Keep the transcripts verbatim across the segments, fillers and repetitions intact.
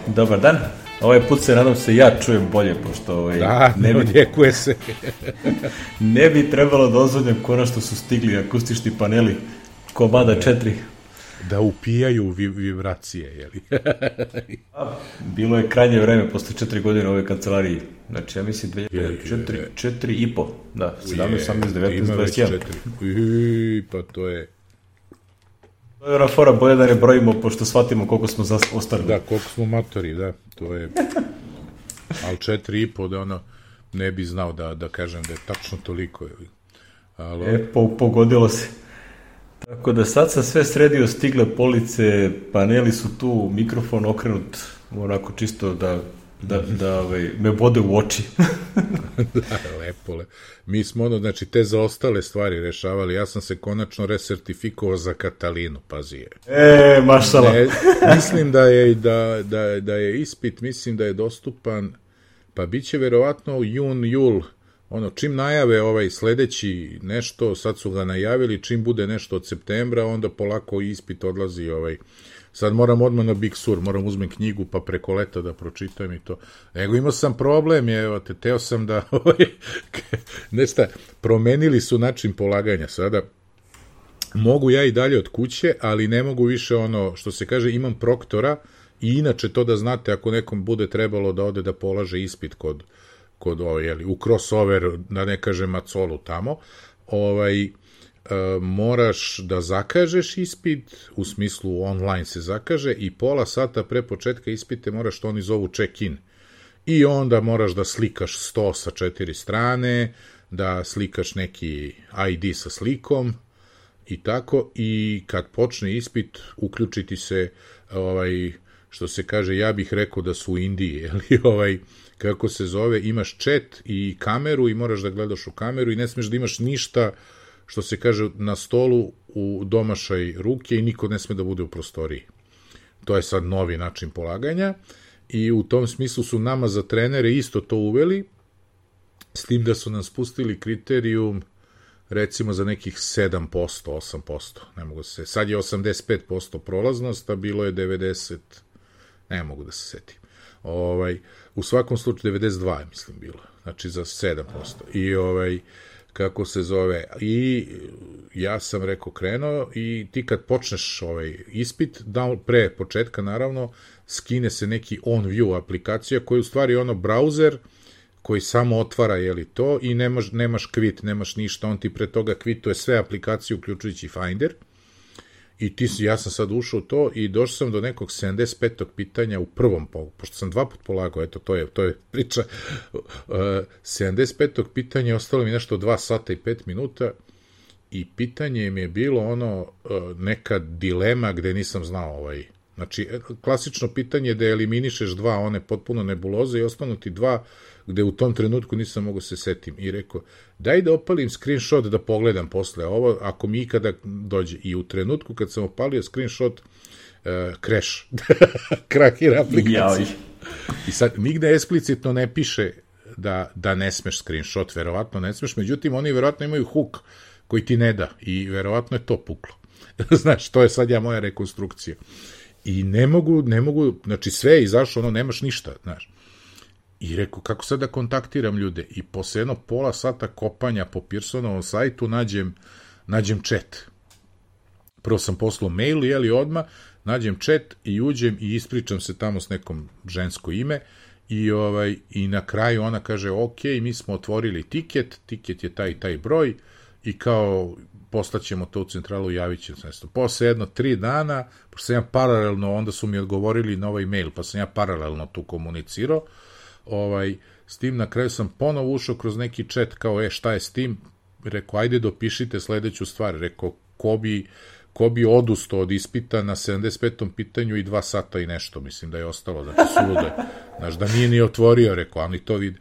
Dobar dan. Ovaj put se, nadam se, ja čujem bolje, pošto ovaj, da, ne, ne odjekuje se. Ne bi trebalo da ozvodnjam konačno su stigli akustični paneli komada četiri. Da upijaju vi, vibracije, jeli? Bilo je krajnje vreme posle četiri godine u ovoj kancelariji. Znači, ja mislim dve hiljade četiri, četiri i po. Da, sedamnaest, osamnaest, devetnaest, dvadeset jedan. Ui, pa to je... To je ona fora, bolje da ne brojimo, pošto shvatimo koliko smo ostali. Da, koliko smo matori, da, to je... Ali četiri i po, da ono, ne bi znao da, da kažem da je tačno toliko, jeli? Ali... E, po, pogodilo se. Tako da sad sam sve sredio, stigle police, paneli su tu, mikrofon okrenut, onako čisto da, da, da ovaj, me bode u oči. Da, lepo, lepo. Mi smo ono, znači, te zaostale stvari rešavali, ja sam se konačno resertifikovao za Katalinu, pazi je. E, mašala. Ne, mislim da je, da, da, da je ispit, mislim da je dostupan, pa bit će verovatno jun, jul, ono, čim najave ovaj sledeći nešto, sad su ga najavili, čim bude nešto od septembra, onda polako ispit odlazi, ovaj, sad moram odmah na Big Sur, moram uzmem knjigu pa preko leta da pročitam i to. Nego imao sam problem, je, evo te, teo sam da, ovaj, nešta, promenili su način polaganja sada, mogu ja i dalje od kuće, ali ne mogu više ono, što se kaže, imam proktora i inače to da znate, ako nekom bude trebalo da ode da polaže ispit kod kod ovo, jeli, u crossover, da ne kažem macolu tamo, ovaj, e, moraš da zakažeš ispit, u smislu online se zakaže i pola sata pre početka ispite moraš što oni zovu check-in. I onda moraš da slikaš sto sa četiri strane, da slikaš neki I D sa slikom i tako, i kad počne ispit, uključiti se, ovaj, što se kaže, ja bih rekao da su u Indiji, jeli, ovaj, kako se zove, imaš chat i kameru i moraš da gledaš u kameru i ne smeš da imaš ništa, što se kaže, na stolu u domašaj ruke i niko ne sme da bude u prostoriji. To je sad novi način polaganja i u tom smislu su nama za trenere isto to uveli, s tim da su nam spustili kriterijum recimo za nekih sedam posto, osam posto, ne mogu se, sad je osamdeset pet posto prolaznost, a bilo je devedeset, ne mogu da se setim. Ovaj, u svakom slučaju devedeset dva je, mislim, bilo, znači za sedam posto. I ovaj, kako se zove, i ja sam rekao krenuo i ti kad počneš ovaj ispit, da, pre početka naravno, skine se neki on-view aplikacija koja je u stvari ono brauzer koji samo otvara, jeli, to i nemaš, nemaš kvit, nemaš ništa, on ti pre toga kvituje sve aplikacije uključujući Finder. I ti, ja sam sad ušao u to i došao sam do nekog sedamdeset petog pitanja u prvom, pošto sam dva put polagao, eto, to je, to je priča, uh, sedamdeset petog pitanja, ostalo mi nešto dva sata i pet minuta i pitanje mi je bilo ono, uh, neka dilema gde nisam znao ovaj, znači, klasično pitanje je da eliminišeš dva, one potpuno nebuloze i ostanu ti dva gde u tom trenutku nisam mogo se setim i rekao, daj da opalim screenshot da pogledam posle ovo, ako mi ikada dođe. I u trenutku kad sam opalio screenshot, uh, crash, krakira aplikacija. I sad, nigde eksplicitno ne piše da, da ne smeš screenshot, verovatno ne smeš, međutim, oni verovatno imaju hook koji ti ne da i verovatno je to puklo. Znaš, to je sad ja moja rekonstrukcija. I ne mogu, ne mogu, znači sve je izašlo, ono, nemaš ništa, znaš. I rekao, kako sad da kontaktiram ljude? I posle jedno pola sata kopanja po Pearsonovom sajtu nađem, nađem chat. Prvo sam poslao mail, jeli odmah, nađem chat i uđem i ispričam se tamo s nekom žensko ime i, ovaj, i na kraju ona kaže, ok, mi smo otvorili tiket, tiket je taj taj broj i kao poslaćemo to u centralu, javit će se nešto. Posle jedno tri dana, pošto sam ja paralelno, onda su mi odgovorili na ovaj mail, pa sam ja paralelno tu komunicirao, ovaj, s tim na kraju sam ponovo ušao kroz neki chat kao, e, šta je s tim? Rekao, ajde dopišite sledeću stvar. Rekao, ko bi, ko bi odustao od ispita na sedamdeset petom pitanju i dva sata i nešto, mislim da je ostalo, znači suludo. Znaš, da nije ni otvorio, rekao, ali to vidi.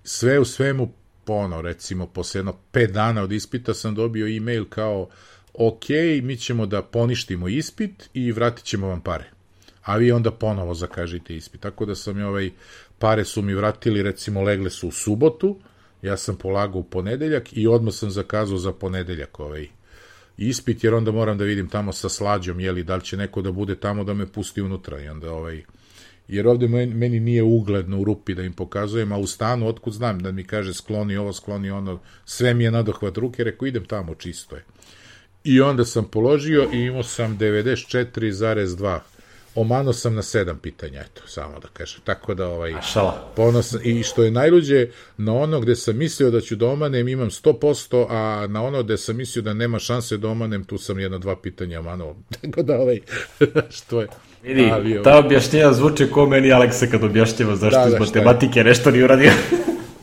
Sve u svemu, pono, recimo, posle jedno pet dana od ispita sam dobio e-mail kao, ok, mi ćemo da poništimo ispit i vratit ćemo vam pare. A vi onda ponovo zakažite ispit. Tako da sam je ovaj, pare su mi vratili, recimo, legle su u subotu, ja sam polagao u ponedeljak i odmah sam zakazao za ponedeljak ovaj ispit, jer onda moram da vidim tamo sa Slađom, jeli, da li će neko da bude tamo da me pusti unutra i onda ovaj, jer ovde meni nije ugledno u rupi da im pokazujem, a u stanu, otkud znam da mi kaže skloni ovo, skloni ono, sve mi je nadohvat ruke, rekao idem tamo, čisto je. I onda sam položio i imao sam devedeset četiri zarez dva. Omano sam na sedam pitanja, eto, samo da kažem. Tako da, ovaj, ponosan. I što je najluđe, na ono gde sam mislio da ću da omanem, imam sto posto, a na ono gde sam mislio da nema šanse da omanem, tu sam jedno dva pitanja omanuo. Tako da, ovaj, što je... Vidi, ali, ta objašnjenja zvuče ko meni Aleksa kad objašnjava zašto da, iz da, matematike nešto nije uradio.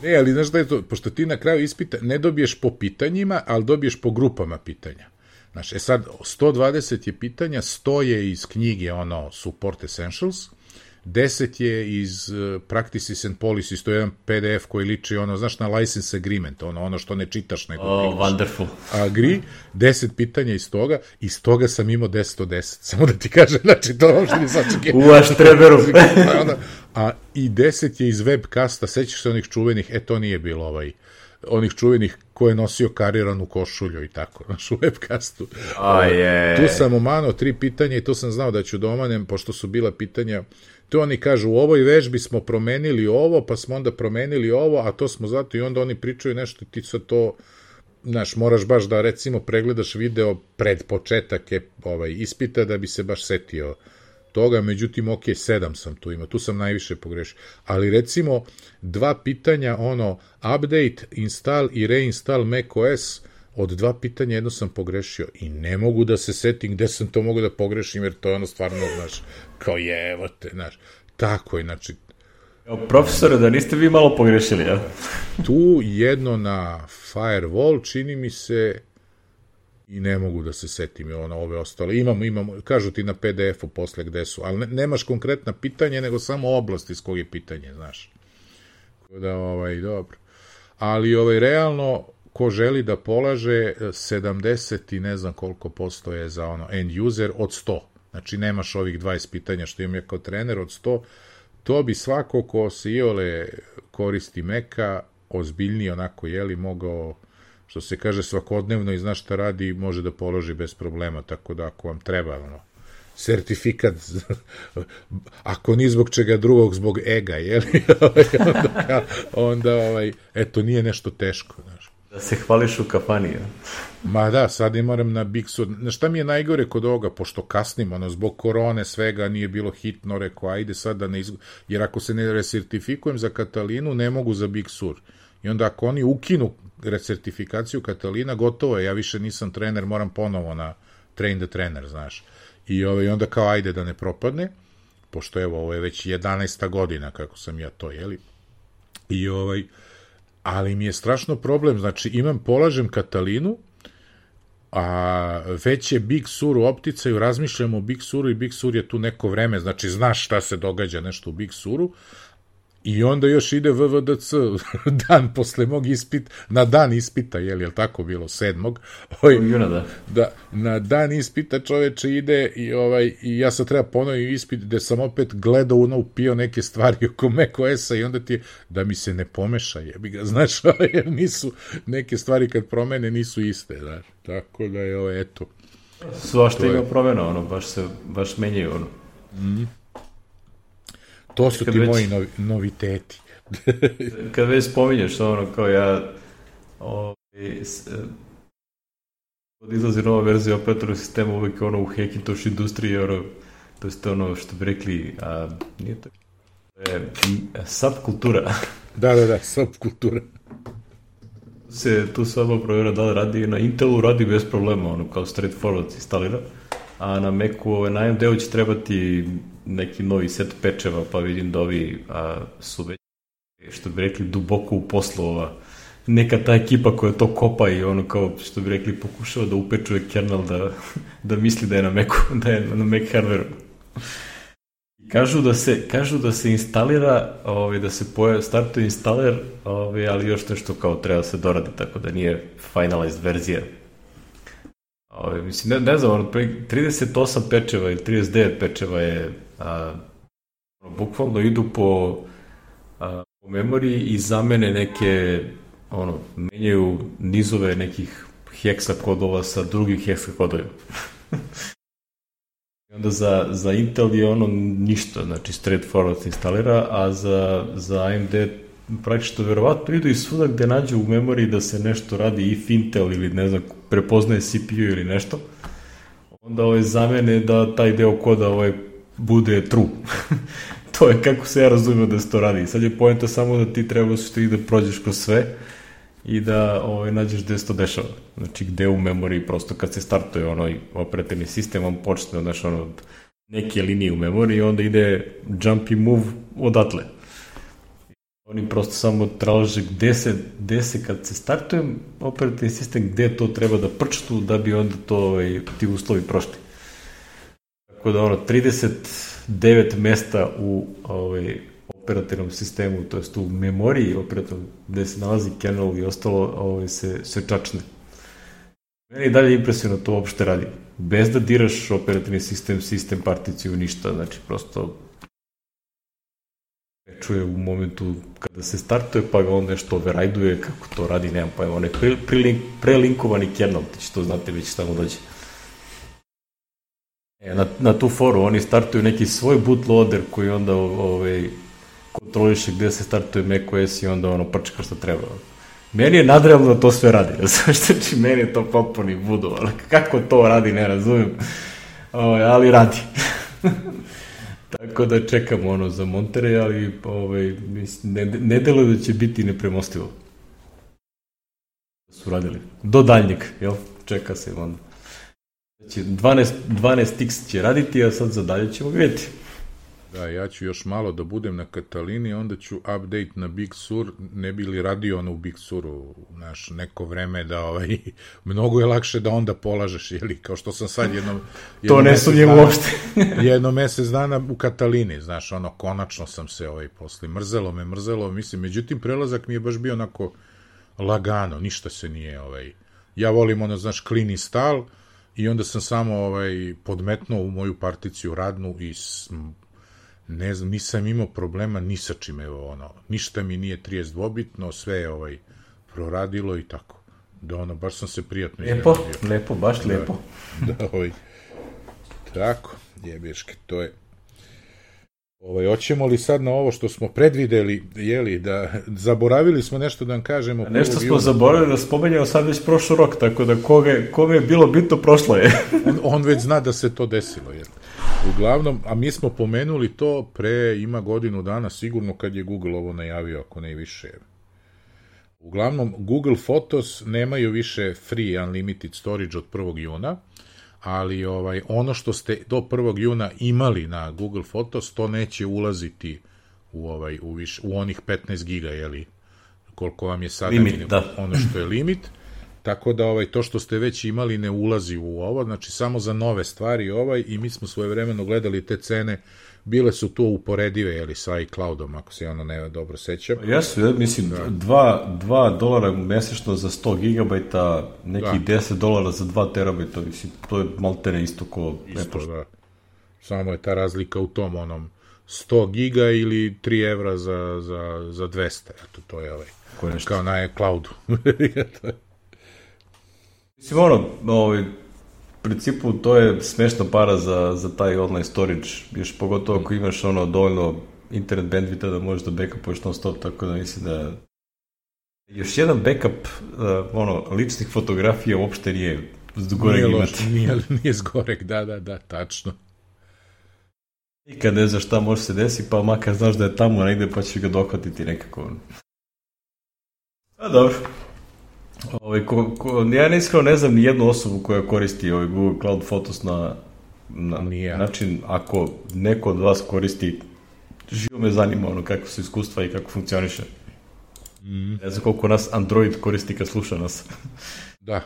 Ne, ali znaš da je to, pošto ti na kraju ispita ne dobiješ po pitanjima, ali dobiješ po grupama pitanja. Znaš, e sad, sto dvadeset je pitanja, sto je iz knjige, ono, Support Essentials, deset je iz uh, Practices and Policies, to je jedan P D F koji liči, ono, znaš, na License Agreement, ono, ono što ne čitaš, nego oh, wonderful. Agree, deset pitanja iz toga, iz toga sam imao deset od deset, samo da ti kažem, znači, to uopšte ni sačekaj. U vaš treberu. A i deset je iz webcasta, sećaš se onih čuvenih, e, to nije bilo ovaj, onih čuvenih ko je nosio kariranu košulju i tako, znaš, u webcastu. Oh, yeah. Tu sam omanao tri pitanja i tu sam znao da ću da omanem, pošto su bila pitanja, tu oni kažu, u ovoj vežbi smo promenili ovo, pa smo onda promenili ovo, a to smo zato i onda oni pričaju nešto i ti sad to, znaš, moraš baš da, recimo, pregledaš video pred početak je, ovaj, ispita da bi se baš setio toga, međutim, ok, sedam sam tu imao, tu sam najviše pogrešio. Ali, recimo, dva pitanja, ono, update, install i reinstall macOS, od dva pitanja jedno sam pogrešio i ne mogu da se setim gde sam to mogu da pogrešim, jer to je ono stvarno, znaš, kao je, evo te, znaš, tako je, znači... Profesore, da niste vi malo pogrešili, ja? Tu jedno na firewall, čini mi se, i ne mogu da se setim i ono, ove ostale. Imamo, imamo, kažu ti na P D F-u posle gde su, ali ne, nemaš konkretna pitanja, nego samo oblast iz kog je pitanje, znaš. Da, ovaj, dobro. Ali, ovaj, realno, ko želi da polaže, sedamdeset i ne znam koliko posto je za ono end user od sto. Znači, nemaš ovih dvadeset pitanja što imam ja kao trener od sto. To bi svako ko se iole koristi Maca, ozbiljnije onako, jeli, mogao, što se kaže, svakodnevno i zna šta radi, može da položi bez problema, tako da ako vam treba, ono, sertifikat, ako ni zbog čega drugog, zbog ega, jeli, onda, onda, ovaj, eto, nije nešto teško, znaš. Da se hvališ u kafani, ja? Ma da, sad i moram na Big Sur. Šta mi je najgore kod ovoga, pošto kasnim, ono, zbog korone svega nije bilo hitno, rekao, ajde sad da ne izgu... Jer ako se ne resertifikujem za Katalinu, ne mogu za Big Sur. I onda ako oni ukinu resertifikaciju Katalina, gotovo je, ja više nisam trener, moram ponovo na train the trainer, znaš. I ovaj, onda kao, ajde da ne propadne, pošto evo, ovo je već jedanaesta godina kako sam ja to, jeli. I ovaj... Ali mi je strašno problem, znači imam, polažem Katalinu, a već je Big Sur u opticaju, razmišljam o Big Suru i Big Sur je tu neko vreme, znači znaš šta se događa nešto u Big Suru, i onda još ide V V D C dan posle mog ispita, na dan ispita, je li, je li tako bilo, sedmog? Oj, Juna, da. Da, na dan ispita čoveče ide i, ovaj, i ja sad treba ponovim ispit gde sam opet gledao ono, upio neke stvari oko macOS-a i onda ti, da mi se ne pomeša, jebi ga, znaš, jer nisu, neke stvari kad promene nisu iste, znaš, tako da je, ovo, eto. Svašta ima promena, ono, baš se, baš menjaju, ono. Mhm. To su ti već, moji novi, noviteti. Kad već spominješ ono, kao ja ovaj, od izlazi nova verzija operatornog sistema, uvijek ono u Hackintosh industriji, ono, to je ono što bi rekli, a nije to, to je subkultura. Da, da, da, subkultura. Se, tu se odmah provjera da li radi, na Intelu radi bez problema, ono, kao straightforward instalira, a na Macu ovaj, na A M D-u će trebati neki novi set pečeva, pa vidim da ovi a, su već, što bi rekli, duboko u poslu ova, neka ta ekipa koja to kopa i ono kao, što bi rekli, pokušava da upečuje kernel da, da misli da je na Macu, da je na Mac hardware. Kažu da se, kažu da se instalira, ovaj, da se pojavi, startuje installer, ovaj, ali još nešto kao treba se doradi, tako da nije finalized verzija. Ove, mislim, ne, ne znam, ono, trideset osam pečeva ili trideset devet pečeva je, a, bukvalno idu po, a, po memoriji i zamene neke, ono, menjaju nizove nekih heksa kodova sa drugih heksa kodovima. Onda za, za Intel je ono ništa, znači straightforward se instalira, a za, za A M D praktično verovatno idu i svuda gde nađu u memoriji da se nešto radi if Intel ili ne znam, prepoznaje C P U ili nešto, onda ovaj zamene da taj deo koda ovaj bude true. To je kako se ja razumio da se to radi. Sad je poenta samo da ti treba što i da prođeš kroz sve i da ovaj, nađeš gde se to dešava. Znači gde u memoriji prosto kad se startuje onaj operativni sistem, on počne znači, ono, od neke linije u memoriji i onda ide jump i move odatle. Oni prosto samo traže gde se, gde se kad se startuje operativni sistem, gde to treba da prčtu da bi onda to ovaj, ti uslovi prošli. Tako da ono, trideset devet mesta u ovaj, operativnom sistemu, to jest u memoriji operativnom, gde se nalazi kernel i ostalo, ovaj, se, se čačne. Meni je dalje impresivno to uopšte radi. Bez da diraš operativni sistem, sistem, particiju, ništa, znači prosto čuje u momentu kada se startuje, pa ga on nešto override-uje, kako to radi, nemam pojma, on je pre, pre, prelinkovani kernel, ti će to znate već šta mu dođe. E, na, na tu foru oni startuju neki svoj bootloader koji onda ovaj, kontroliše gde se startuje macOS i onda ono prčka što treba. Meni je nadrealno da to sve radi, znači meni je to potpuni budo, ali kako to radi ne razumijem, ovaj, ali radi. Tako da čekamo ono za montere, ali ovaj, ne, ne deluje da će biti nepremostivo. Su radili. Do daljnjeg, jel? Čeka se onda. Znači, dvanaest, dvanaest iks će raditi, a sad za dalje ćemo vidjeti. Da, ja ću još malo da budem na Katalini, onda ću update na Big Sur, ne bi li radio ono u Big Suru, znaš, neko vreme da, ovaj, mnogo je lakše da onda polažeš, jeli, kao što sam sad jedno... To ne sumnjem uopšte. jedno mesec dana u Katalini, znaš, ono, konačno sam se, ovaj, posle, mrzelo me, mrzelo, mislim, međutim, prelazak mi je baš bio onako lagano, ništa se nije, ovaj, ja volim, ono, znaš, clean install, i onda sam samo, ovaj, podmetnuo u moju particiju radnu i ne znam, nisam imao problema ni sa čim, evo, ono, ništa mi nije trideset dvobitno, sve je, ovaj, proradilo i tako. Da, ono, baš sam se prijatno izgledio. Lepo, lepo, baš da, lepo. Da, ovaj, tako, jebeške, to je. Ovaj, hoćemo li sad na ovo što smo predvideli, jeli, da zaboravili smo nešto da vam kažemo. Nešto smo zaboravili da spomenjamo sad već prošlo rok, tako da koga, kome je bilo bitno, prošlo je. on, on već zna da se to desilo, jel? Uglavnom, a mi smo pomenuli to pre, ima godinu dana, sigurno kad je Google ovo najavio, ako ne i više. Uglavnom, Google Photos nemaju više free unlimited storage od prvog juna, ali ovaj, ono što ste do prvog juna imali na Google Photos, to neće ulaziti u, ovaj, u, viš, u onih petnaest giga, jeli, koliko vam je sada limit, da. Ono što je limit. Tako da ovaj, to što ste već imali ne ulazi u ovo, znači samo za nove stvari ovaj, i mi smo svojevremeno gledali te cene, bile su to uporedive, jeli, sa iCloudom, ako se ono ne dobro sećam. Jesu, ja mislim, da. dva, dva dolara mesečno za sto gigabajta, neki da. deset dolara za dva terabajta, mislim, to je maltene isto ko... Isto, ne da. Samo je ta razlika u tom onom sto giga ili tri evra za, za, za dvesta, eto, to je ovaj, kao na iCloudu. Mislim, ono, ovaj, u principu to je smešna para za, za taj online storage, još pogotovo ako imaš ono dovoljno internet bandwidtha da možeš da backupuješ non stop, tako da mislim da još jedan backup uh, ono, ličnih fotografija uopšte nije zgorek nije imati. Loš, nije, nije zgorek, da, da, da, tačno. I kad ne znaš šta može se desi, pa makar znaš da je tamo negde pa ćeš ga dohvatiti nekako. A dobro. Ovaj, ko, ko, ja ne iskreno ne znam ni jednu osobu koja koristi ovaj Google Cloud Photos na, na način, ako neko od vas koristi, živo me zanima ono kako su iskustva i kako funkcioniše. Mm. Ne znam koliko nas Android koristi kad sluša nas. Da,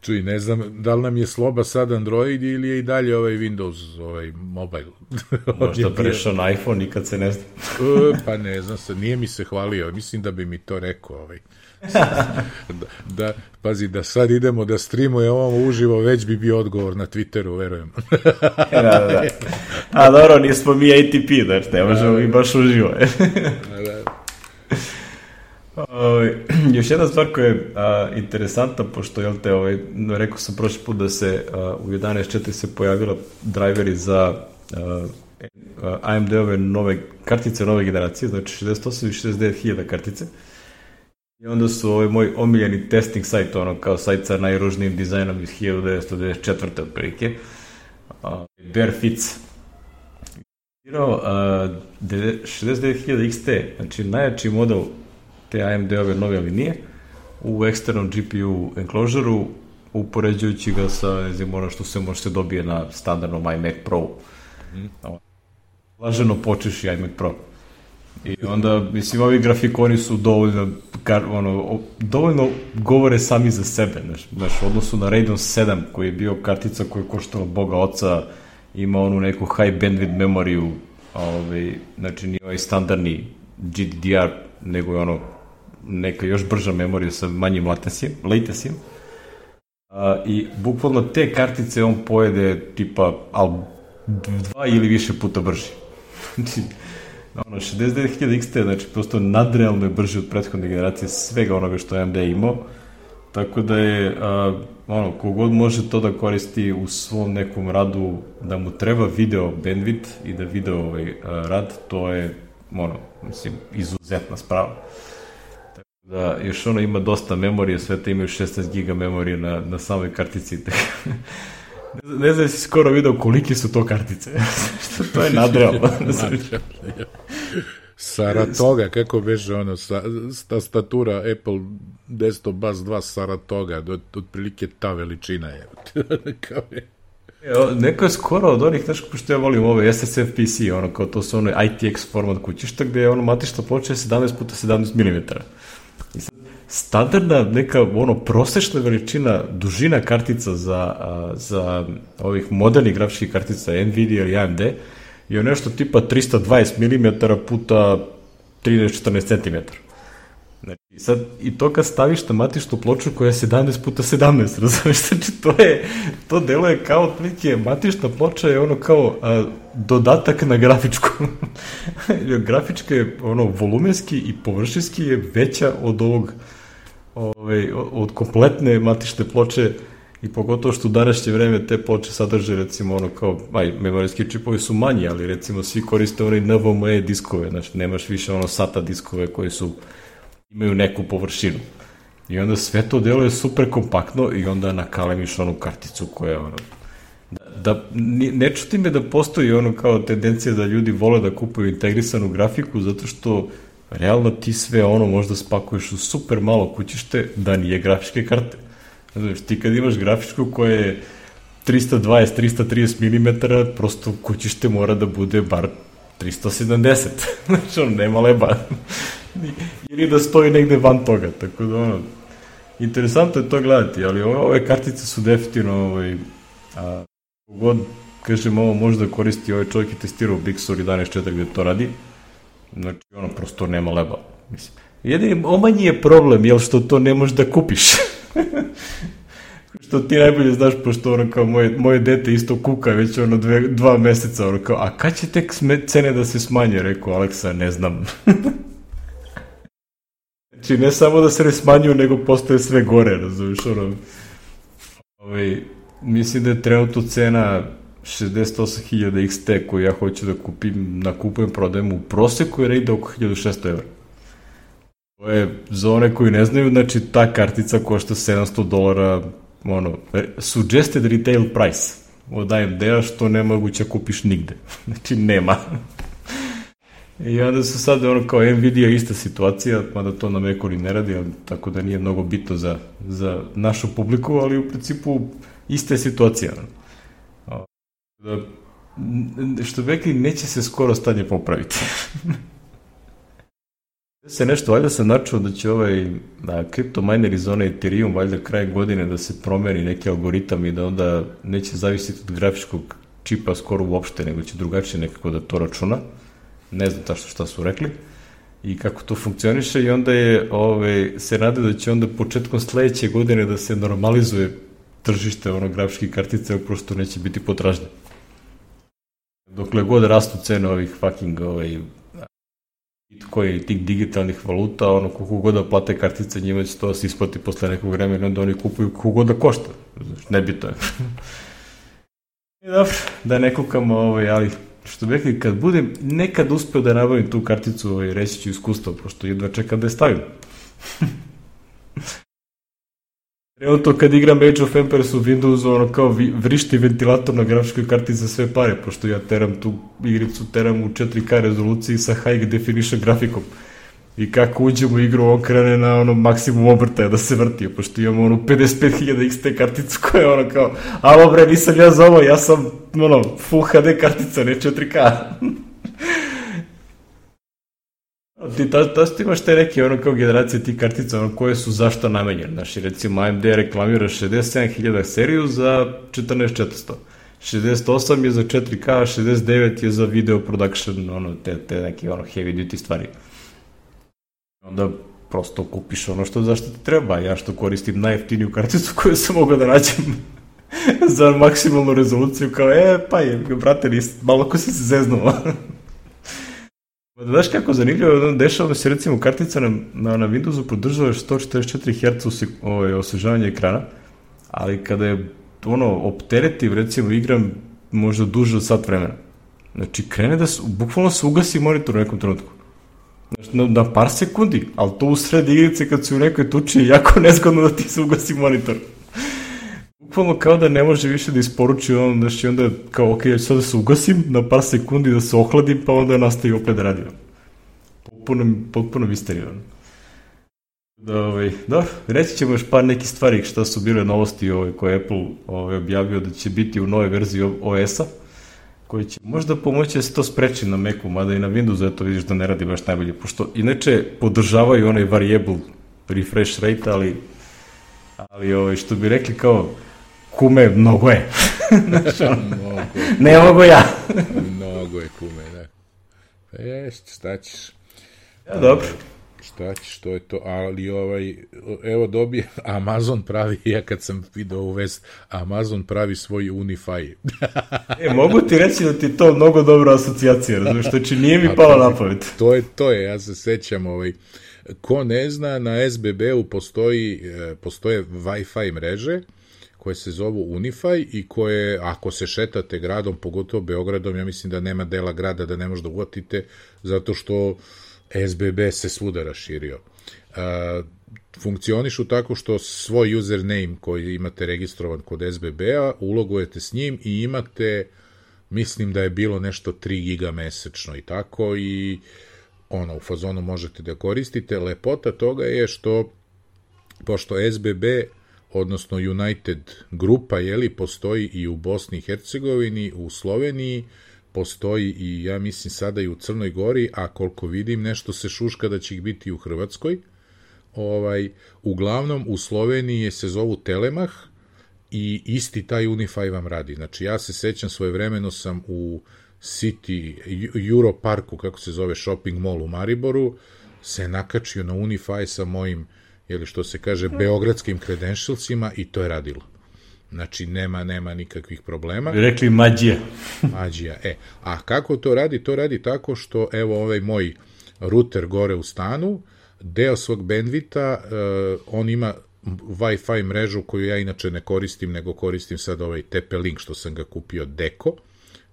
čuj, ne znam da li nam je sloba sad Android ili je i dalje ovaj Windows, ovaj mobile. Možda prešao na iPhone, nikad se ne zna. Pa ne znam se, nije mi se hvalio, mislim da bi mi to rekao, ovaj. da, da, pazi, da sad idemo da streamuje ovo uživo, već bi bio odgovor na Twitteru, verujem. da, da, da. A dobro, nismo mi A T P, znači, ne možemo mi baš uživo. da, da. Uh, još jedna stvar koja je uh, interesantna, pošto, jel te, ovaj, rekao sam prošli put da se uh, u jedanaest četiri se pojavila driveri za uh, A M D-ove nove kartice nove generacije, znači šezdeset osam i šezdeset devet hiljada kartice. I onda su ovaj moj omiljeni testing sajt, ono kao sajt sa najružnijim dizajnom iz hiljadu devetsto devedeset četvrte otprilike, uh, Barefits. Uh, šezdeset devet hiljada X T, znači najjači model te A M D-ove nove linije u eksternom G P U enclosure-u, upoređujući ga sa, ne znam, ono što se može se dobije na standardnom iMac Pro. Mm. Laženo počeš i iMac Pro. I onda, mislim, ovi grafikoni su dovoljno, ono, dovoljno govore sami za sebe, znaš, znaš, u odnosu na Radeon sedam, koji je bio kartica koja je koštala Boga oca, ima onu neku high bandwidth memoriju, ovaj, znači nije ovaj standardni G D D R, nego je ono neka još brža memorija sa manjim latensijem. I bukvalno te kartice on pojede tipa al, dva ili više puta brži. Znači, ono, šezdeset devet hiljada X T, znači prosto nadrealno je brži od prethodne generacije svega onoga što A M D imao, tako da je, a, ono, kogod može to da koristi u svom nekom radu, da mu treba video bandwidth i da video ovaj a, rad, to je, ono, mislim, izuzetna sprava. Tako da, još ono ima dosta memorije, sve te imaju šesnaest giga memorije na, na samoj kartici. Ne, ne znam da si skoro video koliki su to kartice. To je nadrealno. Saratoga, kako beže ono, sa, ta statura Apple desktop bus dva Saratoga, od, otprilike ta veličina je. Kao je. Neko je skoro od onih, znaš kako što ja volim ove S S F P C, ono, kao to su ono I T X format kućišta, gde je ono matična ploča je sedamnaest puta sedamnaest milimetara. I sad, standardna neka, ono, prosečna veličina, dužina kartica za, za ovih modernih grafičkih kartica Nvidia ili A M D je nešto tipa trista dvadeset milimetara puta trinaest četrnaest centimetara. Znači, sad, i to kad staviš na matičnu ploču koja je sedamnaest puta sedamnaest, razumiješ, znači, to je, to deluje kao otprilike, matična ploča je ono kao a, dodatak na grafičku. Grafička je, ono, volumenski i površinski je veća od ovog, ovaj, od kompletne matične ploče, i pogotovo što u današnje vreme te ploče sadrže, recimo, ono kao, aj, memorijski čipovi su manji, ali recimo svi koriste onaj N V M e diskove, znači nemaš više ono SATA diskove koji su, imaju neku površinu. I onda sve to deluje super kompaktno i onda nakalemiš onu karticu koja je ono, da, da ne čuti me da postoji ono kao tendencija da ljudi vole da kupuju integrisanu grafiku, zato što realno ti sve ono možda spakuješ u super malo kućište da nije grafičke karte. Znači, ti kad imaš grafičku koja je trista dvadeset do trista trideset milimetara, prosto kućište mora da bude bar trista sedamdeset. Znači, ono, nema leba. Ili da stoji negde van toga, tako da, ono, interesantno je to gledati, ali ove, ove kartice su definitivno, ovaj, a, god, kažem, ovo može da koristi, ovaj čovjek je testirao Big Sur jedanaest četiri gde to radi, znači, ono, prosto nema leba, mislim. Jedini, omanji je problem, jel što to ne možeš da kupiš. Što ti najbolje znaš, pošto ono kao moje, moje dete isto kuka već ono dve, dva meseca, ono kao, a kad će tek cene da se smanje, rekao Aleksa, ne znam. Znači, ne samo da se ne smanjuju, nego postoje sve gore, razumiješ, ono. Ovaj, mislim da je trenutno cena šezdeset osam hiljada X T koju ja hoću da kupim, nakupujem, prodajem u proseku je ide oko hiljadu šesto evra. To je, za one koji ne znaju, znači ta kartica košta sedamsto dolara, ono, suggested retail price od A M D-a, što nemoguće kupiš nigde. Znači, nema. I onda su sad, ono, kao Nvidia ista situacija, mada to na Macu ne radi, ali, tako da nije mnogo bitno za, za našu publiku, ali u principu ista je situacija. Da, što bi rekli, neće se skoro stanje popraviti. Se nešto, valjda sam načuo da će ovaj kripto miner iz zone Ethereum valjda kraj godine da se promeni neki algoritam i da onda neće zavisiti od grafičkog čipa skoro uopšte, nego će drugačije nekako da to računa. Ne znam tačno šta su rekli i kako to funkcioniše, i onda je, ovaj, se nade da će onda početkom sledeće godine da se normalizuje tržište ono grafičkih kartica, prosto neće biti potražnje. Dokle god rastu cene ovih fucking ovaj, koji tih digitalnih valuta, ono, koliko god da plate kartice, njima će to se isplati posle nekog vremena, onda oni kupuju koliko god da košta. Nebitno je. I dobro, da ne kukamo, ovaj, ali što bi rekli, kad budem nekad uspeo da nabavim tu karticu, ovaj, reći ću iskustvo, pošto jedva čekam da je stavim. Evo to kad igram Age of Empires u Windowsu, ono kao vrišti ventilator na grafičkoj karti za sve pare, pošto ja teram tu igricu, teram u četiri K rezoluciji sa high definition grafikom. I kako uđem u igru, on krene na ono maksimum obrtaja da se vrti, pošto imam ono pedeset pet hiljada X T karticu koja je ono kao, alo bre, nisam ja za ovo, ja sam ono Full H D kartica, ne četiri K. Ti ta, ta ti imaš te neke ono kao generacije tih kartica ono koje su zašto namenjene. Znači recimo A M D reklamira šezdeset sedam hiljada seriju za četrnaest četiristo. šezdeset osam je za četiri K, šezdeset devet je za video production, ono te, te neke ono heavy duty stvari. Onda prosto kupiš ono što zašto ti treba. Ja što koristim najjeftiniju karticu koju sam mogao da nađem za maksimalnu rezoluciju kao e pa je, brate, nis, malo ko si se zeznuo. Da daš kako zanimljivo, dešava da se recimo kartica na, na, na Windowsu podržava sto četrdeset četiri herca ovaj, osvežavanja ekrana, ali kada je ono opteretiv, recimo igram možda duže od sat vremena. Znači krene da se, bukvalno se ugasi monitor u nekom trenutku. Znači, na, na par sekundi, ali to u sred igrice kad si u nekoj tuči je jako nezgodno da ti se ugasi monitor. Bukvalno kao da ne može više da isporuči on, znači onda kao ok, ja ću sad da se ugasim na par sekundi da se ohladim, pa onda nastavi opet da radim. Potpuno, potpuno misterija. Da, ovaj, da, reći ćemo još par nekih stvari šta su bile novosti ovaj, koje je Apple ovaj, objavio da će biti u nove verziji O S-a, koji će možda pomoći da se to spreči na Macu, mada i na Windowsu, eto vidiš da ne radi baš najbolje, pošto inače podržavaju onaj variable refresh rate, ali, ali ovaj, što bi rekli kao kume, mnogo je. Znači, ono, ne mogu ja. Mnogo je kume, da. Pa jest, šta ćeš? Ja, dobro. Šta ćeš, to je to, ali ovaj, evo dobije, Amazon pravi, ja kad sam video u vest, Amazon pravi svoj Unify. E, mogu ti reći da ti to mnogo dobra asocijacija, razumiješ, znači nije mi palo na pamet. To je, to je, ja se sećam, ovaj, ko ne zna, na S B B-u postoji, postoje Wi-Fi mreže, koje se zovu Unify i koje, ako se šetate gradom, pogotovo Beogradom, ja mislim da nema dela grada da ne možda uvatite, zato što S B B se svuda raširio. Uh, funkcionišu tako što svoj username koji imate registrovan kod S B B-a, ulogujete s njim i imate, mislim da je bilo nešto tri giga mesečno i tako, i ono, u fazonu možete da koristite. Lepota toga je što, pošto S B B, odnosno United grupa, jeli, postoji i u Bosni i Hercegovini, u Sloveniji, postoji i, ja mislim, sada i u Crnoj Gori, a koliko vidim, nešto se šuška da će ih biti u Hrvatskoj. Ovaj, uglavnom, u Sloveniji se zovu Telemach i isti taj Unify vam radi. Znači, ja se sećam, svojevremeno sam u City, Europarku, kako se zove, shopping mall u Mariboru, se nakačio na Unify sa mojim, jeli što se kaže, beogradskim credentialsima i to je radilo. Znači, nema, nema nikakvih problema. Bi rekli mađija. Mađija, e. A kako to radi? To radi tako što, evo, ovaj moj ruter gore u stanu, deo svog bandvita, uh, on ima Wi-Fi mrežu koju ja inače ne koristim, nego koristim sad ovaj T P-Link što sam ga kupio, Deko.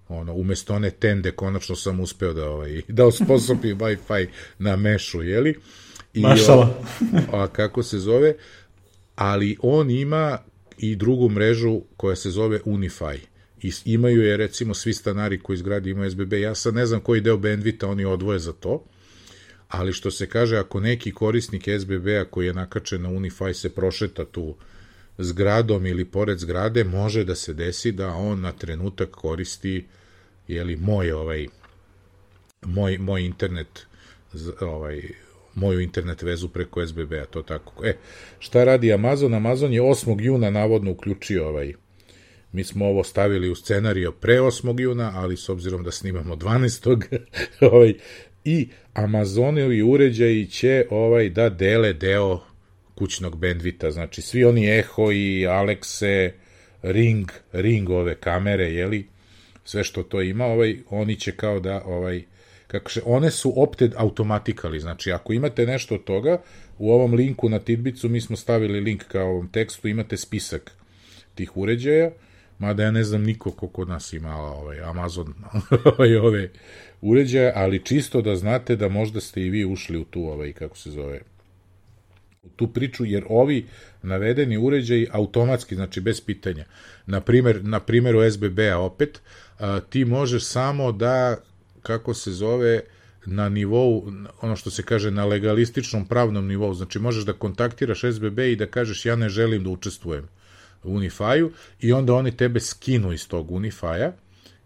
Ono, umesto one Tende, konačno sam uspeo da, ovaj, da osposobim Wi-Fi na mešu, jeli? I, Mašala. A kako se zove? Ali on ima i drugu mrežu koja se zove Unify. I imaju je, recimo, svi stanari koji izgradi imaju S B B. Ja sad ne znam koji deo bandvita oni odvoje za to, ali što se kaže, ako neki korisnik S B B-a koji je nakačen na Unify se prošeta tu zgradom ili pored zgrade, može da se desi da on na trenutak koristi, jeli, moj ovaj moj, moj internet ovaj moju internet vezu preko S B B-a, to tako. E, šta radi Amazon? Amazon je osmog juna navodno uključio ovaj, mi smo ovo stavili u scenario pre osmog juna, ali s obzirom da snimamo dvanaestog ovaj, i Amazonovi uređaji će ovaj da dele deo kućnog bandvita, znači svi oni Echo i Alexe, Ring, Ring ove kamere, jeli, sve što to ima, ovaj, oni će kao da, ovaj, kako še, one su opted automatically, znači ako imate nešto od toga, u ovom linku na Tidbicu mi smo stavili link kao ovom tekstu, imate spisak tih uređaja, mada ja ne znam niko ko kod nas ima ovaj, Amazon ovaj, ove uređaje, ali čisto da znate da možda ste i vi ušli u tu, ovaj, kako se zove, u tu priču, jer ovi navedeni uređaji automatski, znači bez pitanja, na primjer, na primjeru es be be-a opet, a, ti možeš samo da, kako se zove, na nivou, ono što se kaže, na legalističnom pravnom nivou, znači možeš da kontaktiraš es be be i da kažeš ja ne želim da učestvujem u Unify-u i onda oni tebe skinu iz tog Unify-a,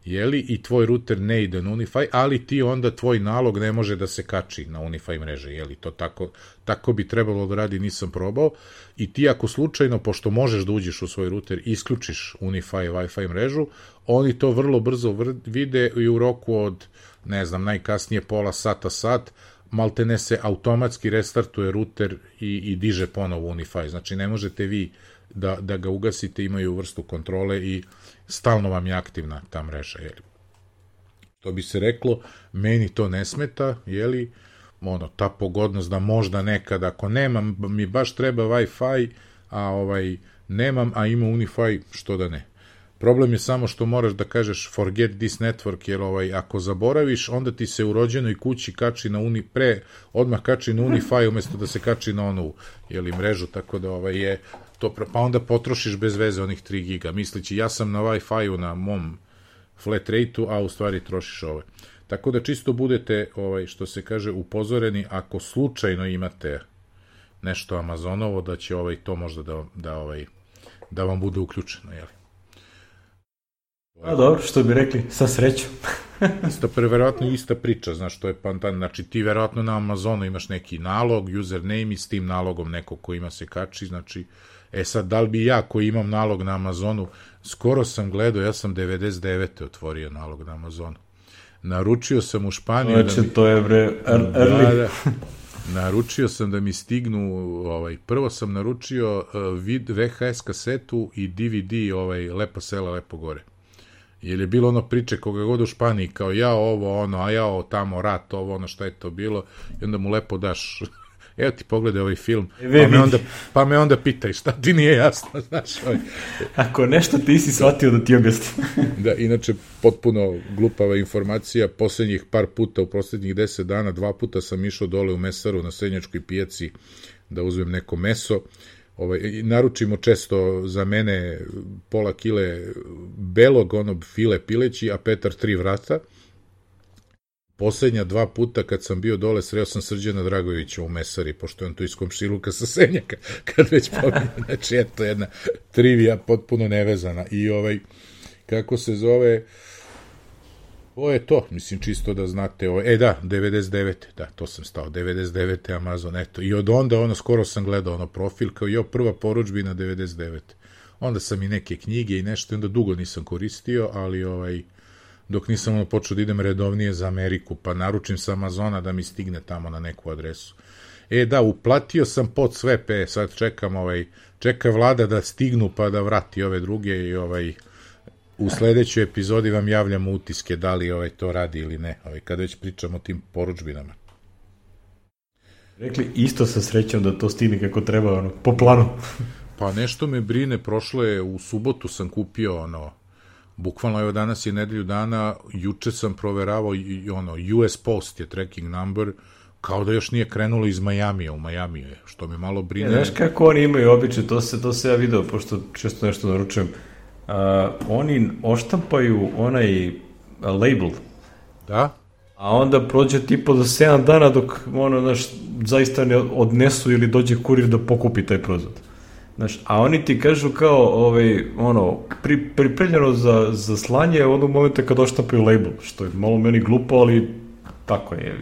jeli, i tvoj ruter ne ide na Unify, ali ti onda tvoj nalog ne može da se kači na Unify mreže, jeli, to tako, tako bi trebalo da radi, nisam probao, i ti ako slučajno, pošto možeš da uđeš u svoj ruter, isključiš Unify Wi-Fi mrežu, oni to vrlo brzo vide i u roku od, ne znam, najkasnije pola sata, sat, maltene se automatski restartuje ruter i, i diže ponovo Unify, znači ne možete vi da, da ga ugasite, imaju vrstu kontrole i stalno vam je aktivna ta mreža, jeli. To bi se reklo, meni to ne smeta, jeli, ono, ta pogodnost da možda nekad, ako nemam, mi baš treba Wi-Fi, a ovaj, nemam, a ima Unify, što da ne. Problem je samo što moraš da kažeš forget this network, jer ovaj, ako zaboraviš, onda ti se u rođenoj kući kači na uni, pre, odmah kači na Unify, umjesto da se kači na onu, jeli, mrežu, tako da ovaj, je to, pa onda potrošiš bez veze onih tri giga, mislići ja sam na Wi-Fi-u na mom flat rate-u, a u stvari trošiš ove. Tako da čisto budete, ovaj, što se kaže, upozoreni ako slučajno imate nešto Amazonovo, da će ovaj, to možda da, da, ovaj, da vam bude uključeno, jeli? A dobro, što bi rekli, sa srećom. Isto, verovatno ista priča, znaš, to je pantan, znači ti verovatno na Amazonu imaš neki nalog, username i s tim nalogom neko ko ima se kači, znači, e sad, da li bi ja koji imam nalog na Amazonu, skoro sam gledao, ja sam devedeset devete otvorio nalog na Amazonu. Naručio sam u Španiju... Znači, da mi, to je bre, early. Da, da, naručio sam da mi stignu, ovaj, prvo sam naručio uh, vid, ve ha es kasetu i de ve de, ovaj, Lepo sela, lepo gore. Jer je bilo ono priče koga god u Španiji, kao ja ovo, ono, a ja ovo tamo, rat, ovo, ono, šta je to bilo, i onda mu lepo daš, evo ti pogledaj ovaj film, pa me, onda, pa me onda pitaj, šta ti nije jasno, znaš, ovaj. Ako nešto ti si shvatio da ti objasnim. Da, inače, potpuno glupava informacija, posljednjih par puta, u posljednjih deset dana, dva puta sam išao dole u mesaru na Senjačkoj pijaci da uzmem neko meso. Ovaj, naručimo često za mene pola kile belog, ono file pileći, a Petar tri vrata. Poslednja dva puta kad sam bio dole, sreo sam Srđana Dragovića u mesari, pošto je on tu iz komšiluka sa Senjaka, kad već pominje, znači eto jedna trivija potpuno nevezana. I ovaj, kako se zove, ovo je to, mislim, čisto da znate, ovo, e da, devedeset devete, da, to sam stao, devedeset devete Amazon, eto, i od onda, ono, skoro sam gledao, ono, profil, kao jo, prva poručbina devedeset devete, onda sam i neke knjige i nešto, onda dugo nisam koristio, ali, ovaj, dok nisam, ono, počeo da idem redovnije za Ameriku, pa naručim sa Amazona da mi stigne tamo na neku adresu. E, da, uplatio sam pod sve, pe, sad čekam, ovaj, čeka vlada da stignu, pa da vrati ove druge i, ovaj, u sledećoj epizodi vam javljamo utiske da li ovaj to radi ili ne, ovaj, kada već pričamo o tim poručbinama. Rekli isto sa srećom da to stigne kako treba, ono, po planu. Pa nešto me brine, prošlo je, u subotu sam kupio, ono, bukvalno evo danas je nedelju dana, juče sam proveravao, i, ono, U S Post je tracking number, kao da još nije krenulo iz Majamija, u Majamiju je, što me malo brine. Ja, znaš kako oni imaju običaj, to se, to se ja video, pošto često nešto naručujem. Uh, oni oštampaju onaj label, da, a onda prođe tipo do sedam dana dok ono, znaš, zaista ne odnesu ili dođe kurir da pokupi taj proizvod. Znaš, a oni ti kažu kao ovaj, ono, pri, pripremljeno za, za slanje onog momenta kad oštampaju label, što je malo meni glupo, ali tako je.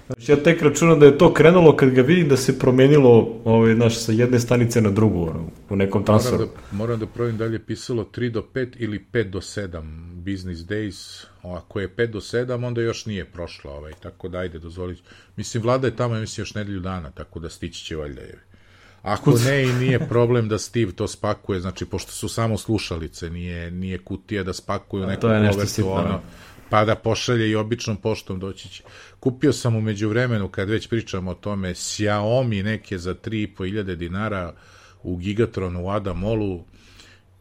Znači, ja tek računam da je to krenulo kad ga vidim da se promenilo, ovaj, znaš, sa jedne stanice na drugu, ono, u nekom transferu. Moram da, moram da provim da li je pisalo tri do pet ili pet do sedam business days. Ako je pet do sedam, onda još nije prošlo, ovaj, tako da ajde, dozvolić. Mislim, vlada je tamo, ja mislim, još nedelju dana, tako da stići će valjda je. Ako ne, i nije problem da Steve to spakuje, znači, pošto su samo slušalice, nije, nije kutija da spakuju neku povrtu, ono, pa da pošalje i običnom poštom doći će. Kupio sam u međuvremenu, kad već pričamo o tome, Xiaomi neke za tri i po hiljade dinara u Gigatronu u Adamolu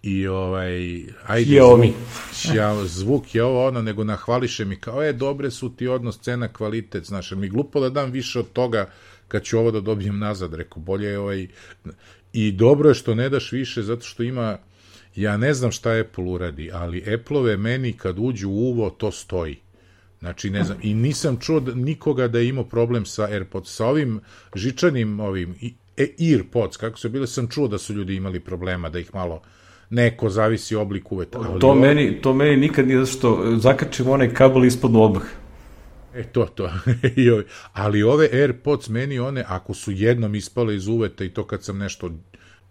i ovaj, ajde, Xiaomi. Zvuk, zvuk je ovo ono, nego nahvališe mi kao, e, dobre su ti odnos cena kvalitet, znaš, mi glupo da dam više od toga kad ću ovo da dobijem nazad, rekao, bolje je ovaj, i dobro je što ne daš više, zato što ima, ja ne znam šta Apple uradi, ali Apple-ove meni kad uđu u uvo, to stoji. Znači, ne znam, i nisam čuo da, nikoga da je imao problem sa AirPods, sa ovim žičanim, ovim, EarPods, kako su bile, sam čuo da su ljudi imali problema, da ih malo neko zavisi oblik uveta. To meni, to meni nikad nije, zato što zakačim onaj kabel ispadnu odmah. E, to, to. Ali ove AirPods meni one, ako su jednom ispale iz uveta i to kad sam nešto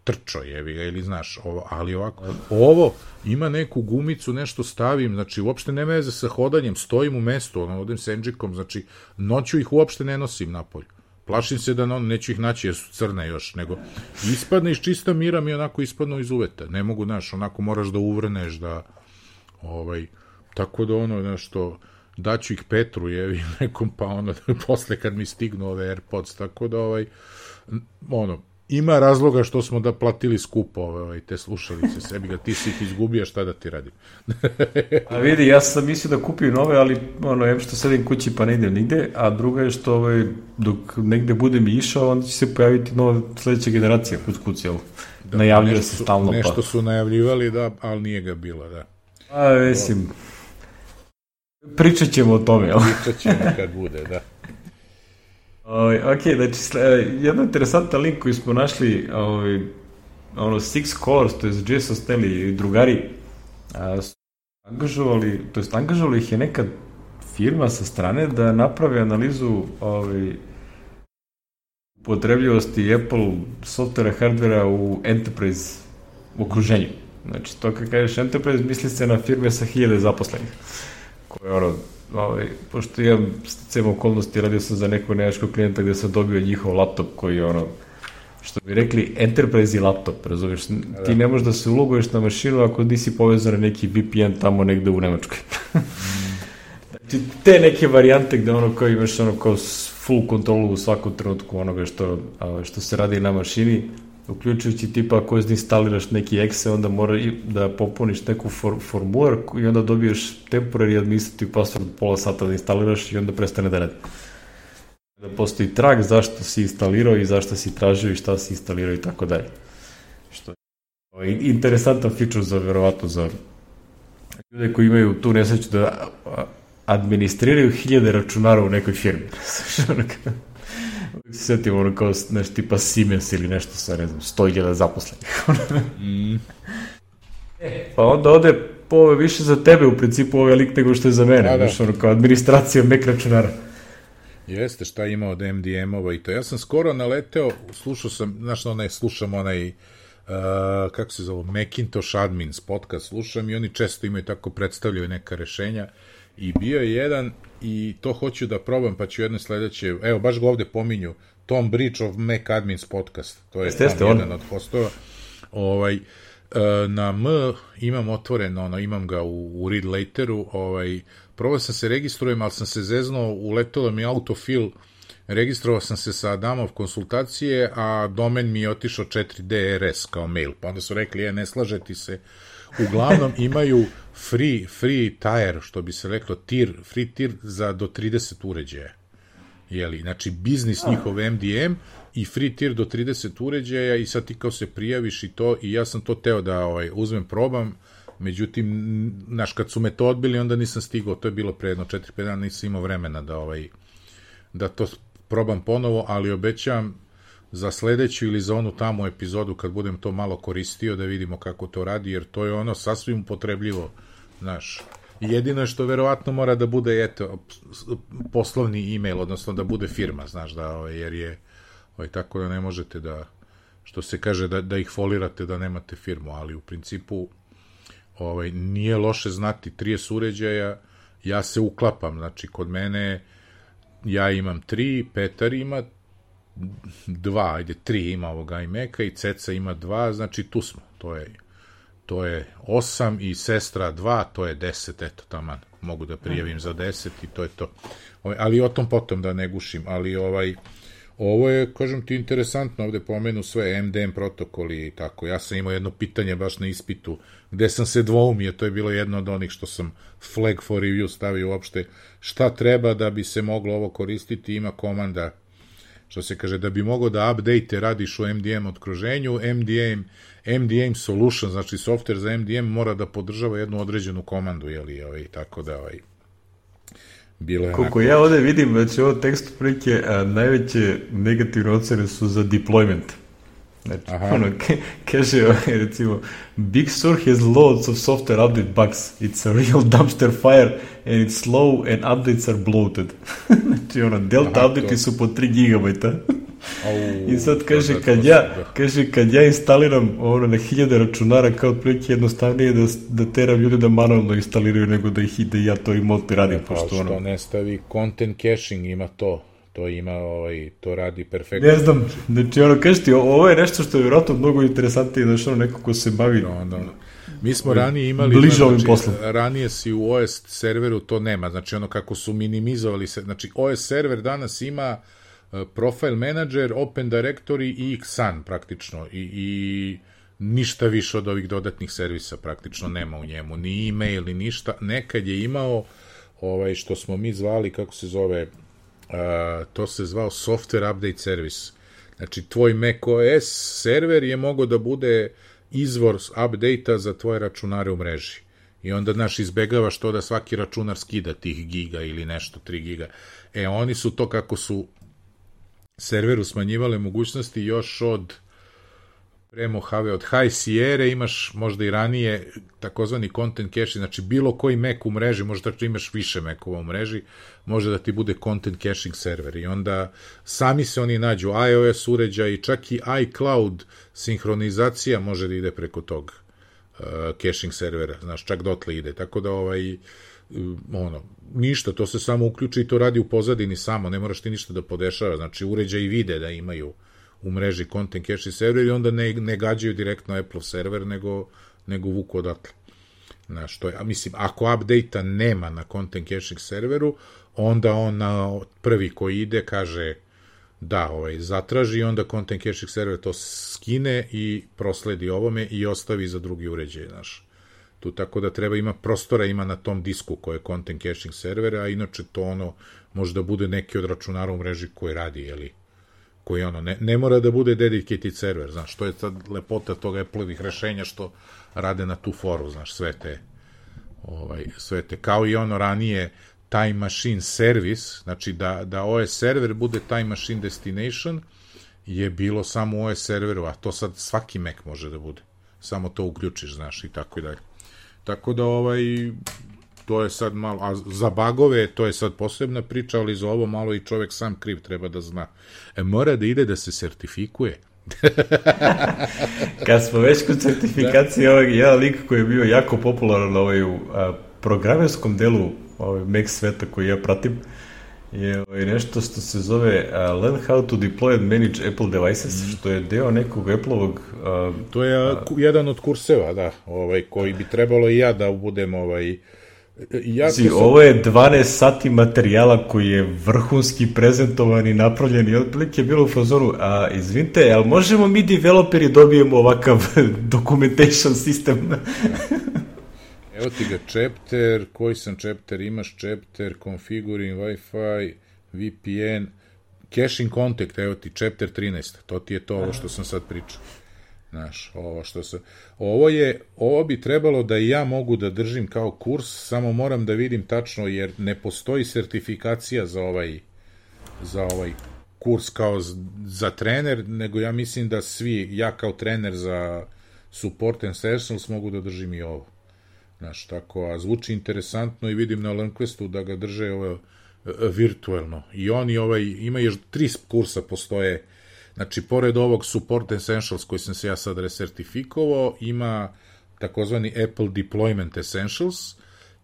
trčo, jevi ga, ili znaš, ovo, ali ovako, ovo ima neku gumicu, nešto stavim, znači, uopšte nema veze sa hodanjem, stojim u mestu, ono, odem s Enđikom, znači, noću ih uopšte ne nosim napolju. Plašim se da ono, neću ih naći jer su crne još, nego ispadne iz čista mira mi onako ispadnu iz uveta. Ne mogu, znaš, onako moraš da uvrneš, da, ovaj, tako da ono, nešto, daću ih Petru, jevi, nekom, pa ono, posle kad mi stignu ove AirPods, tako da, ovaj, ono, ima razloga što smo da platili skupo ovaj, te slušalice, sebi ga, ti si ih izgubio, šta da ti radim? A vidi, ja sam mislio da kupim nove, ali ono, jem što sedim kući pa ne idem nigde, a druga je što ovaj, dok negde budem išao, onda će se pojaviti nova sledeća generacija kuc kuc, jel? Da, najavljuje se stalno. Nešto pa. su najavljivali, da, ali nije ga bilo, da. A, mislim, pričat ćemo o tome, jel? Pričat ćemo kad bude, da. Ovaj, ok, znači, jedan interesantan link koji smo našli, ovaj, ono, Six Colors, to je Jason Stanley i drugari, a, su angažovali, to jest angažovali ih je neka firma sa strane da napravi analizu ovaj, upotrebljivosti Apple softvera, hardvera u enterprise okruženju. Znači, to kad kažeš enterprise, misli se na firme sa hiljade zaposlenih, koje, ono, ovaj, pošto imam sticajem okolnosti, radio sam za nekog nemačkog klijenta gde sam dobio njihov laptop koji je ono, što bi rekli, enterprise laptop, razumiješ, ti ne možeš da se uloguješ na mašinu ako nisi povezan na neki V P N tamo negde u Nemačkoj. Znači, te neke varijante gde ono kao imaš ono kao full kontrolu u svakom trenutku onoga što, što se radi na mašini, uključujući tipa ako instaliraš neki exe, onda mora da popuniš neku for, formular i onda dobiješ temporary administrative password pola sata da instaliraš i onda prestane da radi. Da postoji trag zašto si instalirao i zašto si tražio i šta si instalirao i tako dalje. Što je interesantan feature za, verovatno, za ljude koji imaju tu nesreću da administriraju hiljade računara u nekoj firmi. Se sjetim ono kao nešto tipa Siemens ili nešto sa, ne znam, sto hiljada zaposlenih. mm. E, pa onda ode po ove više za tebe u principu ovaj lik nego što je za mene. Da, da. Ono kao administracija Mac računara. Jeste, šta ima od M D M-ova i to. Ja sam skoro naleteo, slušao sam, znaš, onaj, slušam onaj, uh, kako se zove, Macintosh Admins podcast, slušam i oni često imaju tako, predstavljaju neka rešenja i bio je jedan i to hoću da probam, pa ću jedno sledeće, evo, baš ga ovde pominju, Tom Bridge of Mac Admins podcast, to je Jeste, tam jedan on. Od hostova, ovaj, na M imam otvoren, ono, imam ga u, u read lateru, ovaj, probao sam se registrujem, ali sam se zeznuo, uletelo mi autofill, registrovao sam se sa Adamov konsultacije, a domen mi je otišao četiri D R S kao mail, pa onda su rekli, je, ne slažeti se, uglavnom imaju free, free tier, što bi se reklo, tier, free tier za do trideset uređaja. Jeli, znači, biznis njihov M D M i free tier do trideset uređaja i sad ti kao se prijaviš i to, i ja sam to teo da ovaj, uzmem, probam, međutim, znaš, kad su me to odbili, onda nisam stigao, to je bilo pre jedno četiri pet dana, nisam imao vremena da, ovaj, da to probam ponovo, ali obećam za sledeću ili za onu tamo epizodu kad budem to malo koristio da vidimo kako to radi, jer to je ono sasvim upotrebljivo, znaš. Jedino je što verovatno mora da bude, eto, poslovni e-mail, odnosno da bude firma, znaš, da, ovaj, jer je ovaj, tako da ne možete da, što se kaže, da, da ih folirate da nemate firmu, ali u principu ovaj, nije loše znati trideset uređaja, ja se uklapam, znači kod mene ja imam tri, Petar ima dva, ajde, tri ima ovoga iMac-a i Ceca ima dva, znači tu smo, to je, to je osam i sestra dva, to je deset, eto, taman, mogu da prijavim za deset i to je to. Ali o tom potom da ne gušim, ali ovaj, ovo je, kažem ti, interesantno, ovde pomenu sve M D M protokoli i tako. Ja sam imao jedno pitanje baš na ispitu, gde sam se dvoumio, to je bilo jedno od onih što sam flag for review stavio uopšte, šta treba da bi se moglo ovo koristiti, ima komanda, što se kaže, da bi mogao da update radiš u M D M okruženju, M D M, M D M solution, znači software za M D M mora da podržava jednu određenu komandu, jeli, ovaj, tako da, ovaj, bilo je koliko onako... ja ovde vidim, znači ovo tekst prilike, a, najveće negativne ocene su za deployment. Znači, aha, ono, ke, kaže, recimo, Big Sur has loads of software update bugs. It's a real dumpster fire and it's slow and updates are bloated. Znači, ono, delta aha, update su po tri gigabajta. Au, i sad kaže, da, kad ja, da. kaže, kad ja instaliram ono na hiljade računara, kao otprilike jednostavnije da, da teram ljudi da manualno instaliraju nego da ih ide ja to i multi radim. Pa što ono... ne stavi content caching, ima to. To ima, ovaj, to radi perfektno. Ne znam, znači ono, kažeš ti, ovo je nešto što je vjerojatno mnogo interesantnije, znači ono, neko ko se bavi... No, no. Mi smo ranije imali... Bliže ovim znači, poslom. Ranije si u O S serveru, to nema, znači ono kako su minimizovali se, znači O S server danas ima uh, profile manager, open directory i X A N praktično i, i ništa više od ovih dodatnih servisa praktično nema u njemu, ni e-mail, ni ništa. Nekad je imao ovaj, što smo mi zvali, kako se zove... Uh, to se zvao software update service. Znači, tvoj macOS server je mogao da bude izvor update-a za tvoje računare u mreži. I onda, znaš, izbegavaš to da svaki računar skida tih giga ili nešto, tri giga. E, oni su to kako su serveru smanjivale mogućnosti još od pre Mojave, od High Sierra imaš možda i ranije takozvani content caching, znači bilo koji Mac u mreži, možda da imaš više Macova u mreži, može da ti bude content caching server i onda sami se oni nađu, iOS uređaj i čak i iCloud sinhronizacija može da ide preko tog uh, caching servera, znaš, čak dotle ide, tako da ovaj, uh, ono, ništa, to se samo uključi i to radi u pozadini samo, ne moraš ti ništa da podešava, znači uređaj i vide da imaju u mreži content caching server i onda ne, ne gađaju direktno Apple server, nego, nego vuku odatle. Znaš, to je, a mislim, ako update-a nema na content caching serveru, onda on na prvi koji ide kaže da, ovaj, zatraži i onda content caching server to skine i prosledi ovome i ostavi za drugi uređaj, znaš. Tu tako da treba ima prostora, ima na tom disku koji je content caching server, a inače to ono može da bude neki od računara u mreži koji radi, jeli, koji ono, ne, ne mora da bude dedicated server, znaš, to je sad lepota toga Apple-ovih rešenja što rade na tu foru, znaš, sve te, ovaj, sve te, kao i ono ranije Time Machine Service, znači da, da O S server bude Time Machine Destination, je bilo samo u O S serveru, a to sad svaki Mac može da bude, samo to uključiš, znaš, i tako i dalje. Tako da, ovaj, to je sad malo, a za bagove to je sad posebna priča, ali za ovo malo i čovek sam kriv treba da zna. E, mora da ide da se sertifikuje. Kad smo već kod sertifikacije, da. Ovaj jedan lik koji je bio jako popularan ovaj, u a, programerskom delu ovaj, Mac sveta koji ja pratim, je ovaj, nešto što se zove uh, Learn how to deploy and manage Apple devices, mm. što je deo nekog Apple-ovog... Uh, to je uh, jedan od kurseva, da, ovaj, koji bi trebalo i ja da budem ovaj... Ja Zi, sam... Ovo je dvanaest sati materijala koji je vrhunski prezentovan i napravljen i otprilike je bilo u fazonu, a izvinite, ali možemo mi developeri dobijemo ovakav documentation sistem? Evo ti ga chapter, koji sam chapter, imaš chapter, configuring Wi-Fi, V P N, caching contact, evo ti chapter trinaest, to ti je to ovo što sam sad pričao. Znaš, ovo što se... Ovo je, ovo bi trebalo da i ja mogu da držim kao kurs, samo moram da vidim tačno, jer ne postoji sertifikacija za ovaj, za ovaj kurs kao za trener, nego ja mislim da svi, ja kao trener za support and sessions mogu da držim i ovo. Znaš, tako, a zvuči interesantno i vidim na LearnQuestu da ga drže ovo virtualno. I oni ovaj, ima još tri kursa postoje. Znači, pored ovog Support Essentials koji sam se ja sad resertifikovao, ima takozvani Apple Deployment Essentials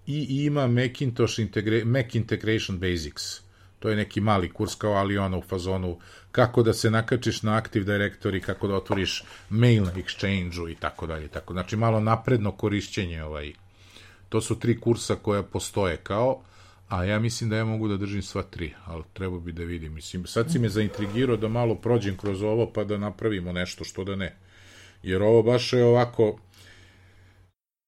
i ima Macintosh Integra- Mac Integration Basics. To je neki mali kurs kao, ali ono u fazonu kako da se nakačiš na Active Directory, kako da otvoriš mail na Exchange-u i tako dalje. Tako. Znači malo napredno korišćenje. Ovaj. To su tri kursa koja postoje kao, a ja mislim da ja mogu da držim sva tri, ali treba bi da vidim. Mislim, sad si me zaintrigirao da malo prođem kroz ovo pa da napravimo nešto, što da ne. Jer ovo baš je ovako,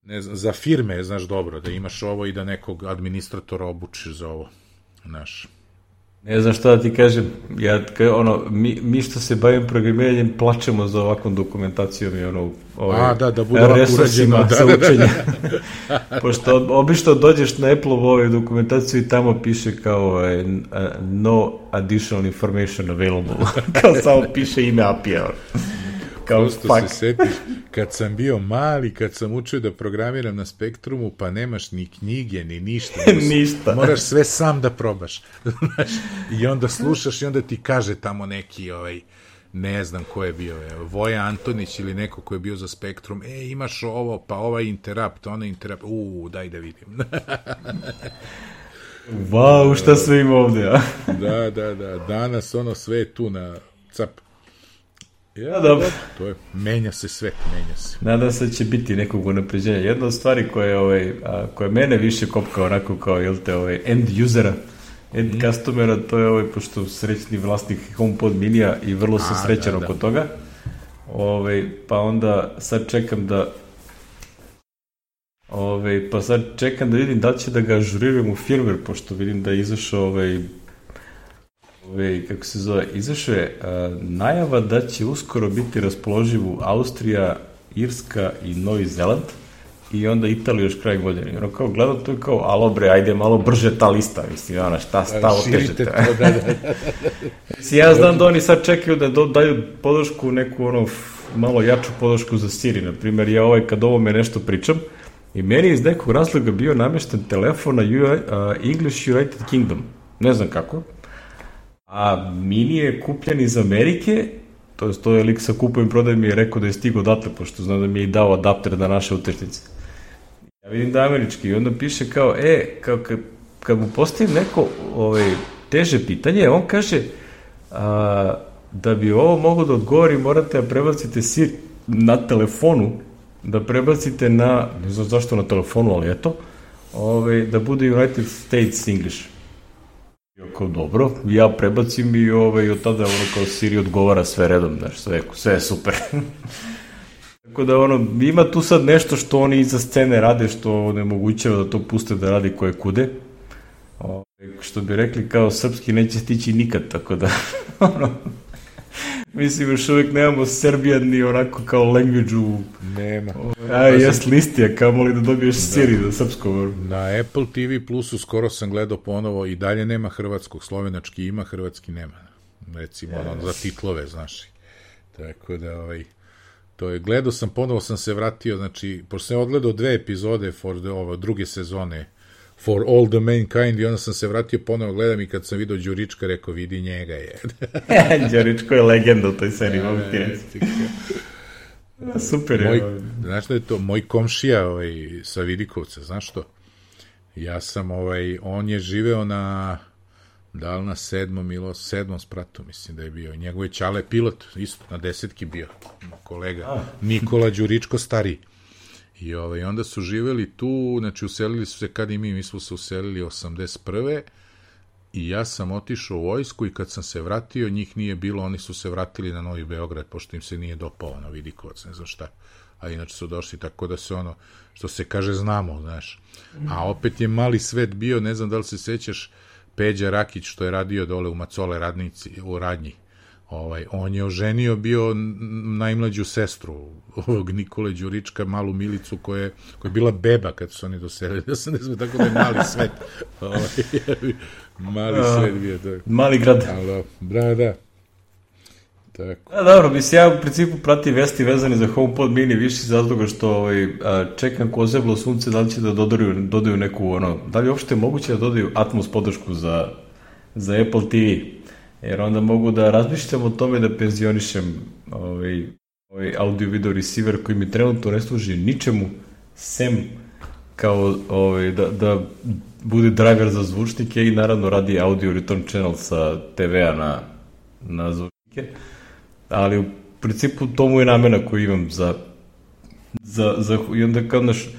ne znam, za firme, znaš dobro, da imaš ovo i da nekog administratora obučiš za ovo, znaš. Ne znam šta da ti kažem, ja, ono, mi, mi što se bavim programiranjem plačemo za ovakvom dokumentacijom i ono, ovaj, A, da, da bude ovako urađeno, da, za učenje. Pošto obično dođeš na Apple-ovu ovaj dokumentaciju i tamo piše kao ovaj, no additional information available, kao samo piše ime A P I-a. Kao prosto fuck. Se setiš, kad sam bio mali, kad sam učio da programiram na Spektrumu, pa nemaš ni knjige, ni ništa. Ništa. Moraš sve sam da probaš. I onda slušaš i onda ti kaže tamo neki, ovaj, ne znam ko je bio, je, Voja Antonić ili neko ko je bio za Spektrum, e, imaš ovo, pa ovaj interrupt, onaj interrupt, uuu, daj da vidim. Wow, šta sve ima ovde, a? Da, da, da, danas ono sve je tu na cap. Ja, dobro. To je, menja se svet, menja se. Nadam se da će biti nekog unapređenja. Jedna od stvari koja, ovaj, a, koja mene više kopka onako kao, jel te, ovaj, end usera, end mm. customera, to je ovaj, pošto srećni vlasnik HomePod minija i vrlo sam srećan oko toga. Ovaj, pa onda sad čekam da ovaj, pa sad čekam da vidim da li će da ga ažuriram u firmware, pošto vidim da je izašao ovaj, Ove, kako se zove, izašao je a, najava da će uskoro biti raspoloživ u Austrija, Irska i Novi Zeland i onda Italija još kraj godine. I ono kao gledam, to je kao, alo bre, ajde malo brže ta lista, mislim, ona, šta stavo težete. Da, da, da. Mislim, ja znam da oni sad čekaju da do, daju podršku, neku ono, malo jaču podršku za Siri, na primjer, ja ovaj, kad ovo me nešto pričam, i meni iz nekog razloga bio namješten telefon na English United Kingdom, ne znam kako, a mini je kupljen iz Amerike, to je to je lik sa kupujem prodaj mi je rekao da je stigo odatle, pošto znam da mi je i dao adapter da naše utakmice. Ja vidim da je američki i onda piše kao, e, kao, kad, kad mu postavim neko ovaj, teže pitanje, on kaže a, da bi ovo mogo da odgovori, morate da prebacite Siri na telefonu, da prebacite na, ne znam zašto na telefonu, ali eto, ovaj, da bude United States English. Kao dobro, ja prebacim i ovaj, od tada ono kao Siri odgovara sve redom, znaš, sve, sve je super. Tako da ono, ima tu sad nešto što oni iza scene rade, što onemogućava da to puste da radi koje kude. O, što bi rekli, kao srpski neće stići nikad, tako da, ono, mislim, još uvijek nemamo Serbijan ni onako kao language u... Nema. A, jes listija, kao li da dobiješ da. Siri za srpsko. Na Apple T V Plusu skoro sam gledao ponovo i dalje nema hrvatskog, slovenački ima, hrvatski nema. Recimo, yes. ono, za titlove, znaš. Tako da, ovaj, to je, gledao sam, ponovo sam se vratio, znači, pošto sam odgledao dve epizode for the, ovo, druge sezone, For All the Mankind, i onda sam se vratio, ponovo gledam i kad sam vidio Đurička, rekao, vidi njega je. Đuričko je legenda u toj seriji, mogu ti reći. Super je. Moj, znaš da je to, moj komšija ovaj, sa Vidikovca, znaš što? Ja sam, ovaj, on je živeo na, da li na sedmom ili sedmom spratu, mislim da je bio. Njegov je ćale pilot, isto, na desetki bio, kolega. A. Nikola Đuričko stariji. I ovaj, onda su živeli tu, znači uselili su se kad i mi, mi smo se uselili osamdeset prve i ja sam otišao u vojsku i kad sam se vratio, njih nije bilo, oni su se vratili na Novi Beograd, pošto im se nije dopao na Vidikovac, ne znam šta. A inače su došli, tako da se ono, što se kaže, znamo, znaš. A opet je mali svet bio, ne znam da li se sećaš, Peđa Rakić, što je radio dole u Macole radnici, u radnji. Ovaj, on je oženio bio najmlađu sestru ovog Nikole Đurička, malu Milicu koja je, koja je bila beba kad su oni doselili. Ja sam ne znam, tako da je mali svet. Ovaj, mali A, svet bio. Tako. Mali grad. Alo, da, da. Tako. A, dobro, mislim, ja u principu pratim vesti vezane za HomePod mini više iz razloga što ovaj, čekam ko zeblo sunce da li će da dodaju, dodaju neku, ono, da li je uopšte moguće da dodaju Atmos podršku za, za Apple T V. Jer onda mogu da razmišljam o tome da penzionišem ovaj, ovaj audio-video receiver koji mi trenutno ne služi ničemu, sem kao ovaj, da, da bude driver za zvučnike i naravno radi audio return channel sa te vea na, na zvučnike, ali u principu to mu je namena koju imam za, za, za i onda kao naš,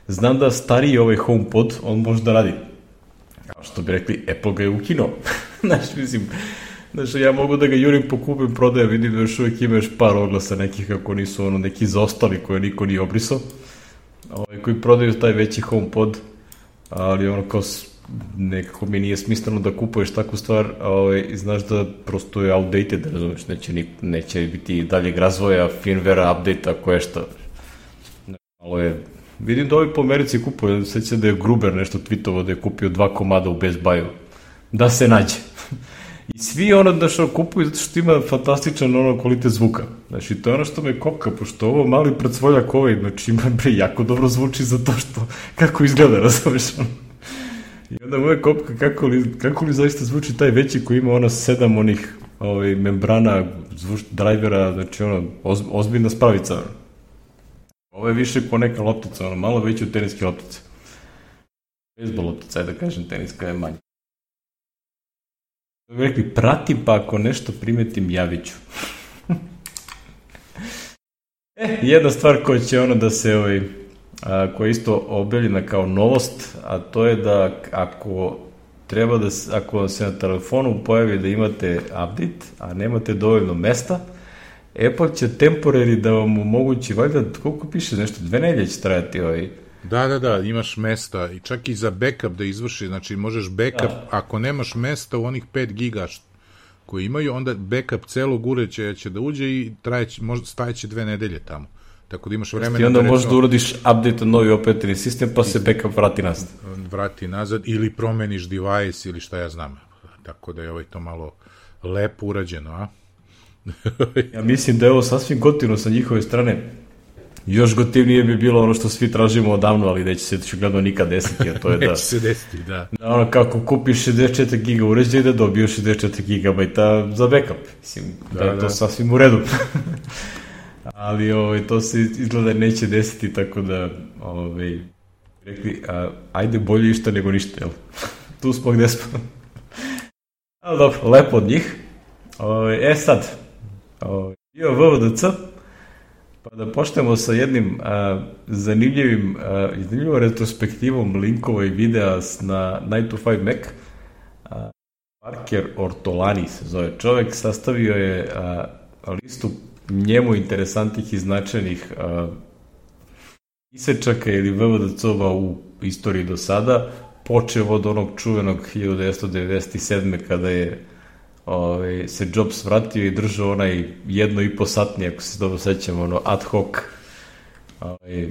znam da stariji ovaj HomePod, on može da radi, kao što bi rekli, Apple ga je ukinuo, znaš, mislim, znaš, ja mogu da ga jurim po kupim prodaje, vidim da još uvijek ima još par oglasa nekih kako nisu ono neki zaostali koje niko nije obrisao, ovaj, koji prodaju taj veći HomePod, ali ono kao nekako mi nije smisleno da kupuješ takvu stvar, ovaj, i znaš da prosto je outdated, razumiješ, neće, ni, neće biti daljeg razvoja, firmware, update-a, koje šta. Malo je, vidim da ovi po Americi kupuje, sveća da je Gruber nešto tweetovo da je kupio dva komada u Best Buy-u, da se nađe. I svi ono da što kupuju zato što ima fantastičan ono kvalitet zvuka. Znači, to je ono što me kopka, pošto ovo mali predsvoljak ovaj, znači ima bre, jako dobro zvuči za to što, kako izgleda, razumiješ ono. I onda moja kopka, kako li, kako li zaista zvuči taj veći koji ima ono sedam onih ovaj, membrana, zvuč, drivera, znači ono, oz, ozbiljna spravica. Ono. Ovo je više ko neka loptica, ono, malo veći od teniske loptice. Bejsbol loptica, ajde da kažem, teniska je manja. Da bi rekli, pratim, pa ako nešto primetim, javit ću. e, jedna stvar koja će ono da se, ovaj, a, koja je isto objavljena kao novost, a to je da ako treba da, ako se na telefonu pojavi da imate update, a nemate dovoljno mesta, Apple će temporary da vam omogući, valjda, koliko piše, nešto, dve nedelje će trajati ovaj. Da, da, da, imaš mesta i čak i za backup da izvrši, znači možeš backup, da. Ako nemaš mesta u onih pet giga koji imaju, onda backup celog uređaja će da uđe i trajeće, možda stajeće dve nedelje tamo. Tako da imaš vremena... I onda možeš da uradiš update na novi operativni sistem, pa se backup vrati nazad. Vrati nazad ili promeniš device ili šta ja znam. Tako da je ovaj to malo lepo urađeno, a? Ja mislim da je ovo sasvim gotivno sa njihove strane. Još gotivnije bi bilo ono što svi tražimo odavno, ali neće se očigledno nikad desiti, a to je da... neće se desiti, da. Da ono, kako kupiš šezdeset četiri giga uređaja da dobiješ šezdeset četiri gigabajta za backup. Mislim, da, da je to da. Sasvim u redu. Ali ovaj, to se izgleda neće desiti, tako da ovaj, rekli, a, ajde bolje išta nego ništa, jel? Tu smo gde smo. Ali dobro, lepo od njih. Ovaj, e sad, ovaj, bio V V D C, pa da počnemo sa jednim a, zanimljivim, a, zanimljivom retrospektivom linkova i videa na nine to five Mac. A, Parker Ortolani se zove čovek, sastavio je a, listu njemu interesantnih i značajnih a, isečaka ili V V D C-ova u istoriji do sada, počeo od onog čuvenog hiljadu devetsto devedeset sedme kada je Ove, se Jobs vratio i držao onaj jedno i po satni, ako se dobro sećam, ono ad hoc ove,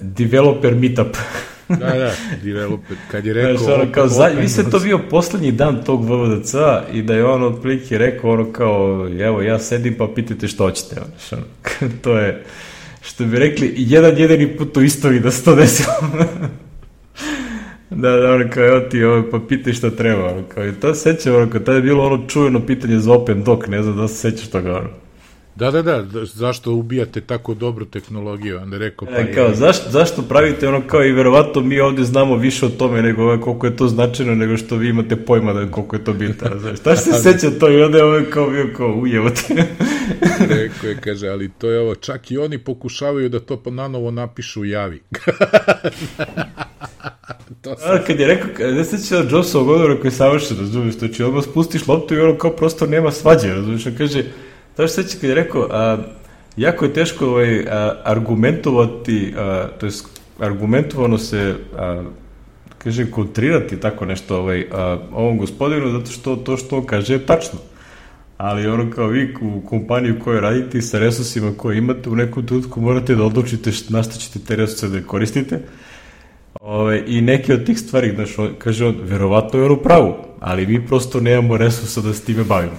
developer meetup. da, da, developer, kad je rekao... Znaš, ono, kao, za, vi se to bio poslednji dan tog V V D C-a i da je on otprilike rekao ono kao, evo ja sedim pa pitajte što hoćete. Ono, to je, što bi rekli, jedan jedini put u istoriji da se to desilo. Da, da, ono kao, evo ti, ovo, pa pitaj šta treba, ono kao, i to se sećam, ono kao, tada je bilo ono čujeno pitanje za Open Doc, ne znam da se sećaš toga, ono. Da, da, da, zašto ubijate tako dobru tehnologiju, onda je rekao, pa... E, kao, je... zašto, zašto pravite, ono kao, i verovatno mi ovde znamo više o tome, nego ovo, koliko je to značajno, nego što vi imate pojma da koliko je to bitno, znaš, šta se seća to, i onda je ovo kao bio kao, ujevote. Rekao je, kaže, ali to je ovo, čak i oni pokušavaju da to nanovo napišu u javi. To sam... A, kad je rekao, ne seća da Jobsovog odgovora koji je savršen, razumiješ, to će odmah spustiš loptu i ono kao prosto nema svađe, razumiješ, on kaže, to što seća kad je rekao, a, jako je teško ovaj, a, argumentovati, a, to je argumentovano se, a, kaže, kontrirati tako nešto ovaj, a, ovom gospodinu, zato što to što on kaže je tačno. Ali ono kao vi u kompaniju koju radite sa resursima koje imate, u nekom trenutku morate da odlučite na šta ćete te resurse da koristite. Ove, i neke od tih stvari, znaš, on, kaže on, verovatno je on u pravu, ali mi prosto nemamo resursa da se time bavimo.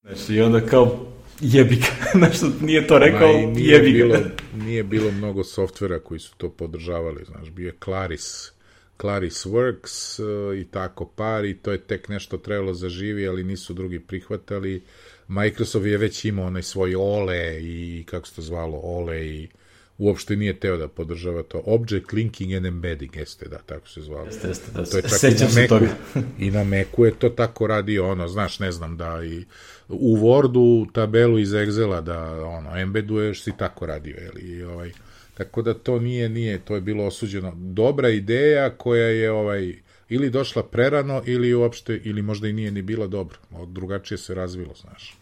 Znači, i onda kao, jebika, znaš, nije to rekao, Ma, nije jebika. Bilo, nije bilo mnogo softvera koji su to podržavali, znaš, bio je Claris, Claris Works uh, i tako par, i to je tek nešto trebalo zaživi, ali nisu drugi prihvatali. Microsoft je već imao onaj svoj Ole i, kako se to zvalo, Ole i uopšte nije teo da podržava to. Object Linking and Embedding, jeste, da, tako se zvalo. Jeste, jeste, da, to je čak sećam i se na toga. I na Macu je to tako radio, ono, znaš, ne znam, da i u Wordu tabelu iz Excela da, ono, embeduješ, si tako radio, jel, i ovaj, tako da to nije, nije, to je bilo osuđeno. Dobra ideja koja je, ovaj, ili došla prerano, ili uopšte, ili možda i nije ni bila dobra, drugačije se razvilo, znaš.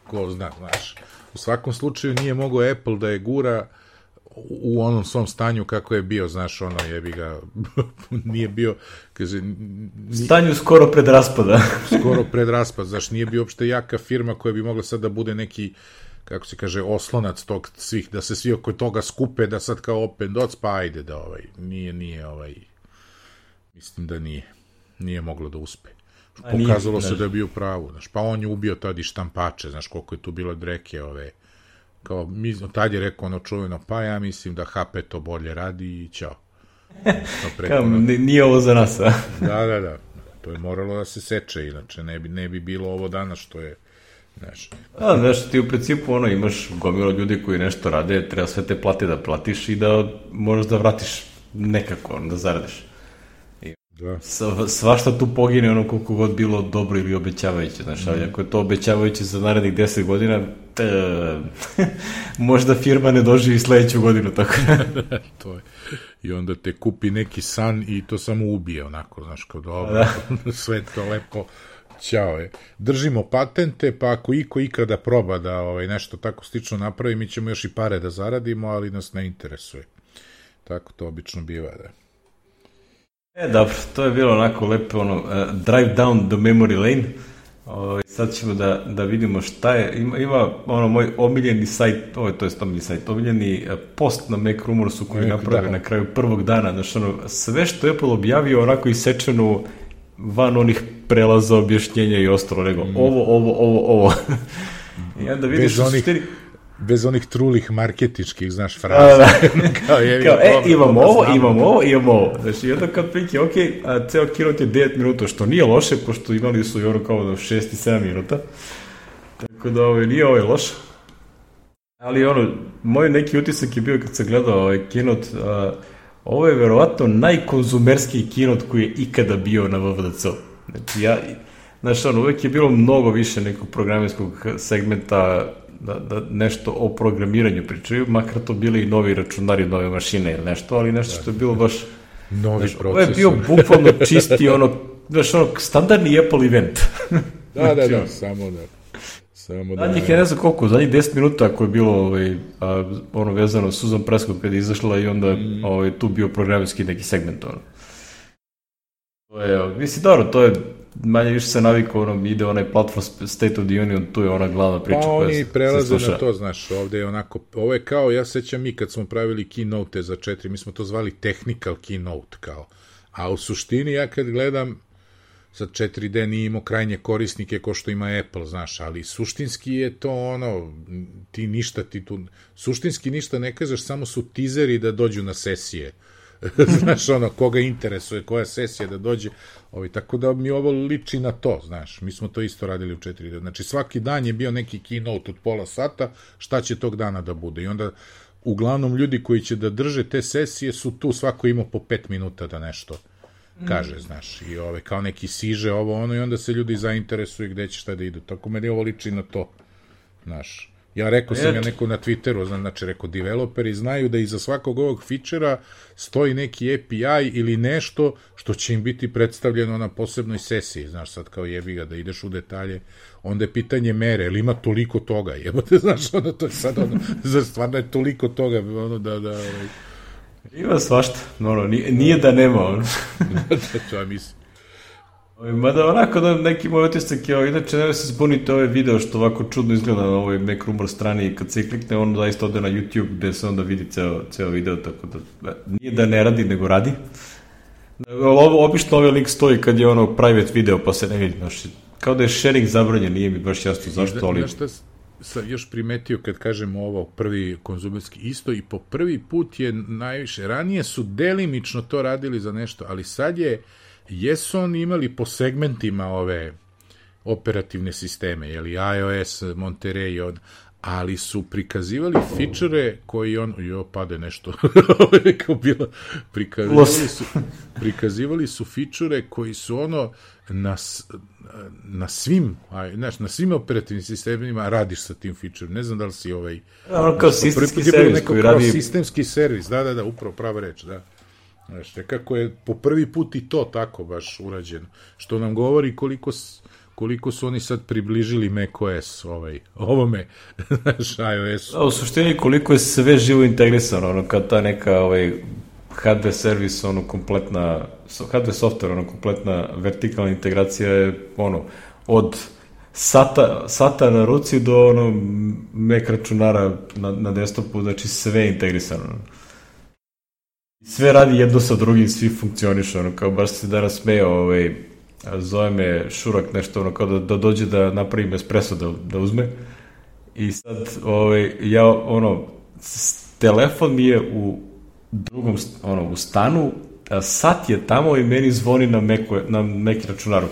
Ko zna, znaš. U svakom slučaju nije mogao Apple da je gura u onom svom stanju kako je bio, znaš, ono, jebi ga, nije bio, kaže... Ni, stanju skoro pred raspada. skoro pred raspad, znaš, nije bio uopšte jaka firma koja bi mogla sad da bude neki, kako se kaže, oslonac tog svih, da se svi oko toga skupe, da sad kao open dots, pa ajde da, ovaj, nije, nije, ovaj, mislim da nije, nije moglo da uspe. Pokazalo se da je bio pravo, znaš, pa on je ubio tad i štampače, znaš, koliko je tu bilo dreke, ove, kao, mi, tad je rekao ono čuveno, pa ja mislim da H P to bolje radi i ćao. Kao, nije ovo za nas, a? Da, da, da, to je moralo da se seče, inače ne bi, ne bi bilo ovo danas što je, znaš. A, znaš, ti u principu, ono, imaš gomilo ljudi koji nešto rade, treba sve te plate da platiš i da možeš da vratiš nekako, ono, da zaradiš. Da. Svašta tu pogine ono koliko god bilo dobro ili obećavajuće, znaš, ali ako je to obećavajuće za narednih deset godina, te, možda firma ne doživi sledeću godinu, tako da. To je. I onda te kupi neki san i to samo ubije, onako, znaš, kao dobro, sve to lepo, ćao je. Držimo patente, pa ako iko ikada proba da ovaj, nešto tako slično napravi, mi ćemo još i pare da zaradimo, ali nas ne interesuje. Tako to obično biva, da. E, dobro, to je bilo onako lepo, ono, uh, drive down the memory lane. O, sad ćemo da, da vidimo šta je. Ima, ima ono, moj omiljeni sajt, ovo je to je omiljeni sajt, omiljeni uh, post na Mac Rumorsu koji naprave da. na kraju prvog dana. Znači, ono, sve što je Apple objavio, onako isečeno van onih prelaza, objašnjenja i ostalo, nego mm. ovo, ovo, ovo, ovo. I onda vidiš bez onih, štiri... bez onih trulih marketičkih, znaš, fraza. Da, kao, je, kao, e, dobro, imamo ovo, znamo, imamo ovo, imamo ovo. Znači, jedno kad prike, ok, a ceo keynote je devet minuta, što nije loše, pošto imali su i ono kao do šest i sedam minuta. Tako da ovo nije ovo je loše. Ali ono, moj neki utisak je bio kad sam gledao ovaj keynote, a, ovo je verovatno najkonzumerskiji keynote koji je ikada bio na W W D C-u. Znači, ja, znaš, ono, uvek je bilo mnogo više nekog programerskog segmenta, Da, da nešto o programiranju pričaju, makar to bili i novi računari, nove mašine ili nešto, ali nešto što je bilo baš... Novi znaš, procesor. Ovo je bio bukvalno čisti, ono, znaš, ono, standardni Apple event. Da, da, da, samo da... Samo da... Zadnjih je ne znam koliko, zadnjih deset minuta ako je bilo, ovaj, a, ono, vezano Susan Prescott kada je izašla i onda mm. ovaj, tu bio programerski neki segment, ono. To je, mislim, dobro, to je manje više se navikao, ono, ide onaj platform State of the Union, tu je ona glavna priča. Pa oni prelaze na to, znaš, ovde je onako, ovo je kao, ja sećam mi kad smo pravili keynote za četiri, mi smo to zvali technical keynote, kao, a u suštini ja kad gledam, sad četiri D nije imao krajnje korisnike ko što ima Apple, znaš, ali suštinski je to ono, ti ništa, ti tu, suštinski ništa ne kažeš, samo su tizeri da dođu na sesije. Znaš, ono, koga interesuje, koja sesija da dođe, ovi, tako da mi ovo liči na to, znaš, mi smo to isto radili u četiri D. Znači, svaki dan je bio neki keynote od pola sata, šta će tog dana da bude, i onda, uglavnom, ljudi koji će da drže te sesije su tu, svako imao po pet minuta da nešto kaže, znaš, i ove, kao neki siže ovo, ono, i onda se ljudi zainteresuju gde će šta da idu, tako meni ovo liči na to, znaš. Ja rekao sam ja neko na Twitteru, znači rekao, developeri znaju da iza svakog ovog fičera stoji neki A P I ili nešto što će im biti predstavljeno na posebnoj sesiji, znaš, sad kao jebi ga da ideš u detalje, onda je pitanje mere, ili ima toliko toga, jebote, znaš, ono, to je sad ono, zar stvarno je toliko toga, ono, da, da, ovaj... Ima svašta, ono, nije, nije da nema, ono. To ja mislim. Mada onako da neki moj otisak je, inače ne se zbunite ovaj video što ovako čudno izgleda na ovoj Mac Rumor strani i kad se klikne on zaista ode na YouTube gde se onda vidi ceo, ceo video, tako da nije da ne radi nego radi. Ovo, obično ovaj link stoji kad je ono private video pa se ne vidi, znaš, kao da je sharing zabranjen, nije mi baš jasno zašto, ali... Znaš šta sam još primetio kad kažemo ovo prvi konzumerski isto i po prvi put je najviše, ranije su delimično to radili za nešto, ali sad je jesu oni imali po segmentima ove operativne sisteme, jeli iOS, Monterey, od, ali su prikazivali fičere koji on, jo, pade nešto, kao bilo, prikazivali su, prikazivali su fičere koji su ono, na, na svim, aj, znaš, na svim operativnim sistemima radiš sa tim fičerom, ne znam da li si ovaj... Ono kao sistemski servis koji radi... Sistemski servis, da, da, da, upravo prava reč, da. Znaš, nekako je po prvi put i to tako baš urađeno, što nam govori koliko... koliko su oni sad približili macOS ovaj, ovome, znaš, iOS. Da, u suštini koliko je sve živo integrisano, ono, kad ta neka ovaj, H D servis, ono, kompletna, H D software, ono, kompletna vertikalna integracija je, ono, od sata, sata na ruci do, ono, Mac računara na, na desktopu, znači sve je integrisano. Sve radi jedno sa drugim, svi funkcionišu, ono, kao baš se danas smeo, ovaj, zove me Šurak nešto, ono, kao da, da dođe da napravim espresso da, da uzme i sad, ovaj, ja, ono, telefon mi je u drugom, ono, u stanu, a sat je tamo i meni zvoni na Macu, na Mac računaru.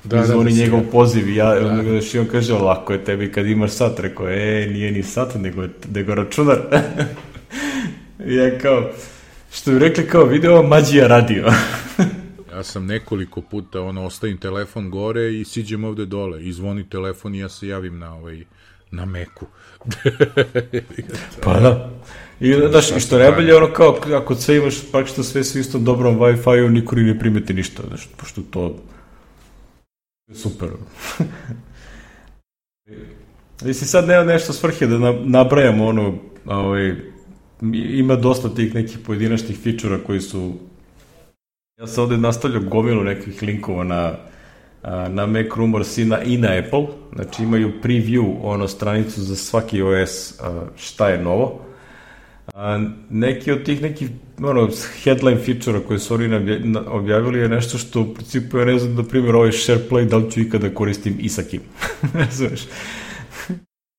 Da, I zvoni da, njegov ja. poziv i ja, da. I on kaže, lako je tebi kad imaš sat, rekao, e, nije ni sat, nego, nego računar. I ja kao, što bi rekli, kao, video mađija radio. Ja sam nekoliko puta, ono, ostavim telefon gore i siđem ovde dole, i zvoni telefon i ja se javim na ovaj, na Macu. Pa da. I, znaš, i što najbolje, ono, kao, ako sve imaš, praktično sve su istom dobrom Wi-Fi-u, niko ni ne primeti ništa, znaš, pošto to je super. Mislim, sad nema nešto svrhe da nabrajamo, ono, ovaj, ima dosta tih nekih pojedinačnih fičura koji su. Ja sam ovde nastavljao gomilu nekih linkova na, na Mac Rumors i na, i na Apple. Znači imaju preview, ono, stranicu za svaki O S šta je novo. A, neki od tih nekih, ono, headline feature-a koje su oni objavili je nešto što u principu ja ne znam, da primjer ovaj SharePlay, da li ću ikada koristim i sa kim. Ne znaš.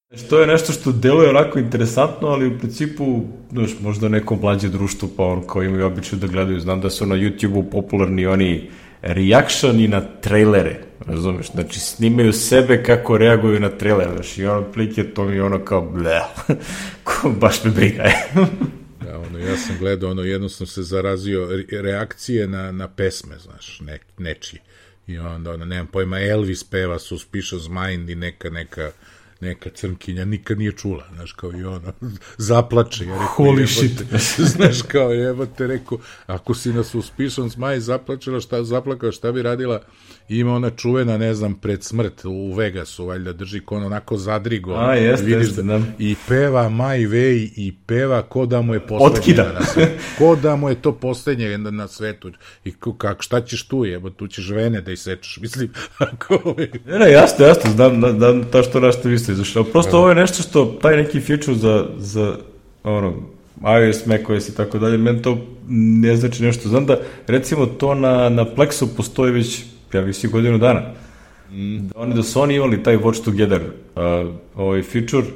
Znači, to je nešto što deluje onako interesantno, ali u principu, znaš, možda nekom mlađe društvu, pa on kao imaju običaj da gledaju. Znam da su na YouTube-u popularni oni reactioni na trailere, razumeš? Znači, snimaju sebe kako reaguju na trailer, znaš, i ono plike, to mi ono kao bleh, ko baš me briga je. Da, ono, ja sam gledao, ono, jednostavno se zarazio reakcije na, na pesme, znaš, ne, nečiji. I onda, ono, nemam pojma, Elvis peva Suspicious Mind i neka, neka, neka crnkinja nikad nije čula, znaš, kao i ono, zaplače. Ja rekao, holy shit. Znaš, kao jebote, rekao, ako si na Suspicious Mind zaplačela, šta, zaplakala, šta bi radila? Ima ona čuvena, ne znam, pred smrt u Vegasu, valjda drži kon onako zadrigo. A, jeste, jeste, da. I peva My Way i peva ko da mu je poslednje. Otkida. Na svetu. Ko da mu je to poslednje na svetu. I kak, šta ćeš tu, jebo, tu ćeš vene da isečeš, mislim. Ako... Ne, ne, jasno, jasno, znam, znam ta što našto vi ste izašli. Prosto ovo je nešto što, taj neki feature za, za ono, iOS, macOS i tako dalje, meni to ne znači nešto. Znam da, recimo, to na, na Plexu postoji već ja visi godinu dana. Mm. Da, oni, da su oni imali taj Watch Together uh, ovaj feature,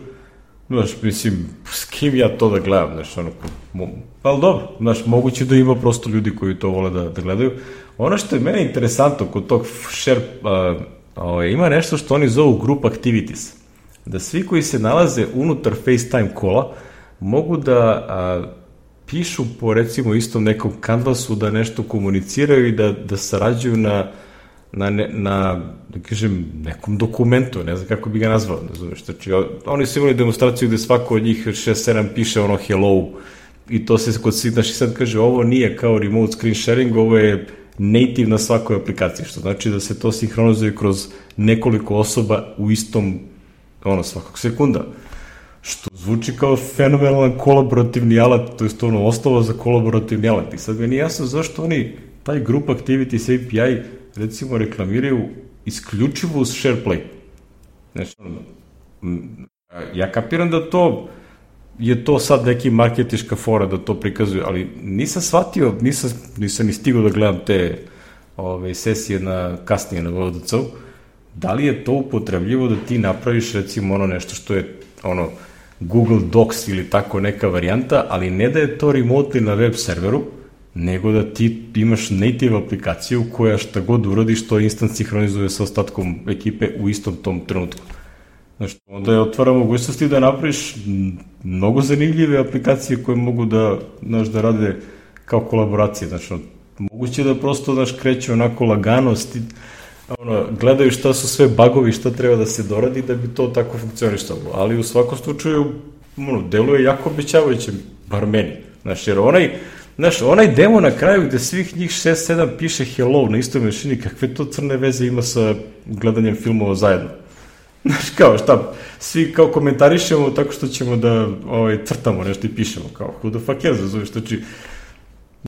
znaš, mislim, s kim ja to da gledam, znaš, ono, mo, ali dobro, znaš, moguće da ima prosto ljudi koji to vole da, da gledaju. Ono što je meni interesantno kod tog share, uh, ovaj, ima nešto što oni zovu group activities. Da svi koji se nalaze unutar FaceTime kola mogu da uh, pišu po, recimo, istom nekom kanvasu, da nešto komuniciraju i da, da sarađuju na na, ne, na, da kažem, nekom dokumentu, ne znam kako bi ga nazvao, ne znam, znači, oni su imali demonstraciju gde svako od njih šest sedam piše ono hello i to se kod svih, znači sad kaže, ovo nije kao remote screen sharing, ovo je native na svakoj aplikaciji, što znači da se to sinhronizuje kroz nekoliko osoba u istom, ono, svakog sekunda, što zvuči kao fenomenalan kolaborativni alat, to je to ono, osnova za kolaborativni alat, i sad mi nije jasno zašto oni taj group activities A P I recimo reklamiraju isključivo uz SharePlay. Znači, ja kapiram da to je to sad neki marketiška fora da to prikazuje, ali nisam shvatio, nisam, nisam ni stigao da gledam te ove, sesije na, kasnije na V D C-u, da li je to upotrebljivo da ti napraviš recimo ono nešto što je ono Google Docs ili tako neka varijanta, ali ne da je to remotely na web serveru, nego da ti imaš native aplikaciju koja šta god uradiš, to instant sinhronizuje sa ostatkom ekipe u istom tom trenutku. Znaš, onda je otvara mogućnosti da napraviš mnogo zanimljive aplikacije koje mogu da, znaš, da rade kao kolaboracije. Znači, moguće da prosto, znaš, kreću onako lagano, sti, ono, gledaju šta su sve bagovi, šta treba da se doradi da bi to tako funkcioništalo. Ali u svakom slučaju, ono, deluje jako obećavajuće, bar meni. Znaš, jer onaj, znaš, onaj demo na kraju gde svih njih šest sedam piše hello na istoj mašini, kakve to crne veze ima sa gledanjem filmova zajedno? Znaš, kao šta, svi kao komentarišemo tako što ćemo da ovaj, crtamo nešto i pišemo, kao who the fuck cares, razumiješ, znači,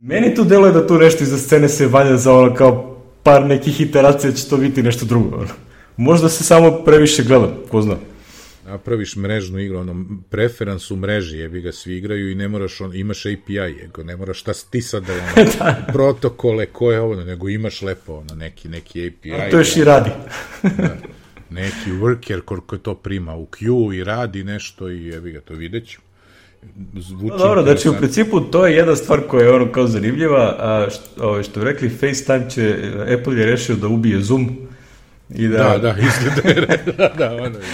meni tu deluje da tu nešto iza scene se valja za ono kao par nekih iteracija će to biti nešto drugo, ono. Možda se samo previše gledam, ko zna. Napraviš mrežnu igru, ono, preferans u mreži, jebi ga svi igraju i ne moraš, on, imaš A P I, jego, ne moraš šta ti sad da, ono, da. protokole, ko je ovo, nego imaš lepo, ono, neki, neki A P I. A to još i radi. Da. Neki worker koliko to prima u queue i radi nešto i jebi ga, to vidjet ću. No, dobro, znači u principu to je jedna stvar koja je ono kao zanimljiva, a što, što rekli FaceTime će, Apple je rešio da ubije Zoom i da... Da, da, izgleda je, da, da, ono je.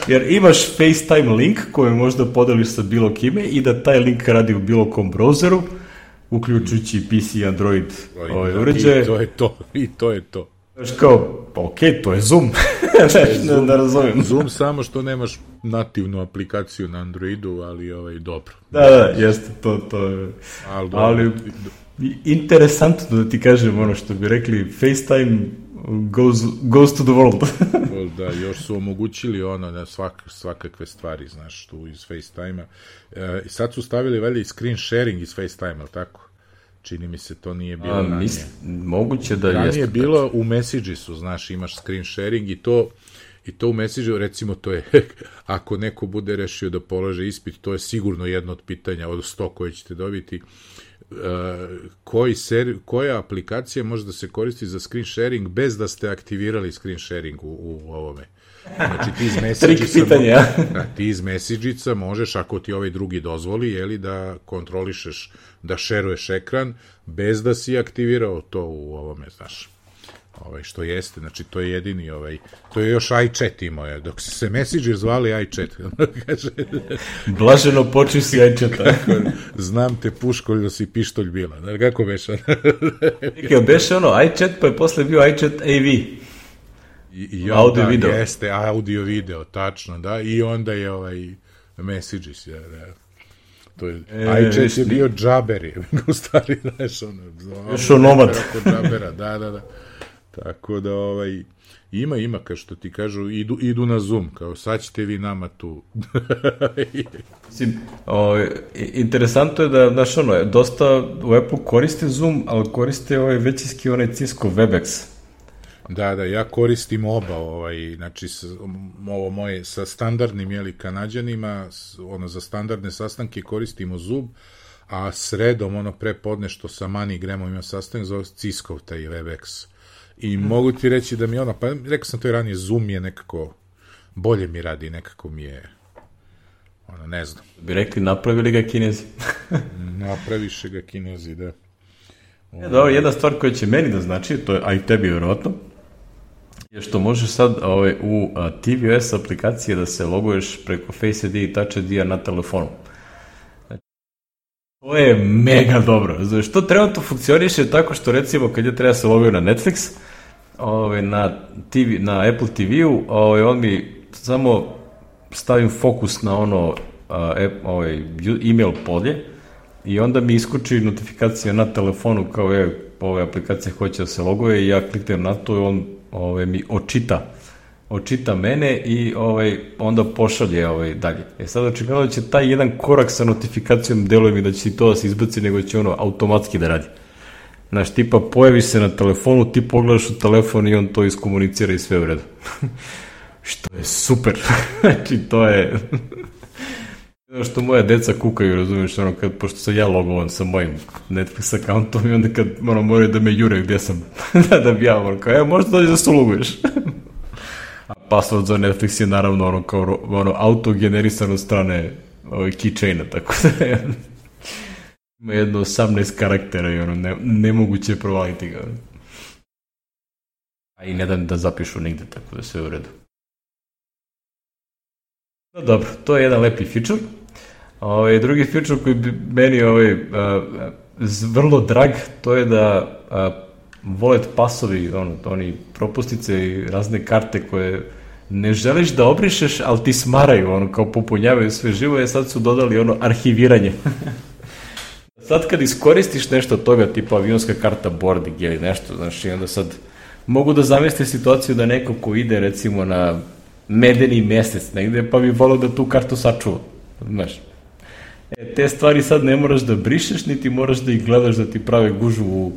Jer imaš FaceTime link koji možda podeliš sa bilo kime i da taj link radi u bilo kom browseru, uključujući P C, Android, ovaj uređaje. I to je to, i to je to. Znaš kao, pa okej, okay, to je Zoom. ne, ne razumem. Zoom samo što nemaš nativnu aplikaciju na Androidu, ali ovaj, dobro. Da, da, jeste, to, to je. Ali, ali interesantno da ti kažem ono što bi rekli, FaceTime goes, goes to the world. Da, još su omogućili ono na svak, svakakve stvari, znaš, tu iz FaceTime-a. E, sad su stavili velji screen sharing iz FaceTime-a, tako? Čini mi se, to nije bilo ranije. Misl, moguće da ranije jeste. Ranije je bilo u Messagesu, znaš, imaš screen sharing i to, i to u Messageu, recimo, to je, ako neko bude rešio da polaže ispit, to je sigurno jedno od pitanja od sto koje ćete dobiti. Uh, koji ser, koja aplikacija može da se koristi za screen sharing bez da ste aktivirali screen sharing u, u ovome. Znači ti iz Messagica, da, ti iz Messagica možeš, ako ti ovaj drugi dozvoli, jeli, da kontrolišeš, da šeruješ ekran bez da si aktivirao to u ovome, znaš. Ovaj, što jeste, znači to je jedini ovaj, to je još iChat imao je, dok se Messenger zvali iChat. Kaže, blaženo počuj si iChata. Znam te puškolj da si pištolj bila, da, kako beša? Nekaj, beše ono iChat, pa je posle bio iChat A V. I, i audio da, video. Jeste, audio video, tačno, da, i onda je ovaj Messages, ja, da. To je, e, iChat je bio džaberi, u stvari, znaš, ono, još onomad. Džabera, da, da, da. Tako da, ovaj, ima, ima, kao što ti kažu, idu, idu na Zoom, kao sad ćete vi nama tu. Mislim, o, interesantno je da, znaš, ono, dosta u Apple koriste Zoom, ali koriste ovaj većinski onaj Cisco Webex. Da, da, ja koristim oba, ovaj, znači, s, ovo moje, sa standardnim, jeli, Kanađanima, ono, za standardne sastanke koristimo Zoom, a sredom, ono, prepodne što sa MoneyGramom ima sastanak, zove Cisco, taj Webex. I hmm. mogu ti reći da mi ono, pa rekao sam to i ranije, Zoom je nekako, bolje mi radi, nekako mi je, ono, ne znam. Bi rekli, napravili ga Kinezi. Napraviše ga Kinezi, da. Ja, dobro, jedna stvar koja će meni da znači, to je, a i tebi vjerojatno, je što možeš sad ovaj, u a, T V O S aplikacije da se loguješ preko Face I D i Touch I D-a na telefonu. Znači, to je mega dobro. Znači, to trenutno funkcioniše tako što, recimo, kad ja treba se loguju na Netflix, ovaj, na, T V, na Apple T V-u, ovaj, on mi samo stavim fokus na ono a, ovaj, email polje i onda mi iskuči notifikacija na telefonu kao je, ove aplikacije hoće da se loguje i ja kliknem na to i on ove, mi očita očita mene i ovaj, onda pošalje ovaj, dalje. E sad očigledno da će taj jedan korak sa notifikacijom deluje mi da će to da se izbaci, nego će ono automatski da radi. Znaš, tipa pojaviš se na telefonu, ti pogledaš u telefon i on to iskomunicira i sve u redu. Što je super. Znači, to je... što moja deca kukaju, razumiješ, ono, kad, pošto sam ja logovan sa mojim Netflix accountom i onda kad ono, moraju da me jure gdje sam, da bi ja, ono, kao, evo, možda dođe da se uloguješ. A password za Netflix je naravno ono, kao, ono, auto-generisan od strane ovaj, keychaina, tako da je, ima jedno osamnaest karaktera i ono, ne, nemoguće je provaliti ga. A i ne da, da zapišu nigde, tako da sve u redu. Dobro, to je jedan lepi feature. Ovaj, drugi feature koji bi meni ovaj, a, vrlo drag, to je da a, wallet pasovi, ono, oni propusnice i razne karte koje ne želiš da obrišeš, ali ti smaraju, ono, kao popunjavaju sve živo, je sad su dodali ono arhiviranje. Sad kad iskoristiš nešto od toga, tipa avionska karta boarding ili nešto, znaš, i onda sad mogu da zamislim situaciju da neko ko ide recimo na medeni mesec negde, pa bi volao da tu kartu sačuva, znaš. E, te stvari sad ne moraš da brišeš, niti moraš da ih gledaš da ti prave gužu u,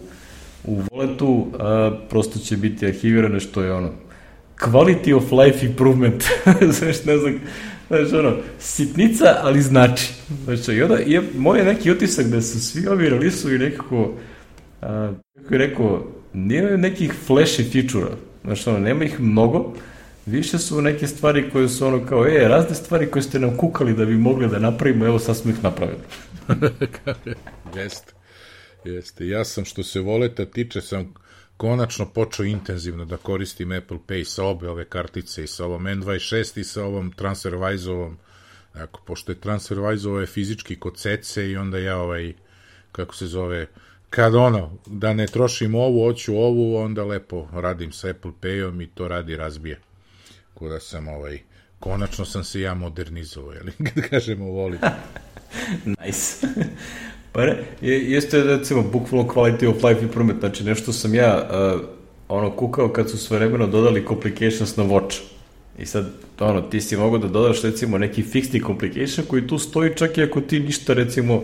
u walletu, a prosto će biti arhivirane, što je ono quality of life improvement, znaš, ne znam, znaš, ono, sitnica, ali znači. Znači, i onda, je, moj je neki utisak da su svi ovi release-ovi nekako, a, kako je rekao, nije nekih flashy feature-a, znači, ono, nema ih mnogo, više su neke stvari koje su ono kao, e, razne stvari koje ste nam kukali da bi mogli da napravimo, evo sad smo ih napravili. Jeste, jeste. Ja sam, što se voleta tiče, sam konačno počeo intenzivno da koristim Apple Pay sa obe ove kartice, i sa ovom N dvadeset šest i sa ovom TransferWise-ovom. Dakle, pošto je TransferWise-ovo je fizički kod Cece i onda ja ovaj, kako se zove, kad ono, da ne trošim ovu, hoću ovu, onda lepo radim sa Apple Pay-om i to radi razbije. Kuda sam ovaj, konačno sam se ja modernizovao, jel, kad kažemo volim. Nice. Pa ne, jeste recimo bukvalno quality of life improvement, znači nešto sam ja uh, ono kukao kad su sve vremeno dodali complications na watch. I sad, ono, ti si mogo da dodaš recimo neki fixni complication koji tu stoji čak i ako ti ništa recimo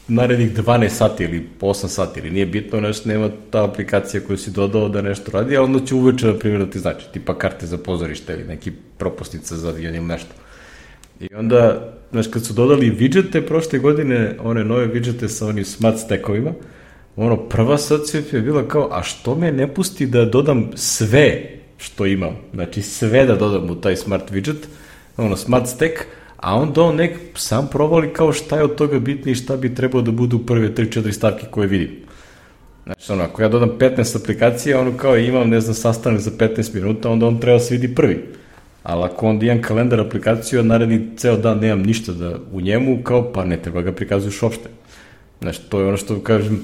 narednih dvanaest sati ili osam sati ili nije bitno, nešto nema ta aplikacija koju si dodao da nešto radi, a onda će uveče na primjer da ti znači, tipa karte za pozorište ili neki propusnica za avion ili nešto. I onda, znaš, kad su dodali widgete prošle godine, one nove widgete sa onim smart stackovima, ono, prva asocijacija je bila kao, a što me ne pusti da dodam sve što imam, znači sve da dodam u taj smart widget, ono, smart stack, a onda on nek sam provali kao šta je od toga bitno i šta bi trebao da budu prve tri četiri stavke koje vidim. Znači, ono, ako ja dodam petnaest aplikacija, ono kao imam, ne znam, sastanak za petnaest minuta, onda on treba se vidi prvi. Ali ako onda imam kalendar aplikaciju, a naredni ceo dan nemam ništa da u njemu, kao pa ne treba ga prikazuješ uopšte. Znači, to je ono što kažem,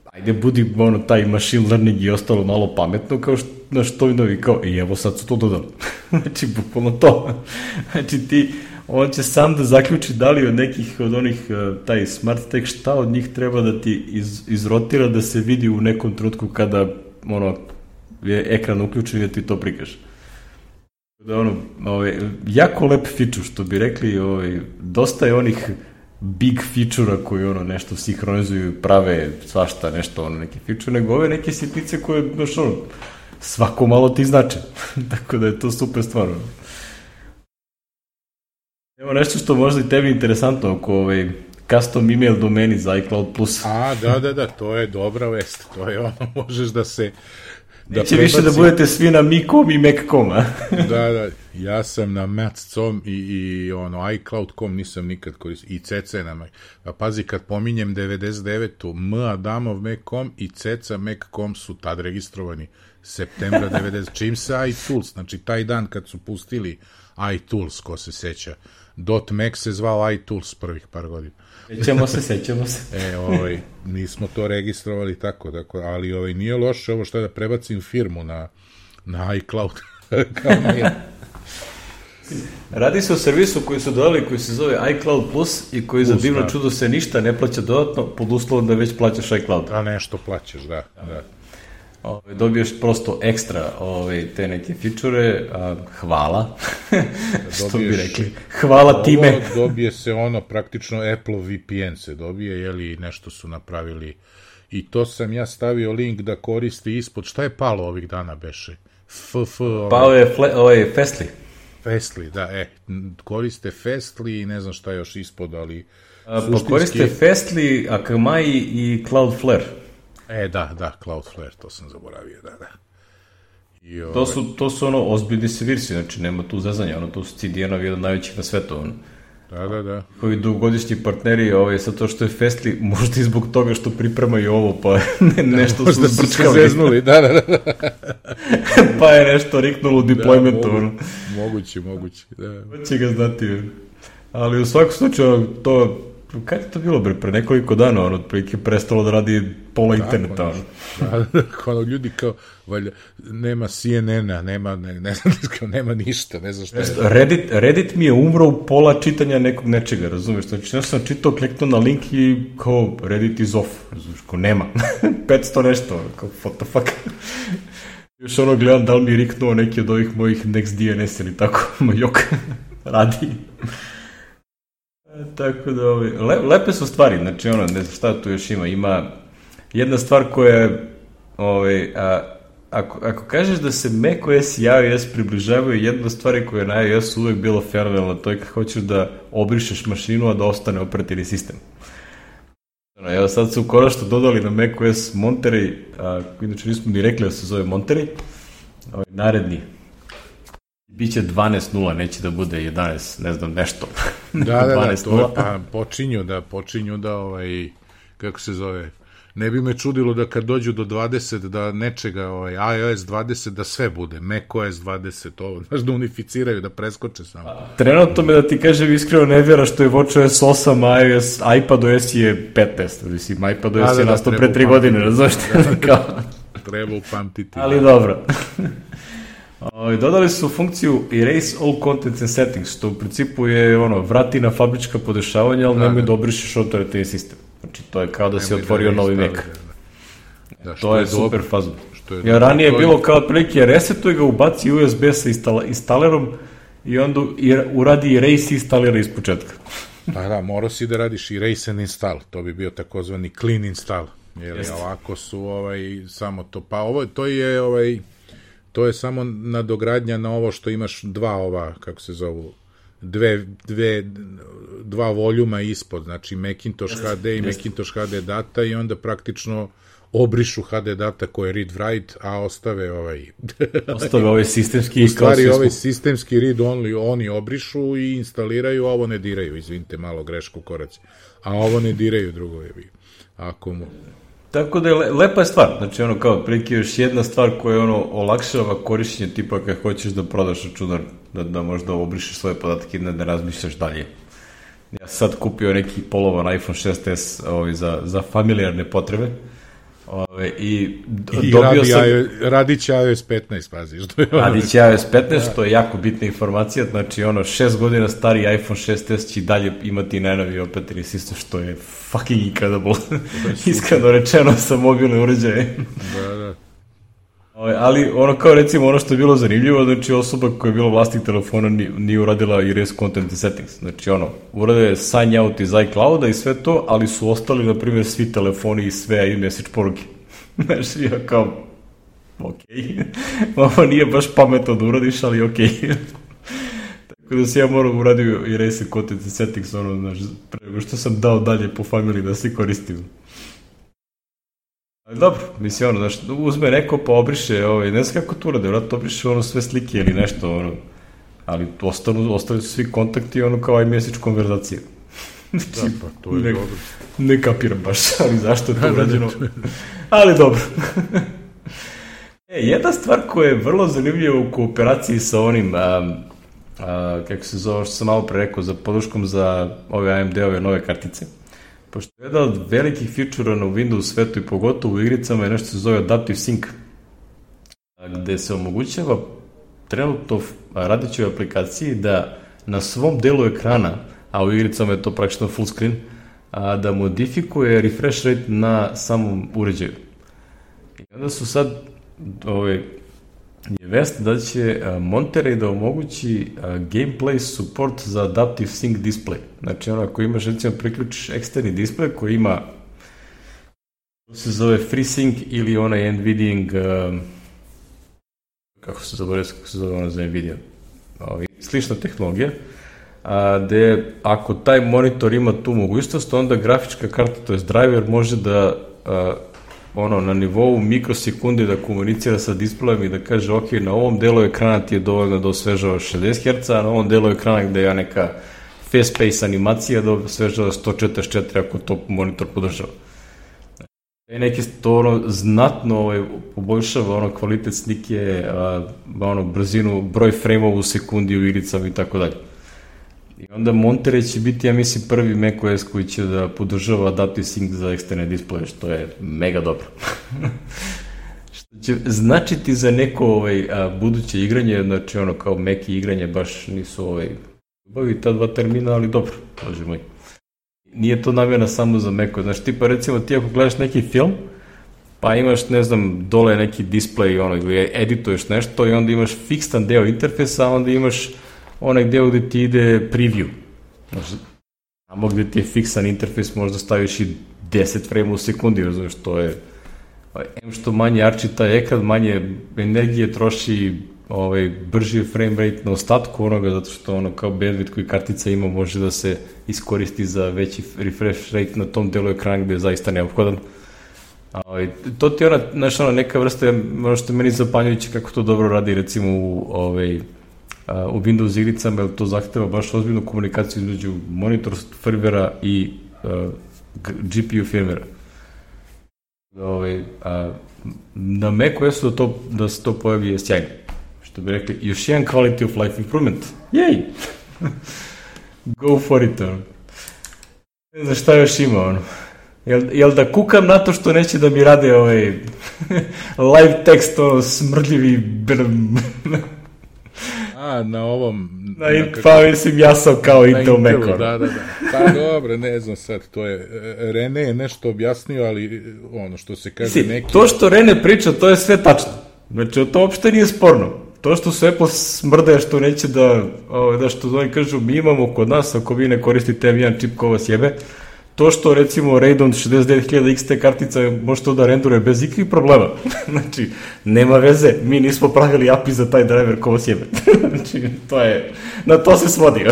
ajde budi ono, taj machine learning i ostalo malo pametno, kao što, znaš, to novi, kao, i evo sad su to dodali. Znači, bukvalno to. Znači, ti, on će sam da zaključi da li od nekih od onih, taj smart stack, šta od njih treba da ti iz, izrotira da se vidi u nekom trenutku kada, ono, je ekran uključen i da ti to prikaže. Da ono, ovaj, jako lep feature, što bi rekli, ovaj, dosta je onih big feature-a koji ono nešto sinhronizuju, prave svašta nešto, ono neki feature, nego ove neke sitnice koje, znaš, ono, svako malo ti znače. Tako da je to super stvarno. Evo nešto što možda i tebi interesantno oko ovaj, custom email domeni za iCloud Plus. A, da, da, da, to je dobra vest. To je ono, možeš da se Da neće prebaci... više da budete svi na mi kom i mac dot com, a? Da, da, ja sam na mac dot com i, i ono, iCloud dot com nisam nikad koristio, i C C na Mac. Pa pazi, kad pominjem devedeset devetu M Adamov mac dot com i Ceca mac dot com su tad registrovani septembra devedeset čim se iTools, znači taj dan kad su pustili iTools, ko se seća, .mac se zvao iTools prvih par godina. Sećamo se, sećamo se. E, ovaj, nismo to registrovali tako, tako, ali ovaj, nije loše ovo što da prebacim firmu na, na iCloud. Kao nije. Radi se o servisu koji su dodali, koji se zove iCloud Plus i koji Plus, za divno da. čudo se ništa ne plaća dodatno, pod uslovom da već plaćaš iCloud. A nešto plaćaš, da, da. Ove, dobiješ prosto ekstra ove, te neke fičure, a, hvala, što dobiješ, bi rekli, hvala time. Dobije se ono, praktično Apple V P N se dobije, jeli nešto su napravili, i to sam ja stavio link da koristi ispod, šta je palo ovih dana beše? F, f, ovaj, palo je fle, ovaj, Fastly. Fastly, da, e, koriste Fastly i ne znam šta još ispod, ali a, suštinski... Pa koriste Fastly, Akamai i Cloudflare. E, da, da, Cloudflare, to sam zaboravio, da, da. I, ovaj... to, su, to su ono ozbiljni servirsi, znači nema tu zezanja, ono, to su C D N-ovi jedan najvećih na svetu, ono. Da, da, da. Koji dugogodišnji partneri, ovaj, sa to što je Fastly, možda i zbog toga što pripremaju ovo, pa ne, nešto da, su zbrčkali. Se zeznuli, da, da, da. Pa je nešto riknulo u deploymentu. Da, mogu, moguće, moguće. Da. Će ga znati. Ali u svakom slučaju, to, kada je to bilo, bre, pre nekoliko dana, ono, otprilike prestalo da radi pola da, interneta, ono. Da, da, ono, ljudi kao, valjda, nema C N N-a, nema, ne, ne znam, kao, nema ništa, ne znam šta je. Reddit, Reddit mi je umro u pola čitanja nekog nečega, razumiješ? Znači, nešto sam čitao, kliknuo na link i kao, Reddit is off, razumiješ, kao, nema. petsto nešto, kao, what the fuck. Još ono gledam da li mi je riknuo neki od ovih mojih NextDNS ili tako, moj jok, radi. Tako da, ovi, le, lepe su stvari, znači ono, ne znam šta tu još ima, ima jedna stvar koja je, ovi, a, ako, ako kažeš da se macOS i iOS približavaju, jedna stvar koja je na iOS uvek bilo fenomenalna, to je kad hoćeš da obrišeš mašinu, a da ostane operativni sistem. Evo sad su konačno dodali na macOS Monterey, a, inače nismo ni rekli da se zove Monterey, ovaj, naredni. Biće dvanaest nula, neće da bude jedanaest, ne znam, nešto. Da, da, da, to je, pa počinju da, počinju da, ovaj, kako se zove, ne bi me čudilo da kad dođu do dvadeset, da nečega, ovaj, iOS dvadeset, da sve bude, macOS dvadeset, ovo, znaš, da unificiraju, da preskoče samo. A, trenutno me da ti kažem iskreno ne vjera što je watchOS osam, iOS, iPadOS je petnaest, mislim, iPadOS da, da, je da, nastao pre tri godine, razumiješ kao? Treba upamtiti. Ali dobro. O, dodali su funkciju Erase All Contents and Settings, što u principu je ono, vrati na fabrička podešavanja, ali da, nemoj da obrišeš operativni sistem. Znači, to je kao da si otvorio da novi Mac. Da, da. Da, to je, je super fazno. Ja ranije je bilo kao otprilike resetuj ga, ubaci U S B sa instala, instalerom i onda uradi erase i instalira iz početka. Da, da, morao si da radiš erase and install, to bi bio takozvani clean install. Jer ovako su ovaj, samo to, pa ovo, to je ovaj... To je samo nadogradnja na ovo što imaš dva ova, kako se zovu, dve, dve, dva voljuma ispod, znači Macintosh H D i Macintosh H D data i onda praktično obrišu H D data koje je read-write, a ostave ovaj... ostave ovaj sistemski... U stvari ovaj sistemski read-only oni obrišu i instaliraju, a ovo ne diraju, izvinite, malo grešku koraci. A ovo ne diraju, drugo je bi. Ako mu... Tako da je le, lepa je stvar, znači ono kao prilike još jedna stvar koja ono olakšava korišćenje tipa kad hoćeš da prodaš računar, da, da možda obrišeš svoje podatke i ne da razmišljaš dalje. Ja sam sad kupio neki polovan iPhone šest es ovaj, za, za familijarne potrebe ovaj, i, I dobio radi, sam... I radit će iOS petnaest, pazi. Što je radit će iOS petnaest, što je jako bitna informacija, znači ono šest godina stari iPhone šest es će dalje imati najnoviji operativni sistem, što je fucking incredible. Iskreno rečeno sa mobilne uređaje. Da, da. Ali ono kao recimo ono što je bilo zanimljivo, znači osoba koja je bila vlasnik telefona nije, nije uradila erase content settings, znači ono, urade sign out iz iClouda i sve to, ali su ostali na primjer svi telefoni i sve iMessage poruke. Znači ja kao, okej, okay. Ovo nije baš pametno da uradiš, ali okej. Okay. Tako da se ja moram uradio erase content settings, ono, znaš, prema što sam dao dalje po familiji da se koristim. Ali dobro, mislim, ono, znaš, uzme neko pa obriše, ovaj, ne znam kako to urade, vratno obriše ono sve slike ili nešto, ono, ali ostanu, ostali su svi kontakti, ono, kao iMessage konverzacija. Da, pa, to je ne, dobro. Ne kapiram baš, ali zašto je to urađeno, ali dobro. E, jedna stvar koja je vrlo zanimljiva u kooperaciji sa onim, a, a, kako se zove, što sam malo pre rekao, za podrškom za ove A M D-ove nove kartice, pošto je jedan od velikih feature-a na Windows svetu i pogotovo u igricama je nešto se zove Adaptive Sync, gde se omogućava trenutno radićoj aplikaciji da na svom delu ekrana, a u igricama je to praktično full screen, da modifikuje refresh rate na samom uređaju. I onda su sad ove, je vest da će Monterey da omogući gameplay support za Adaptive Sync display. Znači ono, ako imaš, recimo, priključiš eksterni display koji ima, to se zove FreeSync ili onaj NVIDIA, uh, kako se zove, kako se zove ono za NVIDIA, ovi, slična tehnologija, a, gde ako taj monitor ima tu mogućnost, onda grafička karta, to je driver, može da a, ono, na nivou mikrosekundi da komunicira sa displejem i da kaže, ok, na ovom delu ekrana ti je dovoljno da osvežava šezdeset herca, a na ovom delu ekrana gde je neka fast pace animacija do sveža sto četrdeset četiri ako to monitor podržava. I neki to ono, znatno ovaj, poboljšava ono, kvalitet slike, a, ono, brzinu, broj frame-ova u sekundi u igricama i tako dalje. I onda Monterey će biti, ja mislim, prvi macOS koji će da podržava Adaptive Sync za eksterne displeje, što je mega dobro. Što će značiti za neko ovaj, a, buduće igranje, znači ono kao Mac i igranje baš nisu ovaj, bavi ta dva termina, ali dobro, bože moj. Nije to namjena samo za Mac-o, znači tipa recimo ti ako gledaš neki film, pa imaš, ne znam, dole neki display, ono, gdje edituješ nešto i onda imaš fiksan deo interfejsa, a onda imaš onaj deo gde ti ide preview. Znači, tamo gde ti je fiksan interfejs možda staviš i deset frame u sekundi, razumiješ, to je em što manje arči taj ekran, manje energije troši, ovaj, brži frame rate na ostatku onoga, zato što ono kao bandwidth koji kartica ima može da se iskoristi za veći refresh rate na tom delu ekrana gde je zaista neophodan. Ovaj, to ti je ona, znaš, ona neka vrsta, ono što je meni zapanjujuće kako to dobro radi recimo u, ovaj, u Windows igricama, jer to zahteva baš ozbiljnu komunikaciju između monitor firmwarea i uh, G P U firmwarea. Ovaj, a, na macOS-u da, to, da se to pojavi je sjajno. Što bi rekli, još jedan quality of life improvement. Jej! Go for it, ono. Ne znam šta još ima, ono. Jel, jel da kukam na to što neće da mi rade ovaj live text, ono, smrdljivi brm. A, na ovom... Na, na kako, pa mislim, ja sam kao Intel Mac. Da, da, da. Pa dobro, ne znam sad, to je... Rene je nešto objasnio, ali ono što se kaže si, neki... To što Rene priča, to je sve tačno. Znači, to uopšte nije sporno. To što su Apple smrde, što neće da, da što oni kažu, mi imamo kod nas, ako vi ne koristite em jedan čip ko vas jebe, to što recimo Radeon šezdeset devet hiljada X T kartica može to da renduje bez ikakvih problema. Znači, nema veze, mi nismo pravili A P I za taj driver ko vas jebe. Znači, to je, na to se svodi.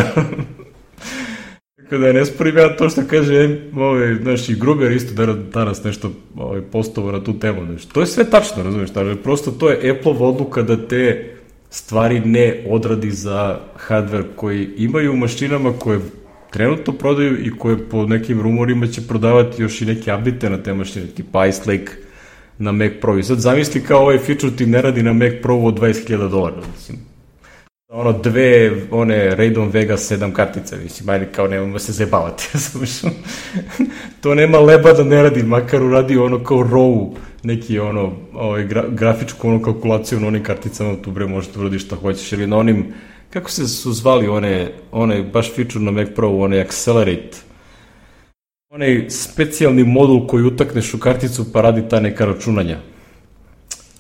Tako da ne sporim ja to što kaže, ovaj, znaš, i Gruber isto danas nešto ovaj, postovo na tu temu. Znači, to je sve tačno, razumiješ, ali prosto to je Apple-ova odluka da te stvari ne odradi za hardware koji imaju u mašinama koje trenutno prodaju i koje po nekim rumorima će prodavati još i neke update na te mašine, tipa Ice Lake na Mac Pro. I sad zamisli kao ovaj feature ti ne radi na Mac Pro od dvadeset hiljada dolara, mislim. Ono, dve, one, Radeon Vega sedam kartice, mislim, ajde, kao nemamo se zajebavati, to nema leba da ne radi, makar uradi ono kao row, neki ono, ovaj, gra, grafičku ono kalkulaciju na onim karticama, tu bre možete uradi šta hoćeš, ili na onim, kako se su zvali one, one baš feature na Mac Pro, onaj Accelerate, onaj specijalni modul koji utakneš u karticu pa radi ta neka računanja.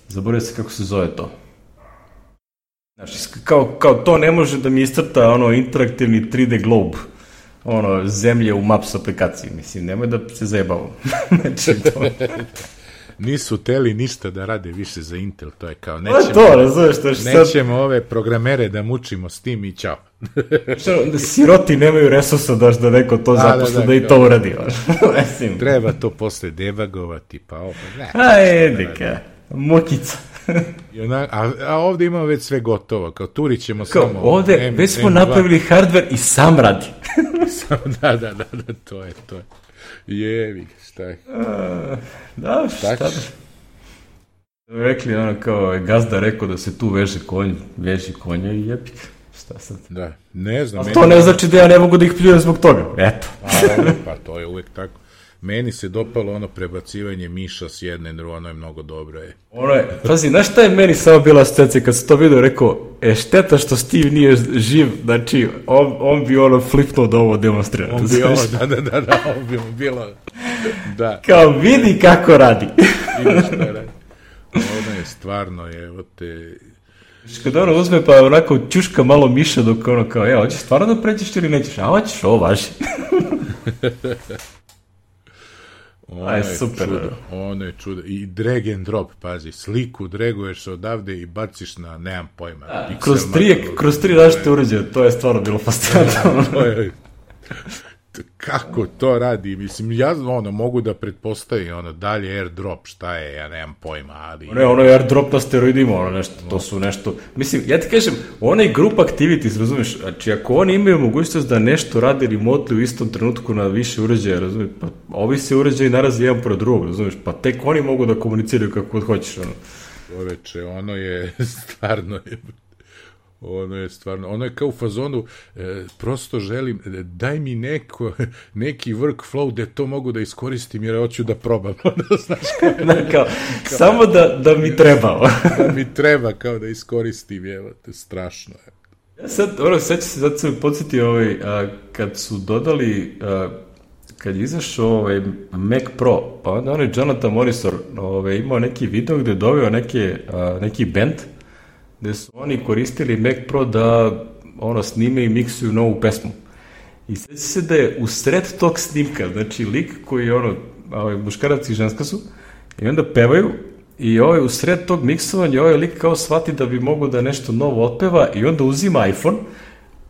Zaboravio se kako se zove to. Znači, kao, kao to ne može da mi iscrta ono interaktivni tri D globe, ono, zemlje u Maps aplikaciji, mislim, nemoj da se zajebao. Znači, to... Nisu teli ništa da rade više za Intel, to je kao, nećemo, to, razumeš, to nećemo sad... ove programere da mučimo s tim i čao. Da siroti nemaju resursa daš da neko to zaposle da, da, da, da i to uradi. Treba to posle debagovati, pa opet, ne. A, edika, mukica. Ona, a, a ovde imamo već sve gotovo, kao turit ćemo kao, samo... Ovde M, već smo M dva. Napravili hardware i sam radi. da, da, da, da, to je, to je. Jevi, šta je? Uh, da, šta da? Rekli ono kao, gazda rekao da se tu veže konj, veži konja i jebik. Šta sad? Da, ne znam. A to ne znači da ja ne mogu da ih pljujem zbog toga, eto. A, pa to je uvek tako. Meni se dopalo ono prebacivanje miša s jedne na drugo, ono je mnogo dobro. Je. Ono je, pazi, znaš šta je meni samo bila asocijacija kad sam to vidio, rekao, e, šteta što Steve nije živ, znači, on, on bi ono flipnuo da ovo demonstrira. On bi ovo, da, da, da, da, on bi mu bilo, da. Kao, vidi kako radi. Vidi šta radi. Ono je stvarno, je, evo te... Kada ono uzme pa onako čuška malo miša dok ono kao, evo, hoćeš stvarno da pređeš ili nećeš, a hoćeš, ovo važi. Ono je super, čudo, ono je čudo. I drag and drop, pazi, sliku draguješ odavde i baciš na, nemam pojma. Da, kroz tri, kroz tri različite uređaje, to je stvarno bilo fascinantno. to, je, kako to radi, mislim, ja ono, mogu da pretpostavim, ono, dalje airdrop, šta je, ja nemam pojma, ali... Ne, ono je airdrop na steroidima, ono nešto, to su nešto... Mislim, ja ti kažem, onaj group activities, razumiješ, znači ako oni imaju mogućnost da nešto radi remotely u istom trenutku na više uređaja, razumiješ, pa ovi se uređaji narazi jedan pored drugog, razumiješ, pa tek oni mogu da komuniciraju kako god hoćeš, ono. Čoveče, ono je stvarno je... Ono je stvarno, ono je kao u fazonu, e, prosto želim, e, daj mi neko, neki workflow gde to mogu da iskoristim jer hoću da probam. Znaš, kao, da, kao, kao, samo da, da mi treba. da mi treba kao da iskoristim, evo te, strašno je. Ja sad, ono, sad ću se, sad se podsjetio, ovaj, a, kad su dodali, a, kad je izašao ovaj Mac Pro, pa onda onaj Jonathan Morrison ovaj, imao neki video gde je doveo neke, a, neki band, gde su oni koristili Mac Pro da ono snime i miksuju novu pesmu. I sveći se da je u sred tog snimka, znači lik koji je ono, ovaj, muškarac i ženska su, i onda pevaju, i ovaj u sred tog miksovanja ovaj lik kao shvati da bi mogo da nešto novo otpeva i onda uzima iPhone,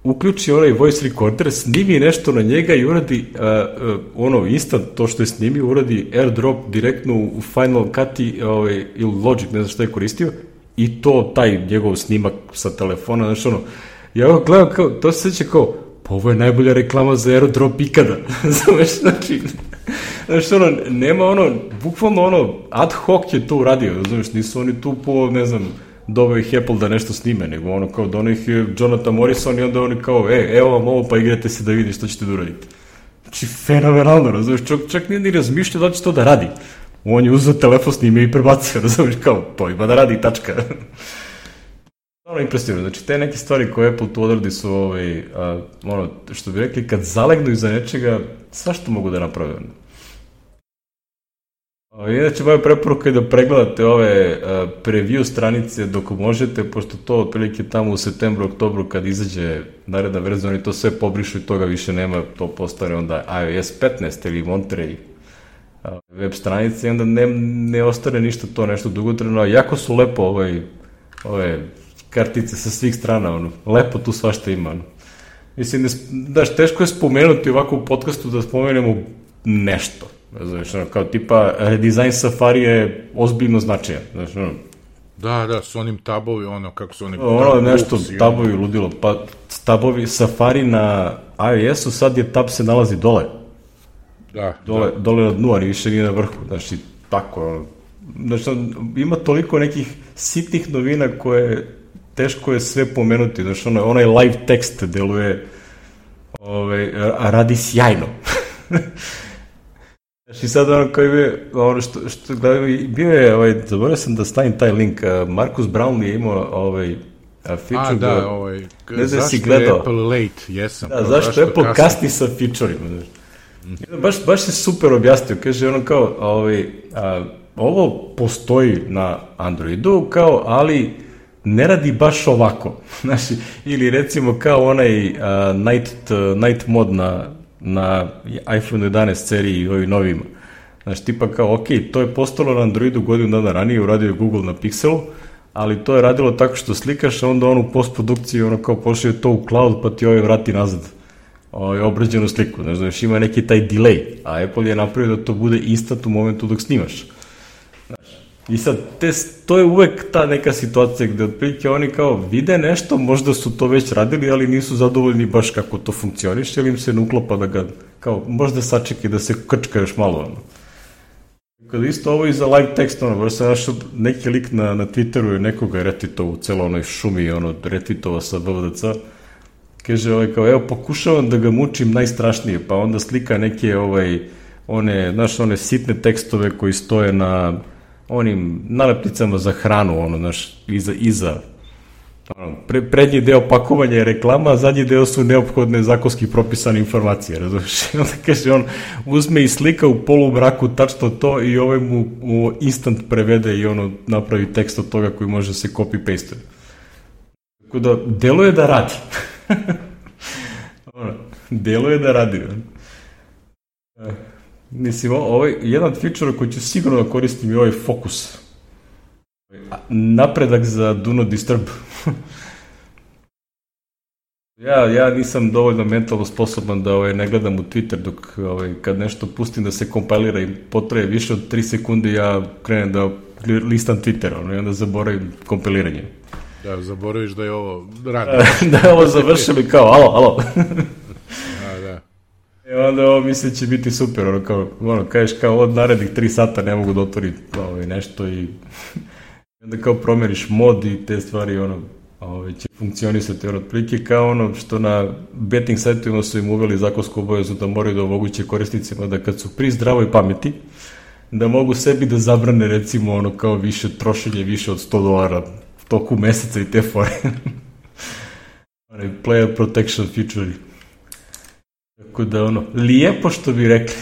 uključi onaj voice recorder, snimi nešto na njega i uradi uh, uh, ono instant to što je snimio, uradi airdrop direktno u Final Cut i, ovaj, ili Logic, ne znam šta je koristio, i to, taj njegov snimak sa telefona, znaš ono, ja ovo gledam kao, to se seća kao, pa ovo je najbolja reklama za airdrop ikada, znaš, znači, znaš ono, nema ono, bukvalno ono, ad hoc je to uradio, znaš, nisu oni tu po, ne znam, doveo ih Apple da nešto snime, nego ono kao, doneo ih je Jonathan Morrison i onda oni kao, e, evo vam ovo, pa igrate se da vidi što ćete da uradite. Znači, fenomenalno, razumiješ, čak, čak nije ni razmišljao da će to da radi. On je uzeo telefon, snimio i prebacio, razumiješ, kao, to ima da radi, tačka. Ono impresivno, znači, te neke stvari koje Apple tu odradi su, ovaj, a, ono, što bi rekli, kad zalegnu iza nečega, svašta mogu da naprave. Inače, moja preporuka je da pregledate ove a, preview stranice dok možete, pošto to otprilike tamo u septembru, oktobru, kad izađe naredna verzija, oni to sve pobrišu i toga više nema, to postane onda iOS petnaest ili Monterey web stranice i onda ne, ne ostane ništa to nešto dugotrajno, a jako su lepo ovaj, ove kartice sa svih strana, ono, lepo tu svašta ima. Ono. Mislim, ne, daš, teško je spomenuti ovako u podcastu da spomenemo nešto. Znaš, ono, kao tipa redizajn Safari je ozbiljno značajan. Znaš, ono. Da, da, s onim tabovi, ono, kako su oni... Ono, nešto, tabovi ludilo. Pa tabovi Safari na iOS-u, sad je tab se nalazi dole. Da, dole, da. dole na dnu, ali više nije na vrhu. Znači, tako, ono. Znači, ima toliko nekih sitnih novina koje teško je sve pomenuti. Znači, ono, onaj live tekst deluje, ovaj, radi sjajno. Znači, sad ono koji je, ono što, što gledam, bio je, ovaj, zaboravio sam da stavim taj link, Marcus Brownlee je imao, ovaj, feature. A, da, da ovaj, ne znam si gledao. Zašto je Apple late, jesam. Da, zašto, zašto Apple kasni, kasni sa feature-ima, znači. Baš, baš se super objasnio, kaže ono kao, ovaj, a, ovo postoji na Androidu, kao, ali ne radi baš ovako, znači, ili recimo kao onaj a, night, night mod na, na iPhone jedanaest seriji i ovim novima, znači, tipa kao, ok, to je postalo na Androidu godinu dana ranije, uradio je Google na Pixelu, ali to je radilo tako što slikaš, a onda on u postprodukciji, ono kao, pošalje to u cloud, pa ti ovaj vrati nazad. Ovaj, obrađenu sliku, ne znaš, ima neki taj delay, a Apple je napravio da to bude instant u momentu dok snimaš. Znaš, i sad, te, to je uvek ta neka situacija gde otprilike oni kao vide nešto, možda su to već radili, ali nisu zadovoljni baš kako to funkcioniš, ili im se ne uklapa da ga, kao, možda sačekaj da se krčka još malo, ono. Kad isto ovo i za live text, ono, baš sam našao neki lik na, na Twitteru i nekoga je retweetovao u celo onoj šumi, ono, retweetovao sa B V D C, kaže, ovaj, kao, evo, pokušavam da ga mučim najstrašnije, pa onda slika neke, ovaj, one, znaš, one sitne tekstove koji stoje na onim nalepnicama za hranu, ono, znaš, iza, iza, ono, pre, prednji deo pakovanja je reklama, a zadnji deo su neophodne zakonski propisane informacije, razumiješ? Onda kaže, on uzme i slika u polumraku tačno to i ovaj mu, mu instant prevede i ono, napravi tekst od toga koji može se copy-paste. Tako da, deluje da radi. ono, deluje da radi. Uh, mislim, ovaj, jedan feature koji ću sigurno da koristim je ovaj fokus. Napredak za Do Not Disturb. Ja, ja nisam dovoljno mentalno sposoban da ovaj, ne gledam u Twitter dok ovaj, kad nešto pustim da se kompilira i potraje više od tri sekunde, ja krenem da listam Twitter, ono, i onda zaboravim kompiliranje. Da, zaboraviš da je ovo radi. Da je ovo završilo i kao, alo, alo. A, da. I onda ovo mislim će biti super, ono, kao, ono, kažeš kao od narednih tri sata ne mogu da otvorim ovaj, nešto i onda kao promjeriš mod i te stvari, ono, ovaj, će funkcionisati, ono, otprilike kao ono što na betting sajtovima su im uveli zakonsku obavezu da moraju da omoguće korisnicima da kad su pri zdravoj pameti, da mogu sebi da zabrane recimo ono kao više trošenje, više od sto dolara u toku meseca i te fore. Player protection feature. Tako da ono, lijepo što bi rekli.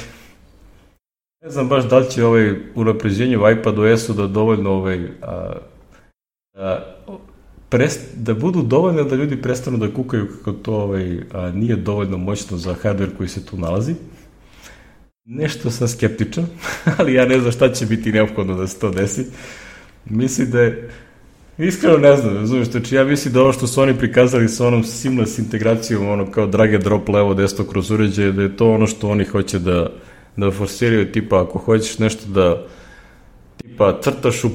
Ne znam baš da li će ovaj unapređenje u iPadOS-u da dovoljno ovaj, a, a, prest, da budu dovoljno da ljudi prestanu da kukaju kako to ovaj, a, nije dovoljno moćno za hardware koji se tu nalazi. Nešto sam skeptičan, ali ja ne znam šta će biti neophodno da se to desi. Mislim da je, iskreno ne znam, razumiješ, znači ja mislim da ovo što su oni prikazali sa onom seamless integracijom, ono kao drag and drop levo desno kroz uređaje, da je to ono što oni hoće da, da forsiraju, tipa ako hoćeš nešto da tipa crtaš u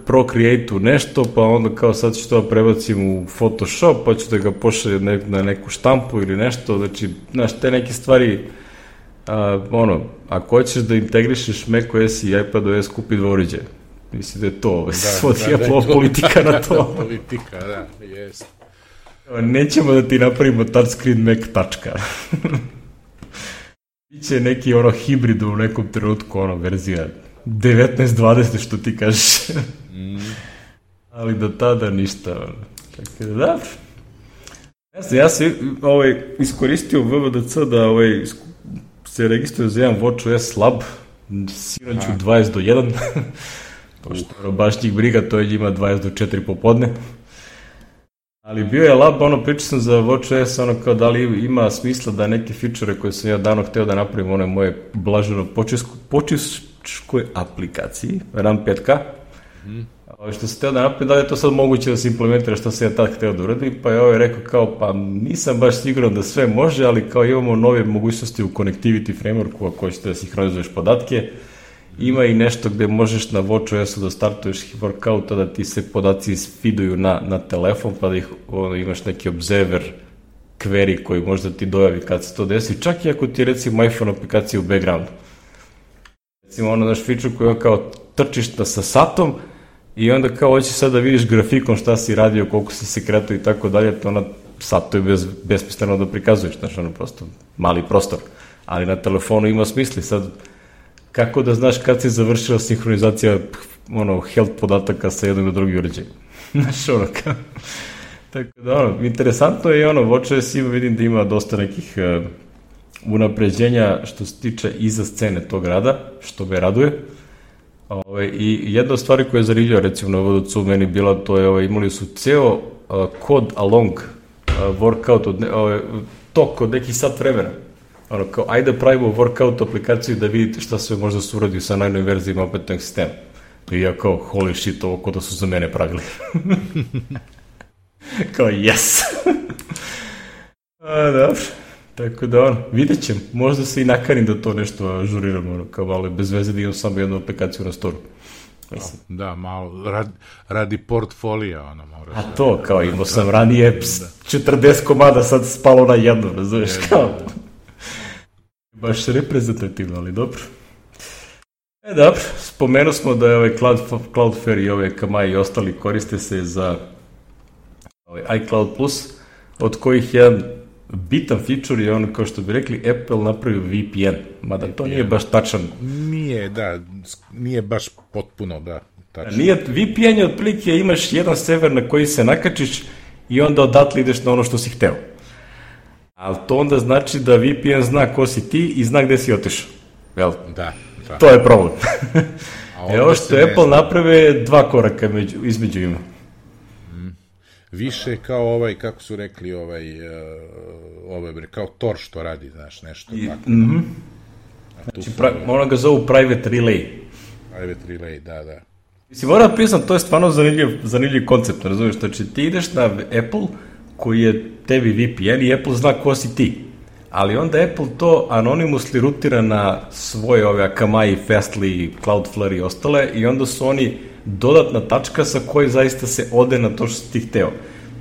Procreate-u nešto, pa onda kao sad ću to prebacim u Photoshop, pa ću da ga pošaljem ne, na neku štampu ili nešto, znači, znaš, te neke stvari. A, ono, ako hoćeš da integrišeš macOS i iPadOS, kupi dva uređaja. Mislim da je to, da, svodi da, Apple da, politika na to. Politika, da, jest. Nećemo da ti napravimo touchscreen Mac tačka. Biće neki ono hibrid u nekom trenutku, ono, verzija devetnaest dvadeset što ti kažeš. Mm. Ali do tada ništa, ono. Tako da, da. Ja sam, ja sam ovaj, iskoristio V V D C da ovaj, se registruje za jedan watchOS lab, sinoć u dvadeset do jedan, pošto baš njih briga, to je njima dvadeset do četiri popodne. Ali bio je lab, ono, pričao sam za watchOS, ono, kao da li ima smisla da neke feature koje sam ja davno hteo da napravim, one moje blaženo počeškoj aplikaciji, RAM pet K, mm. što sam hteo da napravim, da li je to sad moguće da se implementira što sam ja tad hteo da uradim, pa je ovaj rekao kao, pa nisam baš siguran da sve može, ali kao imamo nove mogućnosti u Connectivity Frameworku, ako hoćete da sinhronizuješ podatke, ima i nešto gde možeš na watchOS-u da startuješ workouta, da ti se podaci feeduju na, na telefon, pa da ih, ono, imaš neki observer query koji možda ti dojavi kad se to desi, čak i ako ti je recimo iPhone aplikacija u backgroundu. Recimo ono naš feature koji on kao trčiš sa satom, i onda kao hoćeš sad da vidiš grafikom šta si radio, koliko si se kretao i tako dalje, to ona sad to je bez, besmisleno da prikazuješ, znaš, ono prosto mali prostor, ali na telefonu ima smisli. Sad, kako da znaš kad si završila sinhronizacija ono, health podataka sa jednog do drugi uređaj? Znaš, ono, kao... Tako da, ono, interesantno je ono, watchOS ima, vidim da ima dosta nekih uh, unapređenja što se tiče iza scene tog rada, što me raduje. Ove, i jedna od stvari koja je zanimljiva recimo na V D C-u meni bila, to je ove, imali su ceo uh, kod along uh, workout od ne, ove, tok od nekih sat vremena, ono kao ajde pravimo workout aplikaciju da vidite šta sve možda se uradi sa najnovim verzijama opetnog sistema, i ja kao holy shit, ovo kod da su za mene pravili. Kao yes. A, dobro. Tako da, ono, vidjet ćem. Možda se i nakarim da to nešto ažuriram, ono, kao malo bez veze da imam samo jednu aplikaciju na storu. Mislim. Da, malo, radi, radi portfolija, ono, moraš. A to, kao, imao sam ranije četrdeset komada, sad spalo na jednu, razumiješ, kao. Baš reprezentativno, ali dobro. E, dobro, spomenuo smo da je ovaj Cloud, Cloudflare i ove Kamai i ostali koriste se za ovaj iCloud Plus, od kojih jedan bitan feature je ono, kao što bi rekli, Apple napravio V P N, mada to nije baš tačan. Nije, da, nije baš potpuno, da, tačno. Nije, V P N je otprilike, imaš jedan server na koji se nakačiš i onda odatle ideš na ono što si hteo. Ali to onda znači da V P N zna ko si ti i zna gde si otišao. Jel? Da, da. To je problem. Evo što Apple naprave dva koraka među, između ima. Više kao ovaj, kako su rekli, ovaj, uh, ovaj, kao Tor što radi, znaš, nešto I, tako. Mm-hmm. Znači, pra, ono ga zovu private relay. Private relay, da, da. Mislim, moram da priznam, to je stvarno zanimljiv, zanimljiv koncept, razumiješ, znači ti ideš na Apple, koji je tebi V P N i Apple zna ko si ti. Ali onda Apple to anonymously rutira na svoje ove Akamai, Fastly, Cloudflare i ostale i onda su oni dodatna tačka sa koji zaista se ode na to što si ti hteo.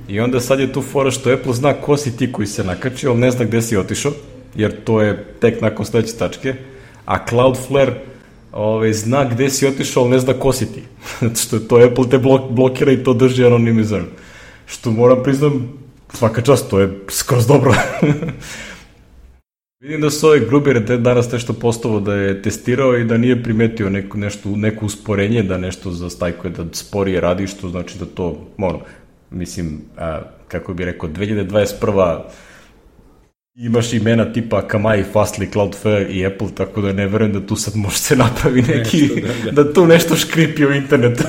I onda sad je tu fora što Apple zna ko si ti koji se nakačio, ali ne zna gde si otišao, jer to je tek nakon sledeće tačke, a Cloudflare ove, zna gde si otišao, ali ne zna ko si ti. Zato što je to Apple te blok, blokira i to drži anonimizam. Što moram priznam, svaka čast, to je skroz dobro. Vidim da su ove Grubere danas nešto postovo da je testirao i da nije primetio neko, nešto, neko usporenje, da nešto zastajkuje, da sporije radi, što znači da to, ono, mislim, a, kako bi rekao, dve hiljade dvadeset prva imaš imena tipa Akamai, Fastly, Cloudflare i Apple, tako da ne verujem da tu sad može se napravi neki, nešto, da, da. da tu nešto škripi u internetu.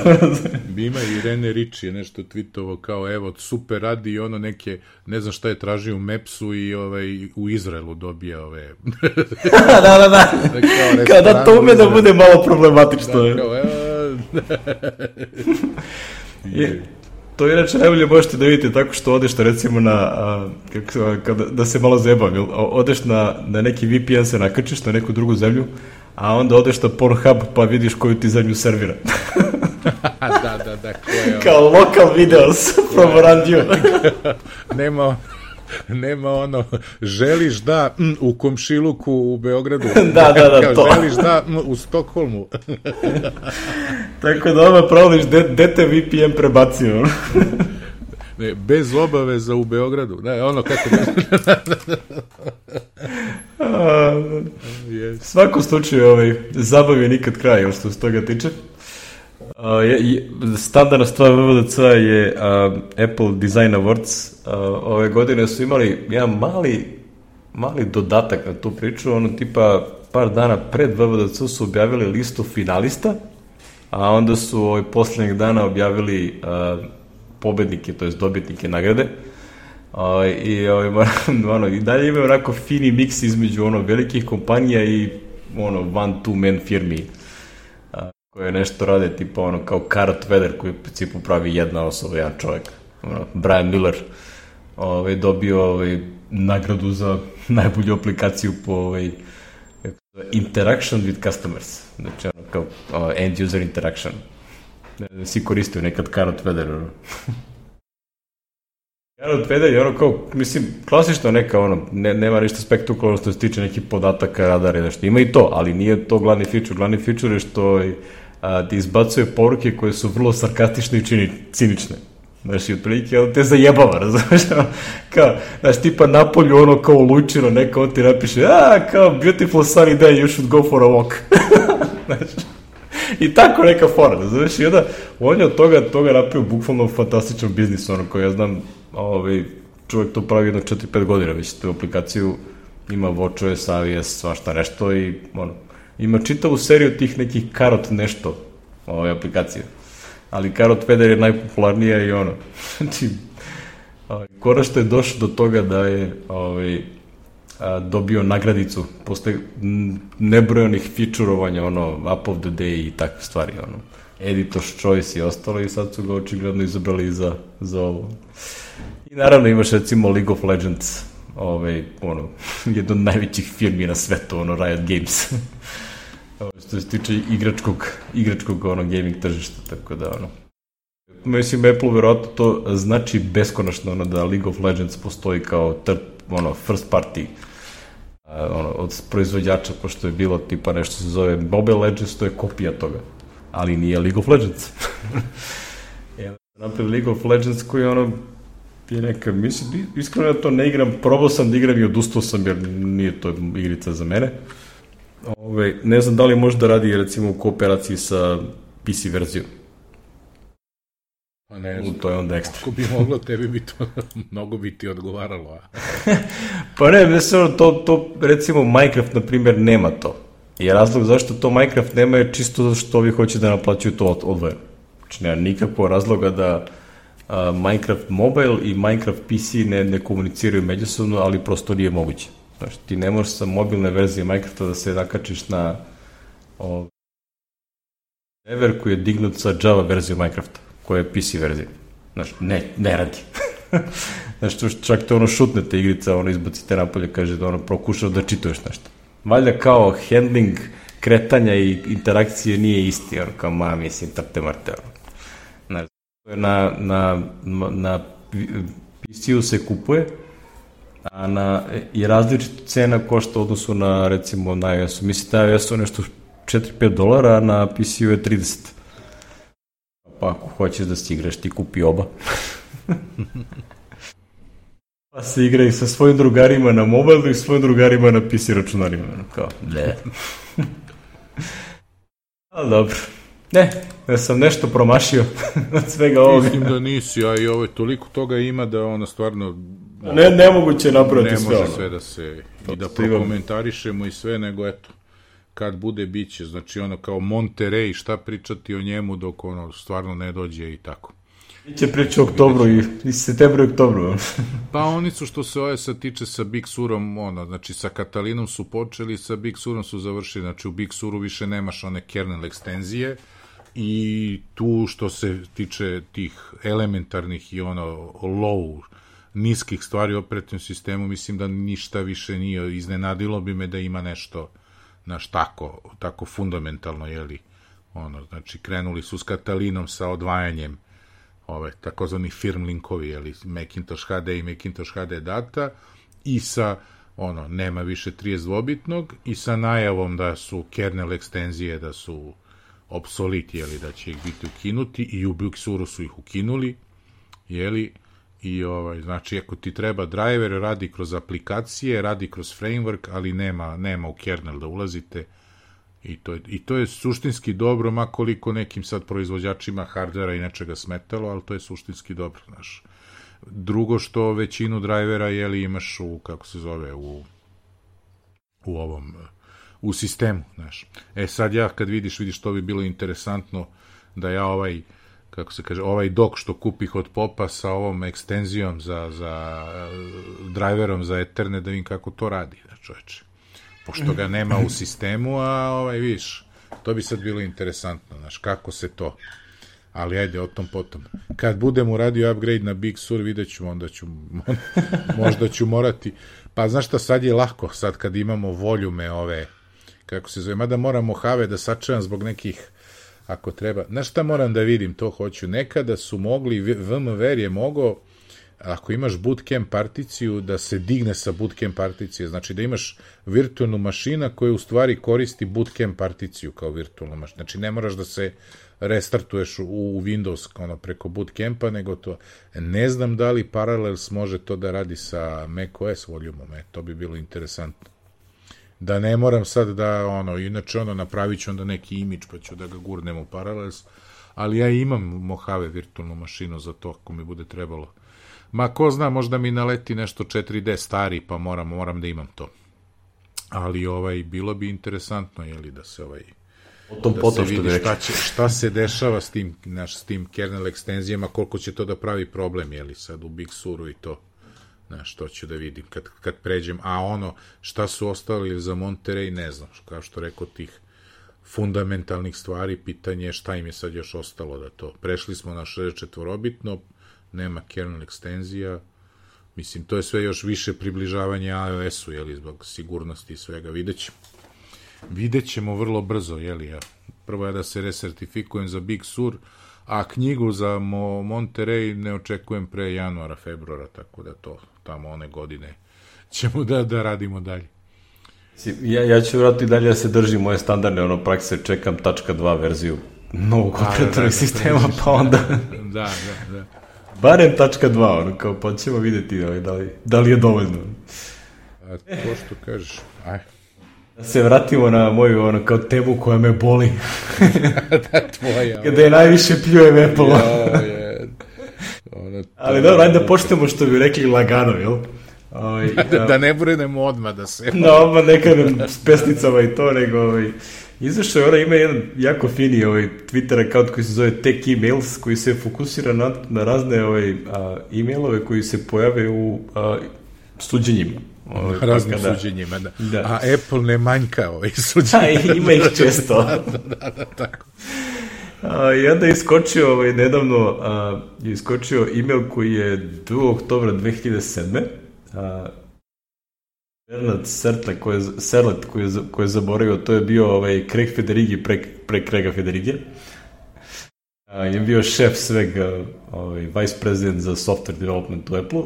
Ima i Rene Ritchie nešto tweetovo kao, evo, super radi i ono neke, ne znam šta je tražio u Mapsu i ovaj, u Izraelu dobija ove... da, da, da. Kada to ume da bude malo problematično. Da, kao, evo... je. To inače najbolje možete da vidite tako što odeš na, recimo na, a, kako, kada, da se malo zebam, odeš na, na neki V P N, se nakačiš na neku drugu zemlju, a onda odeš na Pornhub pa vidiš koju ti zemlju servira. da, da, da, ko je kao local videos from around you. Nema nema ono, želiš da m, u komšiluku u Beogradu. da, da, da, to. Želiš da m, u Stokholmu. Tako da ovo provodiš, gde te V P N prebacio? ne, bez obaveza u Beogradu. Da, ono kako... yes. Svakom slučaju ovaj, zabav je nikad kraj, što se toga tiče. Uh, je, je, standardna stvar V V D C je uh, Apple Design Awards. Uh, ove godine su imali jedan mali mali dodatak na tu priču, ono tipa par dana pred V V D C su objavili listu finalista, a onda su ovaj, poslednjeg dana objavili uh, pobednike, to jest dobitnike nagrade. Uh, i, ovaj, ono, i dalje imaju onako fini miks između ono velikih kompanija i ono one two man firmi koje nešto rade, tipa ono kao Carrot Weather, koji u principu pravi jedna osoba, jedan čovjek. Ono, Brian Miller ovaj, dobio ovaj, nagradu za najbolju aplikaciju po ovaj, interaction with customers. Znači ono kao uh, end user interaction. Svi koristio nekad Carrot Weather. Ono. Carrot Weather je ono kao, mislim, klasično neka ono, ne, nema ništa spektakularno što se tiče nekih podataka, radara i nešto. Ima i to, ali nije to glavni feature. Glavni feature je što a, ti izbacuje poruke koje su vrlo sarkastične i čini, cinične. Znaš, i otprilike, ono te zajebava, razumiješ? Kao, znaš, tipa napolju ono kao lučino, neka on ti napiše, a, kao, beautiful sunny day, you should go for a walk. Znaš, i tako neka fora, znaš, i onda on je od toga, toga napravio bukvalno fantastičan biznis, ono koji ja znam, ovaj, čovjek to pravi jedno četiri pet godina, već tu aplikaciju ima WatchOS, i o es, svašta nešto i ono, ima čitavu seriju tih nekih Carrot nešto ove aplikacije, ali Carrot Weather je najpopularnija i ono, znači, ovaj, konačno je došlo do toga da je ovaj, a, dobio nagradicu posle nebrojanih featurovanja, ono, App of the Day i takve stvari, ono, Editor's Choice i ostalo i sad su ga očigledno izabrali za, za ovo. I naravno imaš recimo League of Legends, ovaj, ono, jedno od najvećih firmi na svetu, ono, Riot Games. Što se tiče igračkog, igračkog, ono, gaming tržišta, tako da, ono. Mislim, Apple verovatno to znači beskonačno, ono, da League of Legends postoji kao third, ono, first party, ono, od proizvođača, pošto je bilo tipa nešto se zove Mobile Legends, to je kopija toga, ali nije League of Legends. Napred League of Legends koji ono je neka, mislim, iskreno ja to ne igram, probao sam da igram i odustao sam jer nije to igrica za mene. Ove, ne znam da li može da radi recimo u kooperaciji sa P C verzijom. Pa ne znam. To je onda ekstra. Ako bi moglo, tebi bi to mnogo bi ti odgovaralo. A? Pa ne, mislim, to, to recimo Minecraft, na primjer, nema to. I razlog zašto to Minecraft nema je čisto zato što ovi hoće da naplaćuju to odvojeno. Znači, nema nikakvog razloga da uh, Minecraft Mobile i Minecraft P C ne, ne komuniciraju međusobno, ali prosto nije moguće. Znači, ti ne možeš sa mobilne verzije Minecrafta da se nakačiš na o, server koji je dignut sa Java verziju Minecrafta, koja je P C verzija. Znači, ne, ne radi. Znači, čak to ono šutnete igrica, ono izbacite napolje, kaže da ono prokušao da čituješ nešto. Valjda kao handling kretanja i interakcije nije isti, ono kao ma, mislim, trte marte, ono. Znači, na, na, na P C-u se kupuje, a na, i različita cena košta u odnosu na, recimo, na iOS-u. Mislim, na iOS-u nešto četiri do pet dolara, a na P C-u je trideset. Pa ako hoćeš da si igraš, ti kupi oba. Pa se igra i sa svojim drugarima na mobilu i svojim drugarima na P C računarima. Kao, ne. Ali dobro. Ne, ja sam nešto promašio od svega ovoga. Mislim da nisi, a i ovo toliko toga ima da ona stvarno... Ne, nemoguće napraviti sve. Ne može sve da se... I da prokomentarišemo i sve, nego eto, kad bude biće, znači ono kao Monterey, šta pričati o njemu dok ono stvarno ne dođe i tako. Biće priča u oktobru i, i septembru i oktobru. Pa oni su što se ove sad tiče sa Big Surom, ono, znači sa Katalinom su počeli, sa Big Surom su završili, znači u Big Suru više nemaš one kernel ekstenzije i tu što se tiče tih elementarnih i ono low, niskih stvari u operativnom sistemu, mislim da ništa više nije, iznenadilo bi me da ima nešto, znaš, tako, tako fundamentalno, jeli, ono, znači krenuli su s Katalinom sa odvajanjem ove takozvani firm linkovi, jeli, Macintosh H D i Macintosh H D data i sa, ono, nema više trideset dvobitnog i sa najavom da su kernel ekstenzije, da su obsolit, jeli, da će ih biti ukinuti i u Big Suru su ih ukinuli, jeli, i ovaj, znači, ako ti treba driver, radi kroz aplikacije, radi kroz framework, ali nema, nema u kernel da ulazite. I to, je, I to je suštinski dobro, makoliko nekim sad proizvođačima hardvera i nečega smetalo, ali to je suštinski dobro, znaš. Drugo što većinu drivera, jeli, imaš u, kako se zove, u, u ovom, u sistemu, znaš. E sad ja, kad vidiš, vidiš, to bi bilo interesantno da ja ovaj, kako se kaže, ovaj dok što kupih od Popa sa ovom ekstenzijom za, za driverom za Ethernet, da vidim kako to radi, da čoveče. Pošto ga nema u sistemu, a ovaj, viš, to bi sad bilo interesantno, znaš, kako se to, ali ajde, o tom potom. Kad budem uradio upgrade na Big Sur, vidjet ću, onda ću, možda ću morati, pa znaš šta, sad je lako, sad kad imamo voljume ove, kako se zove, mada moram Mojave da sačevam zbog nekih, ako treba, znaš šta moram da vidim, to hoću, nekada su mogli, V M W R je mogao, ako imaš bootcamp particiju, da se digne sa bootcamp particije, znači da imaš virtualnu mašina koja u stvari koristi bootcamp particiju kao virtualnu mašinu, znači ne moraš da se restartuješ u, u Windows ono, preko bootcampa, nego to, ne znam da li Parallels može to da radi sa macOS volumom, e, to bi bilo interesantno. Da ne moram sad da, ono, inače ono, napravit ću onda neki imidž pa ću da ga gurnem u Parallels, ali ja imam Mojave virtualnu mašinu za to ako mi bude trebalo. Ma ko zna, možda mi naleti nešto četiri D stari, pa moram, moram da imam to. Ali ovaj, bilo bi interesantno, jeli, da se ovaj... Potom, da potom se vidi šta, će, šta se dešava s tim, naš, s tim kernel ekstenzijama, koliko će to da pravi problem, jeli, sad u Big Suru i to. Znaš, to ću da vidim kad, kad pređem. A ono, šta su ostali za Monterey, ne znam. Kao što rekao, tih fundamentalnih stvari, pitanje je šta im je sad još ostalo da to. Prešli smo na šezdeset četvorobitno, nema kernel ekstenzija, mislim, to je sve još više približavanje iOS-u, jeli, zbog sigurnosti i svega, vidjet ćemo. Vidjet ćemo vrlo brzo, jeli, ja. Prvo je da se resertifikujem za Big Sur, a knjigu za Mo Monterey ne očekujem pre januara, februara, tako da to tamo one godine ćemo da, da radimo dalje. Ja, ja ću vratiti dalje da se držim moje standardne ono prakse, čekam tačka dva verziju novog operatornog sistema, pa onda... Da, da, da. Barem tačka dva, ono, kao, pa ćemo vidjeti da li, da li je dovoljno. A to što kažeš, aj. Da se vratimo na moju, ono, kao temu koja me boli. Da, tvoja. Kada je najviše pljujem Apple. Jo, je. Ono, ali dobro, ajde da počnemo što bi rekli lagano, jel? Ovaj, da, da ne brinemo odmah da se... No, odmah ne kažem s pesnicama i to, nego... Ovaj, izašao je ona, ima jedan jako fini ovaj, Twitter account koji se zove Tech Emails, koji se fokusira na, na razne ovaj, a, e-mailove koji se pojave u a, suđenjima. Ovaj, raznim da. suđenjima, da. da. A Apple ne manjka ovaj suđenjima. Da, ima ih često. da, da, da, tako. A, I onda je iskočio ovaj, nedavno a, je iskočio email koji je drugog oktobra dve hiljade sedme. A, Bernard Sertlet koji je, Serlet koji je, koji je zaboravio, to je bio ovaj, Craig Federighi pre, pre Craiga Federighi. A, je bio šef svega, ovaj, vice president za software development u Apple.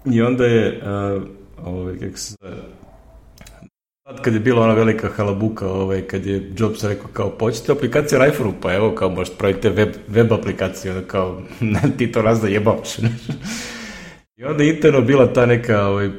I onda je, a, ovaj, kako se zove, kad je bila ona velika halabuka, ovaj, kad je Jobs rekao kao, počete aplikacije na iPhone-u, pa evo, kao možete pravite web, web aplikaciju, onda kao, ti to raz da jebavaš. I onda je interno bila ta neka ovaj,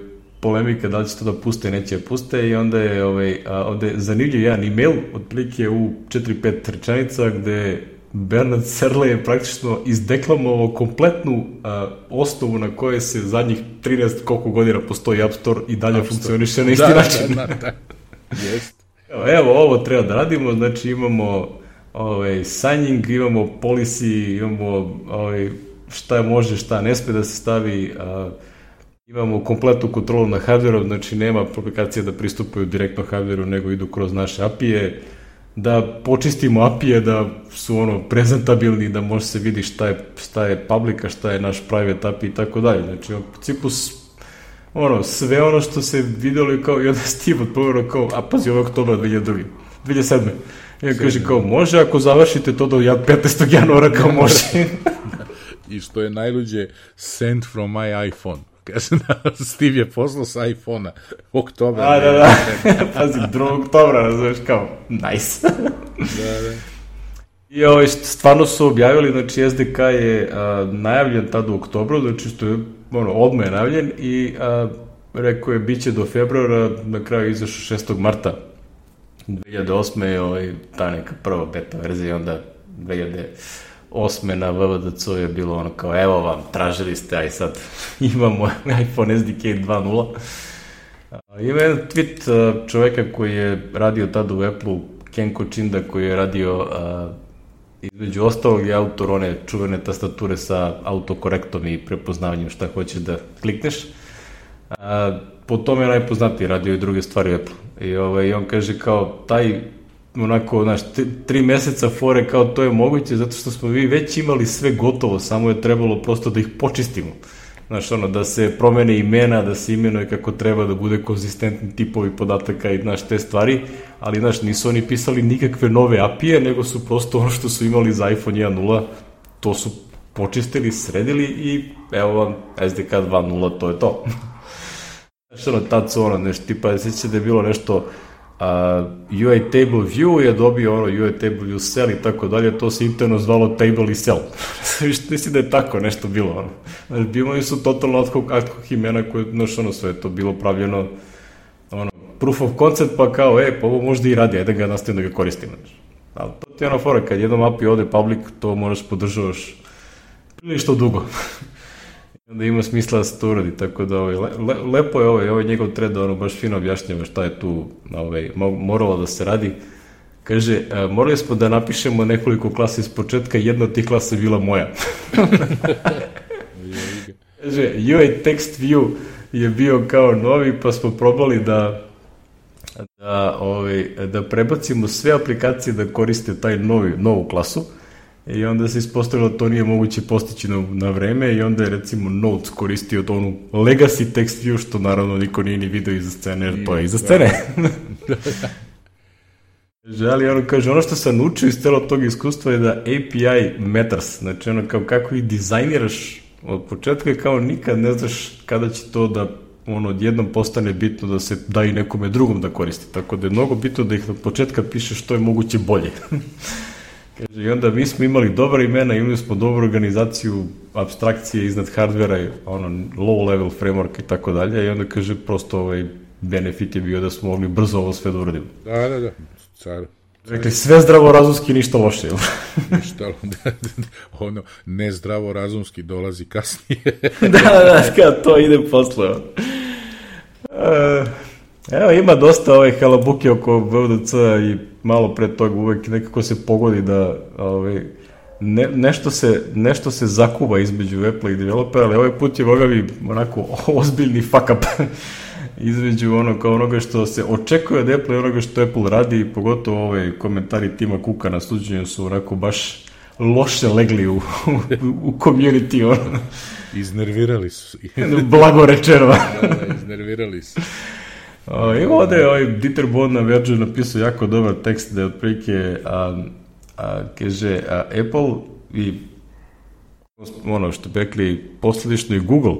polemika, da li će to da puste, neće da puste, i onda je, ovaj, a, onda je zanimljiv jedan email, otprilike u četiri pet rečenica, gde Bernard Serle je praktično izdeklamovao kompletnu a, osnovu na kojoj se zadnjih trinaest koliko godina postoji App Store i dalje funkcioniše na isti da, način. Da, da, da. Jest. Evo, evo, ovo treba da radimo, znači imamo ovaj, signing, imamo policy, imamo ovaj, šta može, šta ne sme da se stavi, a, imamo kompletnu kontrolu na hardveru, znači nema aplikacije da pristupaju direktno hardveru, nego idu kroz naše A P I-e, da počistimo A P I-e, da su ono prezentabilni, da može se vidi šta je, šta je publika, šta je naš private A P I i tako dalje. Znači, u principu, ono, sve ono što se videlo i kao, i onda Steve odpovedao kao, a pazi, ovo je oktobra dve hiljade druge. dve hiljade sedme. I on kaže kao, može, ako završite to do petnaestog januara, kao može. I što je najluđe, send from my iPhone. Kaže, Steve je poslao sa iPhone-a oktobra. A, da, da, pazi, drugog oktobra, razumeš, kao, nice. Da, da. I ovo, stvarno su objavili, znači S D K je a, najavljen tada u oktobru, znači što je, ono, odmah je najavljen i a, rekao je, bit će do februara, na kraju izašao šestog marta dve hiljade osme je ovaj, ta neka prva beta verzija, onda dve hiljade osme na W W D C je bilo ono kao, evo vam, tražili ste, aj sad imamo iPhone S D K dva nula. Ima jedan tweet čoveka koji je radio tada u Apple-u, Ken Kochinda, koji je radio a, između ostalog je autor one čuvene tastature sa autokorektom i prepoznavanjem šta hoćeš da klikneš. A, po tome je najpoznatiji, radio i druge stvari u Apple. I ovaj, on kaže kao, taj onako, znaš, tri meseca fore kao to je moguće, zato što smo vi već imali sve gotovo, samo je trebalo prosto da ih počistimo. Znaš, ono, da se promene imena, da se imenuje kako treba, da bude konzistentni tipovi podataka i, znaš, te stvari, ali, znaš, nisu oni pisali nikakve nove A P I-e, nego su prosto ono što su imali za iPhone jedan nula, to su počistili, sredili i evo vam S D K dva nula, to je to. Znaš, ono, tad su ono, nešto, tipa, sjeća da je bilo nešto, Uh, U I Table View je dobio ono U I Table View Cell i tako dalje, to se interno zvalo Table i Cell. Mislim da je tako nešto bilo. Ono. Znači, bilo su totalno ad hoc, ad hoc imena koje, znaš, ono, sve to bilo pravljeno ono, proof of concept, pa kao, e, pa ovo možda i radi, ajde da ga nastavim da ga koristim. Znači. Ali to ti je ono fora, kad jednom A P I ode public, to moraš podržavaš prilično dugo. Onda ima smisla da se to uradi, tako da ovaj, le, lepo je ovaj, ovaj njegov thread, ono baš fino objašnjava šta je tu ovaj, moralo da se radi. Kaže, a, morali smo da napišemo nekoliko klasa iz početka, jedna od tih klasa je bila moja. Kaže, U I Text View je bio kao novi, pa smo probali da da, ovaj, da prebacimo sve aplikacije da koriste taj novi, novu klasu. I onda se ispostavilo da to nije moguće postići na, na vreme i onda je recimo Notes koristio to onu legacy text view, što naravno niko nije ni video iza scene, jer to je iza scene. Ali ono kaže, ono što sam naučio iz celog tog iskustva je da A P I matters, znači ono kao kako ih dizajniraš od početka, kao nikad ne znaš kada će to da ono odjednom postane bitno da se da i nekome drugom da koristi, tako da je mnogo bitno da ih od početka piše što je moguće bolje. Kaže, i onda mi smo imali dobra imena, imali smo dobru organizaciju, abstrakcije iznad hardvera, ono, low level framework i tako dalje, i onda kaže, prosto ovaj benefit je bio da smo mogli brzo ovo sve da uradimo. Da, da, da, car. Rekli, sve zdravorazumski, ništa loše, jel? Ništa, ono, nezdravorazumski dolazi kasnije. da, da, kada to ide posle. Uh, evo, ima dosta ove halabuke oko W W D C i malo pre toga uvek nekako se pogodi da ovaj, ne, nešto, se, nešto se zakuva između Apple i developera, ali ovaj put je bogavi onako ozbiljni fuck up između ono, kao onoga što se očekuje od Apple i onoga što Apple radi, i pogotovo ove komentari Tima Cooka na suđenju su onako baš loše legli u, u, u community, ono. Iznervirali su. Blago rečeno. Da, da, iznervirali su. O, I ovde je ovaj Dieter Bohn na Verge napisao jako dobar tekst da je otprilike, a, a, kaže, a, Apple i ono što bi rekli posledično i Google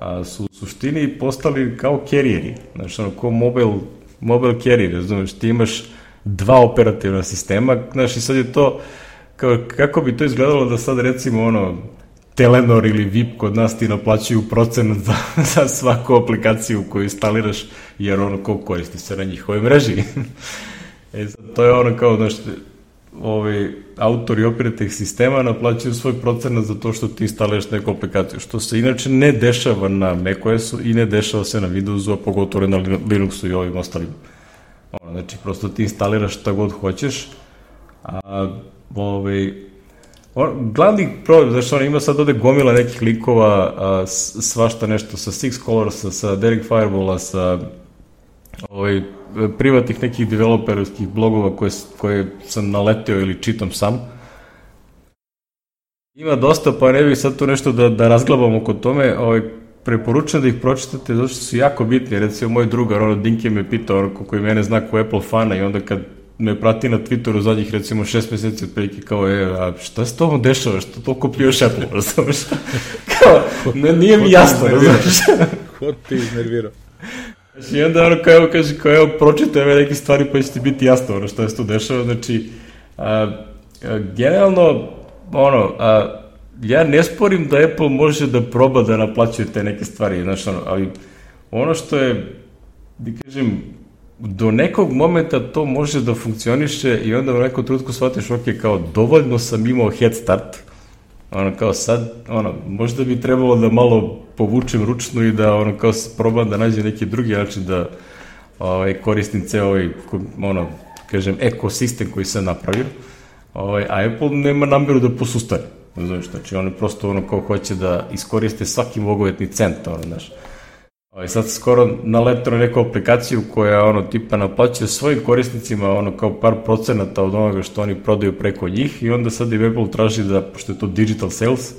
a, su u suštini postali kao carrieri, znači ono, kao mobile, mobile carrier, znaš, ti imaš dva operativna sistema, znaš, i sad je to, kao, kako bi to izgledalo da sad recimo ono, Telenor ili V I P kod nas ti naplaćuju procenat za, za svaku aplikaciju koju instaliraš, jer ono ko koristi se na njihovoj mreži. E sad, to je ono kao, znaš, ovi autori operativnih sistema naplaćuju svoj procenat za to što ti instaliraš neku aplikaciju, što se inače ne dešava na macOS-u i ne dešava se na Windowsu, a pogotovo na Linuxu i ovim ostalim. Ono, znači, prosto ti instaliraš šta god hoćeš, a ovaj... Glavni problem, znači on ima sad ovde gomila nekih likova, a, svašta nešto sa Six Colorsa, sa Derek Fireballa, sa ovaj, privatnih nekih developerskih blogova koje, koje sam naleteo ili čitam sam. Ima dosta, pa ne bih sad tu nešto da, da razglabam oko tome, ovaj, preporučujem da ih pročitate, zato što su jako bitni. Recimo, moj drugar, ono, Dinke me pitao, ono, koji mene zna ko Apple fana, i onda kad me prati na Twitteru zadnjih, recimo, šest meseci otprilike, kao, e, a šta se to dešava, što toliko pljuješ Apple, razumeš? Kao, ne, nije mi jasno, razumeš? Ko ti iznervirao? Znači, i onda, ono, kao, kaže, kao, evo, pročitaj ove neke stvari, pa će ti biti jasno, ono, šta se to dešava, znači, a, a, generalno, ono, a, ja ne sporim da Apple može da proba da naplaćuje te neke stvari, znači, ono, ali ono što je, da kažem, do nekog momenta to može da funkcioniše i onda u nekom trenutku shvatiš, ok, kao dovoljno sam imao head start, ono kao sad, ono, možda bi trebalo da malo povučem ručnu i da ono kao probam da nađem neki drugi način da ovaj, koristim ceo ovaj, ono, kažem, ekosistem koji sam napravio, ovaj, a Apple nema nameru da posustane, znaš, znači oni prosto ono kao hoće da iskoriste svaki mogovetni cent, ono, znaš. I sad skoro naletao na neku aplikaciju koja ono tipa naplaćuje svojim korisnicima ono kao par procenata od onoga što oni prodaju preko njih i onda sad i Apple traži da, pošto je to digital sales,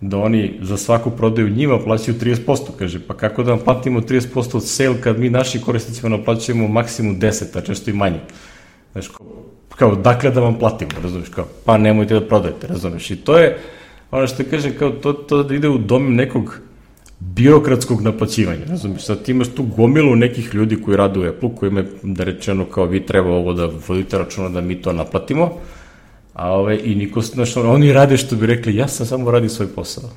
da oni za svaku prodaju njima plaćaju trideset posto, kaže, pa kako da vam platimo trideset posto od sale kad mi našim korisnicima naplaćujemo maksimum deset, a često i manje. Znaš, kao, kao dakle da vam platimo, razumiješ, kao, pa nemojte da prodajete, razumiješ, i to je ono što kažem, kao to, to ide u dom nekog birokratskog naplaćivanja, razumiješ, sad ti imaš tu gomilu nekih ljudi koji rade u Apple, koji ima da rečeno kao vi treba ovo da vodite računa da mi to naplatimo, a ove, i niko, znaš, oni rade što bi rekli, ja sam samo radim svoj posao.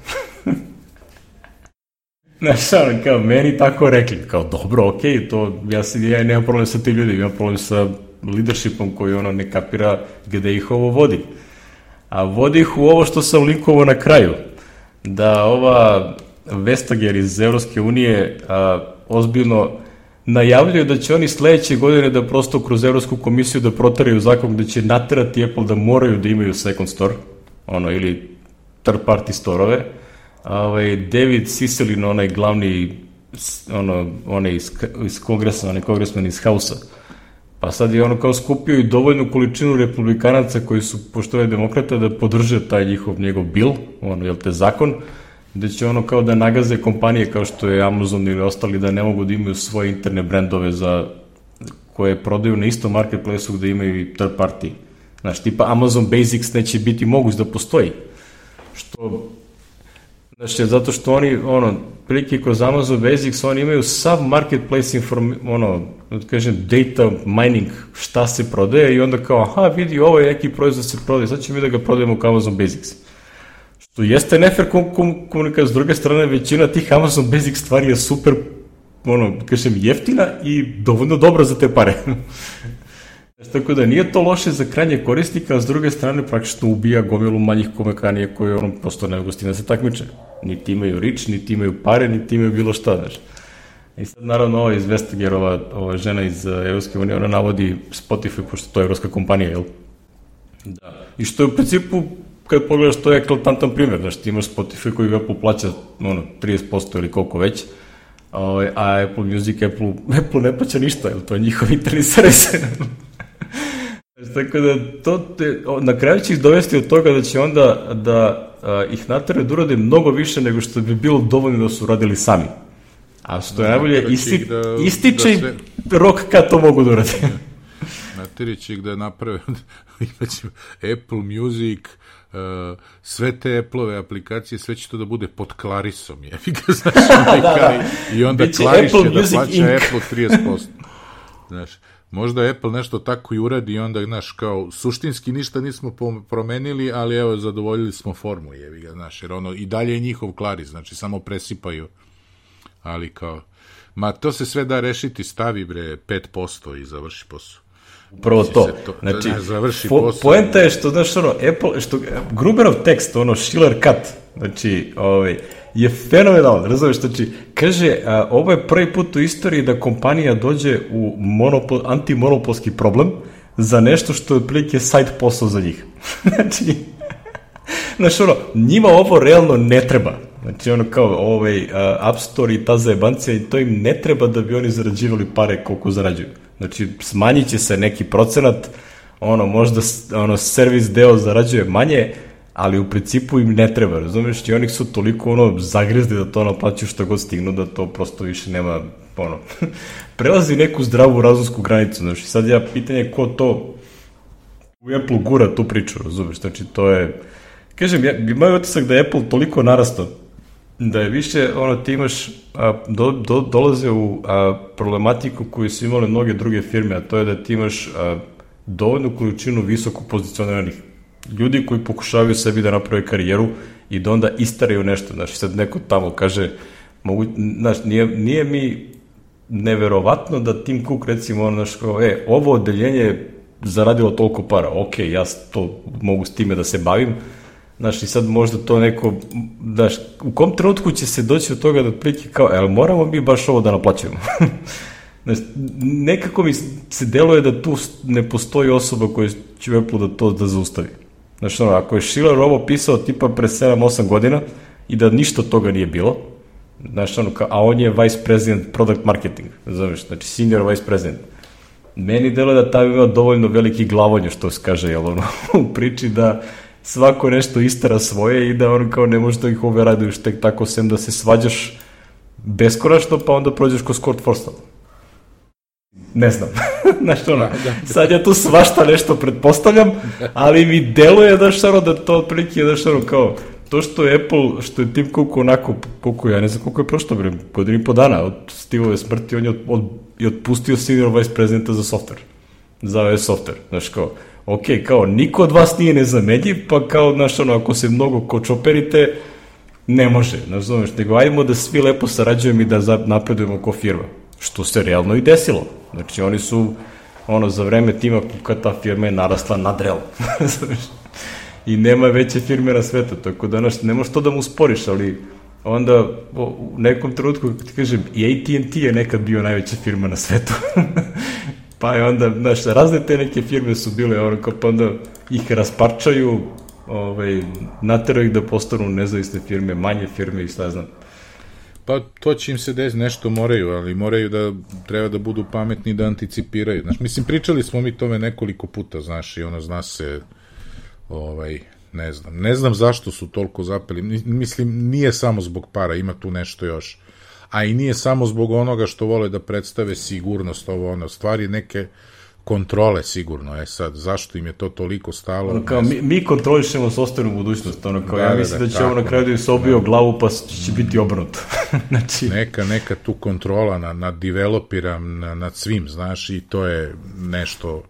Znaš, ono, kao, meni tako rekli, kao, dobro, okej, okay, to, ja, ja nemam problem sa tim ljudima, imam problem sa leadershipom koji ono ne kapira gde ih ovo vodi. A vodi ih u ovo što sam linkovao na kraju, da ova Vestager iz Evropske unije a, ozbiljno najavljaju da će oni sledeće godine da prosto kroz Evropsku komisiju da protaraju zakon gde će naterati Apple da moraju da imaju second store, ono, ili third party storove. Ovaj, David Cicilline, onaj glavni, ono, onaj iz, iz kongresa, onaj kongresman iz Hausa, pa sad je ono kao skupio i dovoljnu količinu republikanaca koji su, pošto je demokrata, da podrže taj njihov, njegov bil, ono, jel te, zakon, gde će ono kao da nagaze kompanije kao što je Amazon ili ostali da ne mogu da imaju svoje interne brendove za, koje prodaju na istom marketplaceu gde imaju i third party. Znaš, tipa Amazon Basics neće biti moguć da postoji. Što, znači, zato što oni, ono, prilike kroz Amazon Basics, oni imaju sav marketplace inform, ono, da kažem, data mining, šta se prodaje i onda kao, aha, vidi, ovo je neki proizvod se prodaje, sad ćemo mi da ga prodajemo kao Amazon Basics. Što jeste nefer komunikacija, s druge strane, većina tih Amazon Basic stvari je super, ono, kažem, jeftina i dovoljno dobra za te pare. Tako da nije to loše za krajnje korisnika, a s druge strane praktično ubija gomilu manjih kompanija koje ono prosto ne gostina se takmiče. Niti imaju rič, niti imaju pare, niti imaju bilo šta, znaš. I sad naravno ova iz Vestagerova, ova žena iz Evropske unije, ona navodi Spotify, pošto to je evropska kompanija, jel? Da. I što je u principu, kad pogledaš, to je eklatantan primjer, znaš, ti imaš Spotify koji Apple plaća, ono, trideset posto ili koliko već, a Apple Music, Apple, Apple ne plaća ništa, jel? To je njihov interni servis. Tako da, to te, na kraju će ih dovesti od toga da će onda da a, ih nateraju da urade mnogo više nego što bi bilo dovoljno da su radili sami. A što je najbolje, isti, da, ističe da sve... rok kad to mogu da urade. Nateri će ih da naprave, imaće Apple Music, uh, sve te Apple-ove aplikacije, sve će to da bude pod Clarisom, je. Znaš, da, da. I onda Claris će da plaća Incorporated. Apple trideset posto. Znaš, možda Apple nešto tako i uradi i onda, znaš, kao, suštinski ništa nismo promenili, ali evo, zadovoljili smo formu, jevi ga, znaš, jer ono, i dalje je njihov Claris, znači, samo presipaju, ali kao, ma, to se sve da rešiti, stavi, bre, pet posto i završi posao. Upravo to. to. Znači, po, poenta je što, znaš, ono, Apple, što, Gruberov tekst, ono, Schiller cut, znači, ovaj, je fenomenalno, razumiješ, znači, kaže, a, ovo je prvi put u istoriji da kompanija dođe u monopol, antimonopolski problem za nešto što je otprilike side posao za njih. Znači, znaš, ono, njima ovo realno ne treba. Znači, ono, kao, ovaj, uh, App Store i ta zajebancija, i to im ne treba da bi oni zarađivali pare koliko zarađuju. Znači, smanjit će se neki procenat, ono, možda, ono, servis deo zarađuje manje, ali u principu im ne treba, razumiješ, i oni su toliko, ono, zagrizli da to naplaćuju što god stignu, da to prosto više nema, ono, prelazi neku zdravu razumsku granicu, znači, sad ja pitanje ko to u Apple gura tu priču, razumiješ, znači, to je, kažem, ja, imaju otisak da je Apple toliko narastao, da je više, ono, ti imaš, a, do, do, dolaze u a, problematiku koju su imale mnoge druge firme, a to je da ti imaš a, dovoljnu količinu visoko pozicioniranih ljudi koji pokušavaju sebi da naprave karijeru i da onda istaraju nešto, znači sad neko tamo kaže, mogu, znaš, nije, nije mi neverovatno da Tim Cook recimo, ono, znaš, kao, e, ovo odeljenje je zaradilo toliko para, ok, ja to mogu s time da se bavim, znaš, i sad možda to neko, znaš, u kom trenutku će se doći od toga da otprilike kao, ali moramo mi baš ovo da naplaćujemo. Znaš, nekako mi se deluje da tu ne postoji osoba koja će u Apple da to da zaustavi. Znaš, ono, ako je Schiller ovo pisao tipa pre sedam osam godina i da ništa od toga nije bilo, znaš, ono, a on je vice president product marketing, znaš, znači senior vice president. Meni deluje da ta ima dovoljno veliki glavonje, što se kaže, jel, ono, u priči da svako nešto istara svoje i da on kao ne može da ih ove raduješ tek tako, sem da se svađaš beskonačno, pa onda prođeš ko Scott Forstall. Ne znam, znaš, ono, sad ja tu svašta nešto pretpostavljam, ali mi deluje, znaš, ono, da to otprilike, znaš, ono, kao, to što je Apple, što je Tim Cook onako, koliko, ja ne znam koliko je prošlo, bre, godinu i po dana od Steveove smrti, on je od, od, je otpustio senior vice presidenta za software, za iOS software, znaš, kao, ok, kao, niko od vas nije nezamenjiv, pa kao, znaš, ono, ako se mnogo kočoperite, ne može, znaš, znaš, nego ajmo da svi lepo sarađujemo i da napredujemo ko firma. Što se realno i desilo. Znači, oni su, ono, za vreme Tima Cooka ta firma je narasla nadrealno. I nema veće firme na svetu, tako da, znaš, ne možeš to da mu sporiš, ali onda u nekom trenutku, kako ti kažem, i A T and T je nekad bio najveća firma na svetu. Pa je onda, znaš, razne te neke firme su bile, ono, kao pa onda ih rasparčaju, ovaj, nateraju ih da postanu nezavisne firme, manje firme i šta ja znam. Pa to će im se desiti, nešto moraju, ali moraju da, treba da budu pametni da anticipiraju. Znaš, mislim, pričali smo mi tome nekoliko puta, znaš, i ono, zna se, ovaj, ne znam, ne znam zašto su toliko zapeli, mislim, nije samo zbog para, ima tu nešto još, a i nije samo zbog onoga što vole da predstave sigurnost, ovo, ono, stvari neke kontrole sigurno, e sad, zašto im je to toliko stalo? Ono kao, mi, mi kontrolišemo software u budućnost, ono kao, da, ja mislim da, da će ovo na kraju da im se obio glavu, pa će biti obrnuto. Znači... Neka, neka tu kontrola nad, nad developerom, nad, nad svim, znaš, i to je nešto,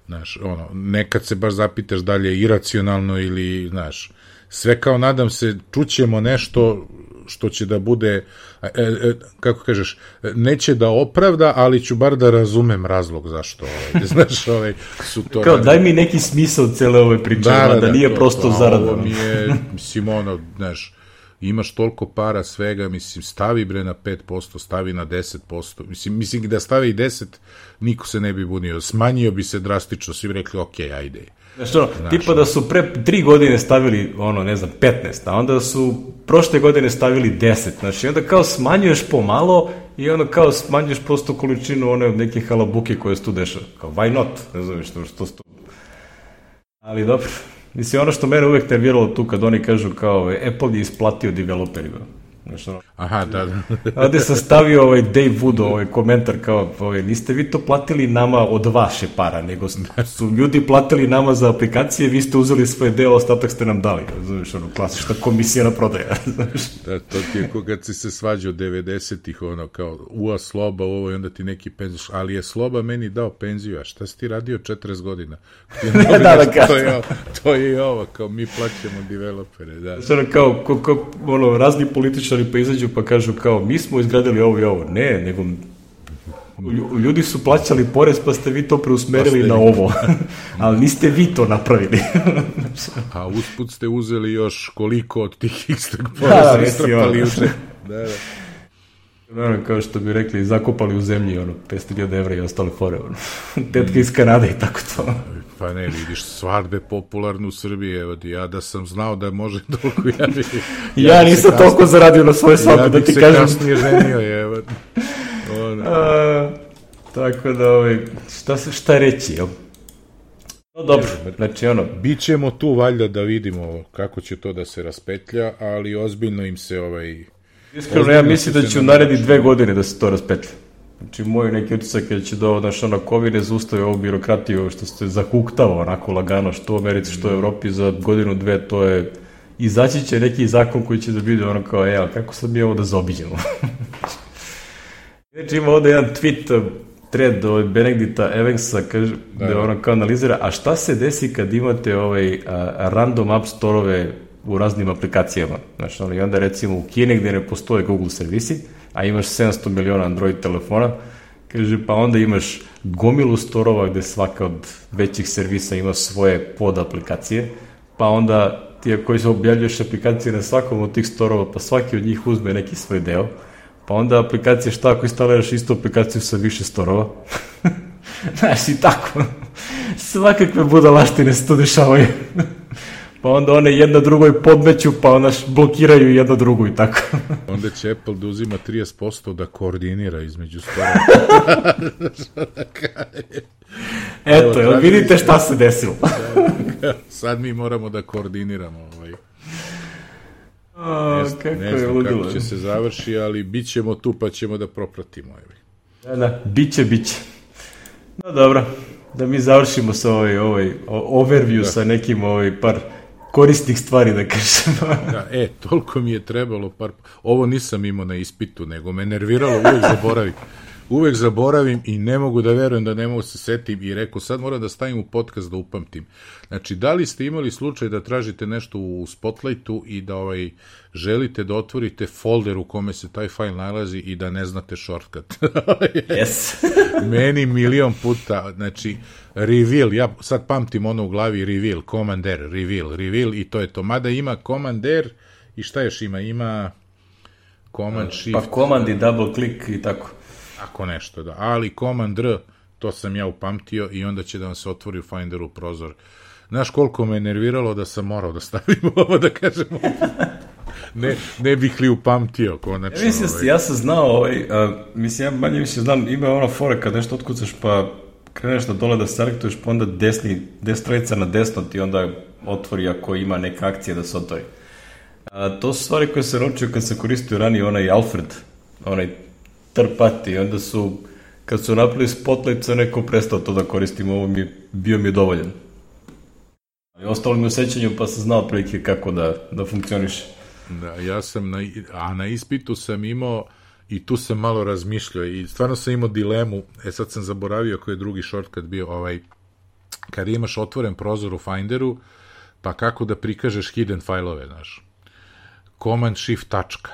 znaš, ono, nekad se baš zapitaš da li je iracionalno ili, znaš, sve kao, nadam se, čućemo nešto što će da bude, e, e, kako kažeš, neće da opravda, ali ću bar da razumem razlog zašto, ovaj, znaš, ovaj, su to... Kao, daj mi neki smisao cele ove priče, da, da, da nije to, prosto zarada. Ovo mi je, mislim, ono, znaš, imaš toliko para svega, mislim, stavi bre na pet posto, stavi na deset posto, mislim, mislim da stavi i deset, niko se ne bi bunio, smanjio bi se drastično, svi bi rekli, ok, ajde. Znaš, ono, znaš, tipa da su pre tri godine stavili, ono, ne znam, petnaest, a onda su prošle godine stavili deset, znači, onda kao smanjuješ pomalo i onda kao smanjuješ prosto količinu one neke halabuke koje se tu dešava, kao, why not, ne znam, što, što, što Ali dobro, mislim, ono što mene uvek nerviralo tu kad oni kažu kao Apple je isplatio developerima. Nešto, aha, da, da. Ovde sam stavio ovaj Dave Wood, ovaj komentar kao, ovaj, niste vi to platili nama od vaše para, nego su ljudi platili nama za aplikacije, vi ste uzeli svoje deo, ostatak ste nam dali. Znaš, ono, klasična komisija na prodaja. Da, to ti je ko kad si se svađao devedesetih, ono, kao, ua, Sloba, ovo, i onda ti neki penziš, ali je Sloba meni dao penziju, a šta si ti radio četrdeset godina? da, da, da, to, je, to je i ovo, kao, mi plaćamo developere, da. Znači, ono, kao, ko, ko, ono, razni političari pa izađu pa kažu kao mi smo izgradili ovo i ovo. Ne, nego ljudi su plaćali porez pa ste vi to preusmerili pa na ovo. Ali niste vi to napravili. A usput ste uzeli još koliko od tih istog poreza istrpali uče. Da, da. Ono, kao što bi rekli, zakopali u zemlji ono, petsto hiljada evra i ostale fore. Ono. Tetka iz Kanade i tako to. Pa ne, vidiš, svadbe popularne u Srbiji, evo ti, ja da sam znao da može toliko, ja bi... ja, ja nisam kasnije, toliko zaradio na svoje svadbe, da ti kažem. Ja bih se kasnije ženio, evo. A, tako da, ovaj, šta, se, šta reći, jel? No, dobro, znači, ono... Bićemo tu, valjda, da vidimo kako će to da se raspetlja, ali ozbiljno im se, ovaj... Iskreno, ja mislim da će u naredni dve godine da se to raspetlja. Znači, moj neki utisak je da će do, znaš, ono, COVID ne zaustavi ovu birokratiju što se zahuktava onako lagano, što u Americi, što u Evropi, za godinu, dve, to je, izaći će neki zakon koji će da bude ono kao, e, ali kako sad mi ovo da zaobiđemo? Znači, ima ovde jedan tweet, thread od Benedikta Evansa, kaže, da je ono kao analizira, a šta se desi kad imate ovaj a, random app store-ove u raznim aplikacijama? Znači, ono, i onda recimo u Kini gde ne postoje Google servisi, a imaš sedamsto miliona Android telefona, kaže, pa onda imaš gomilu storova gde svaka od većih servisa ima svoje pod aplikacije, pa onda ti koji se objavljuješ aplikacije na svakom od tih storova, pa svaki od njih uzme neki svoj deo, pa onda aplikacije šta ako instaliraš istu aplikaciju sa više storova, znaš i tako, svakakve budalaštine se to dešavaju. Pa onda one jedna drugoj podmeću, pa onda blokiraju jedna drugu i tako. Onda će Apple da uzima trideset posto da koordinira između stora. Eto, evo, vidite šta se desilo. Sad mi moramo da koordiniramo. Ovaj. A, ne, kako ne znam je ludilo. Kako će se završi, ali bit ćemo tu pa ćemo da propratimo. Da, da, bit će, bit će. No dobro, da mi završimo sa ovaj, ovaj overview da. Sa nekim ovaj par korisnih stvari, da kažem. Da, e, toliko mi je trebalo par... Ovo nisam imao na ispitu, nego me nerviralo, uvek zaboravim. Uvek zaboravim i ne mogu da verujem da ne mogu se setim i rekao, sad moram da stavim u podcast da upamtim. Znači, da li ste imali slučaj da tražite nešto u Spotlightu i da ovaj, želite da otvorite folder u kome se taj fajl nalazi i da ne znate shortcut? Yes. Meni milion puta, znači, reveal, ja sad pamtim ono u glavi, reveal, Command-R, reveal, reveal i to je to. Mada ima Command-R i šta još ima? Ima Command-Shift. Pa Command i double click i tako. Ako nešto, da. Ali Command-R, to sam ja upamtio i onda će da vam se otvori u Finderu prozor. Znaš koliko me nerviralo da sam morao da stavim ovo, da kažemo. Ne, ne bih li upamtio, konačno. Ja mislim, ovaj. ja sam znao, ovaj, a, mislim, ja manje više znam, ima ona fora kad nešto otkucaš, pa kreneš da dole da selektuješ, pa onda desni, destrojica na desno ti onda otvori ako ima neka akcija da se otvori. A, to su stvari koje se naučio kad se koristio ranije onaj Alfred, onaj trpati, onda su, kad su napravili Spotlight, sa neko prestao to da koristim, ovo mi, bio mi je dovoljan. I ostalo mi u sećanju, pa sam znao prilike kako da, da funkcioniše. Da, ja sam, na, a na ispitu sam imao, i tu sam malo razmišljao, i stvarno sam imao dilemu, e sad sam zaboravio koji je drugi shortcut bio, ovaj, kad imaš otvoren prozor u Finderu, pa kako da prikažeš hidden fajlove, znaš. Command Shift tačka.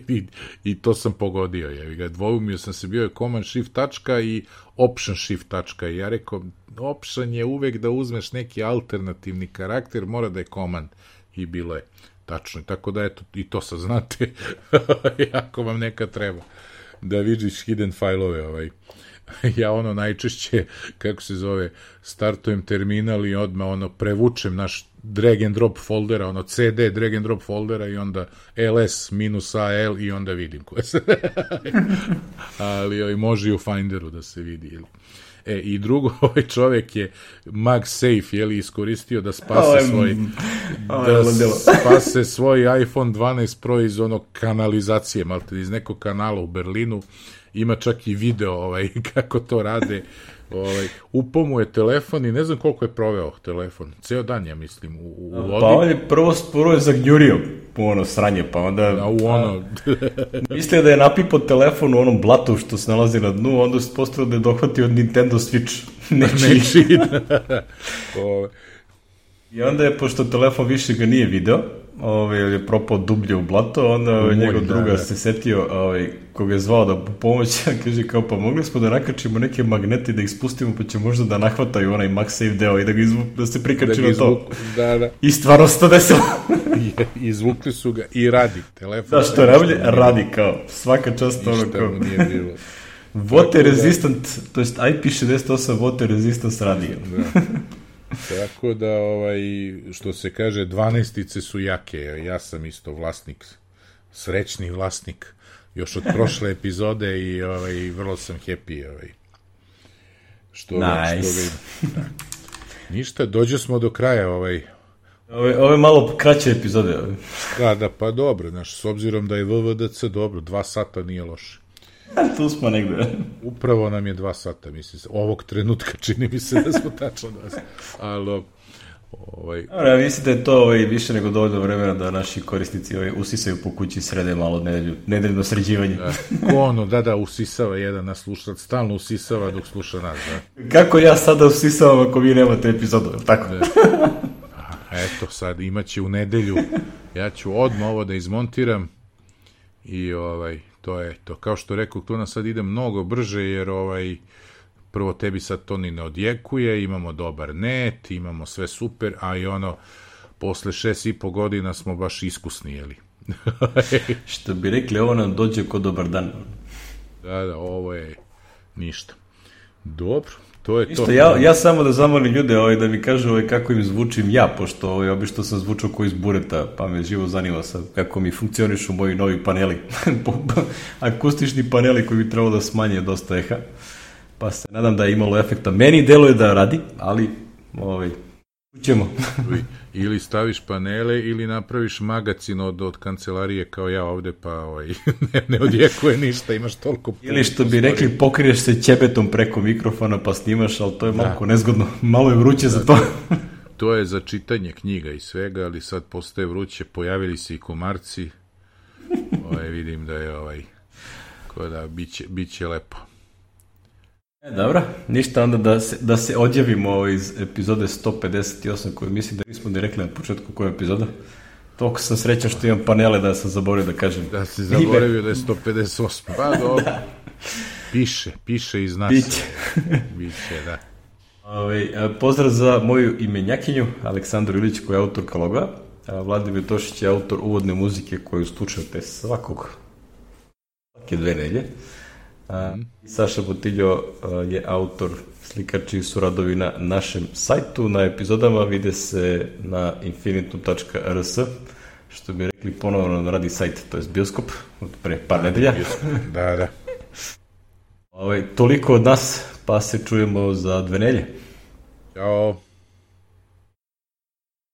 I, i to sam pogodio, jevi ga, dvoumio sam se, bio je Command Shift tačka i Option Shift tačka i ja rekao, Option je uvek da uzmeš neki alternativni karakter, mora da je Command i bilo je tačno, tako da eto, i to sad znate, ako vam neka treba da vidiš hidden fajlove, ovaj. Ja ono najčešće, kako se zove, startujem terminal i odmah ono prevučem naš drag and drop foldera, ono C D drag and drop foldera i onda ls minus al i onda vidim koje se ali ovaj, može i u Finderu da se vidi. E, i drugo, ovaj čovjek je MagSafe, je li, iskoristio da spase svoj da spase svoj iPhone dvanaest Pro iz onog kanalizacije, malte, iz nekog kanala u Berlinu. Ima čak i video ovaj, kako to rade. Ovaj, upao mu je telefon i ne znam koliko je proveo telefon. Ceo dan, ja mislim, u, u vodi. Pa on je prvo, prvo je zagnjurio po ono sranje, pa onda... A u ono... mislio da je napipao telefon u onom blatu što se nalazi na dnu, onda se postavio da je dohvatio od Nintendo Switch. Nečiji. Nečiji. I onda je, pošto telefon više ga nije video, ovaj, je propao dublje u blato, onda ovaj, njegov da, druga da. se setio, ovaj, koga je zvao da pomoći, a kaže kao, pa mogli smo da nakačimo neke magnete da ih spustimo, pa će možda da nahvataju onaj MagSafe deo i da, ga izvu, da se prikači da na to. Da, da. I stvarno se to desilo. Izvukli su ga i radi. Telefon da, što radi, radi kao. Svaka čast ono kao. Ništa mu nije bilo. Water resistant, to jest I P šezdeset osam water resistance radi. Da. Tako da, ovaj, što se kaže, dvanaestice su jake. Ja sam isto vlasnik, srećni vlasnik, još od prošle epizode i ovaj, vrlo sam happy. Ovaj. Što nice. Što da. Ništa, dođe smo do kraja. Ovaj. Ove, ove malo kraće epizode. Ovaj. Da, da, pa dobro. Znaš, s obzirom da je V V D C dobro, dva sata nije loše. Tu smo negde. Upravo nam je dva sata, mislim se. Ovog trenutka čini mi se da smo tačno da. Ali, ovaj... Ja mislim da je to ovaj, više nego dovoljno vremena da naši korisnici ovaj, usisaju po kući, srede malo nedelju, nedeljno sređivanje. Da. Ko ono, da, da, usisava jedan nas slušalac, stalno usisava dok sluša nas, da. Kako ja sada usisavam ako vi nemate epizodu, tako? Da. Eto, sad imaće u nedelju, ja ću odmah ovo da izmontiram i ovaj... To je to. Kao što rekao, to nas sad ide mnogo brže, jer ovaj, prvo tebi sad to ni ne odjekuje, imamo dobar net, imamo sve super, a i ono, posle šest i po godina smo baš iskusni, jeli? Što bi rekli, ovo nam dođe ko dobar dan. Da, da, ovo je ništa. Dobro, to je Isto, to. Ja, ja samo da zamolim ljude ovaj, da mi kažu ovaj, kako im zvučim ja, pošto ovaj, obično sam zvučao ko iz bureta, pa me živo zanima sad kako mi funkcionišu moji novi paneli. Akustični paneli koji bi trebalo da smanje dosta eha. Pa se nadam da je imalo efekta. Meni deluje da radi, ali ovaj, ućemo. Ili staviš panele ili napraviš magacin od, od kancelarije kao ja ovde, pa ovaj, ne, ne odjekuje ništa, imaš toliko... Ili što bi rekli, pokriješ se ćebetom preko mikrofona pa snimaš, ali to je malo da. nezgodno, malo je vruće da, za to. To je za čitanje knjiga i svega, ali sad postaje vruće, pojavili se i komarci, ovaj, vidim da je ovaj, ko da, biće, biće lepo. E, dobro, ništa onda da se, da se odjavimo iz epizode sto pedeset osam koju mislim da nismo ni rekli na početku koja je epizoda. Toliko sam srećan što imam panele da sam zaboravio da kažem. Da si zaboravio da je sto pedeset osam. Pa dobro. Da. Piše, piše iz nas. Biće. Biće, da. Ove, pozdrav za moju imenjakinju, Aleksandru Ilić, koja je autor Kaloga. Vladimir Tošić je autor uvodne muzike koju slušate svakog svake dve nelje. A, Saša Botiljo je autor, slika čiji su radovi na našem sajtu. Na epizodama vide se na infinitum tačka r s, što bi rekli ponovno radi sajt, to je bioskop, od pre par nedelja. Da, da. Ove, toliko od nas, pa se čujemo za dve nelje. Ćao.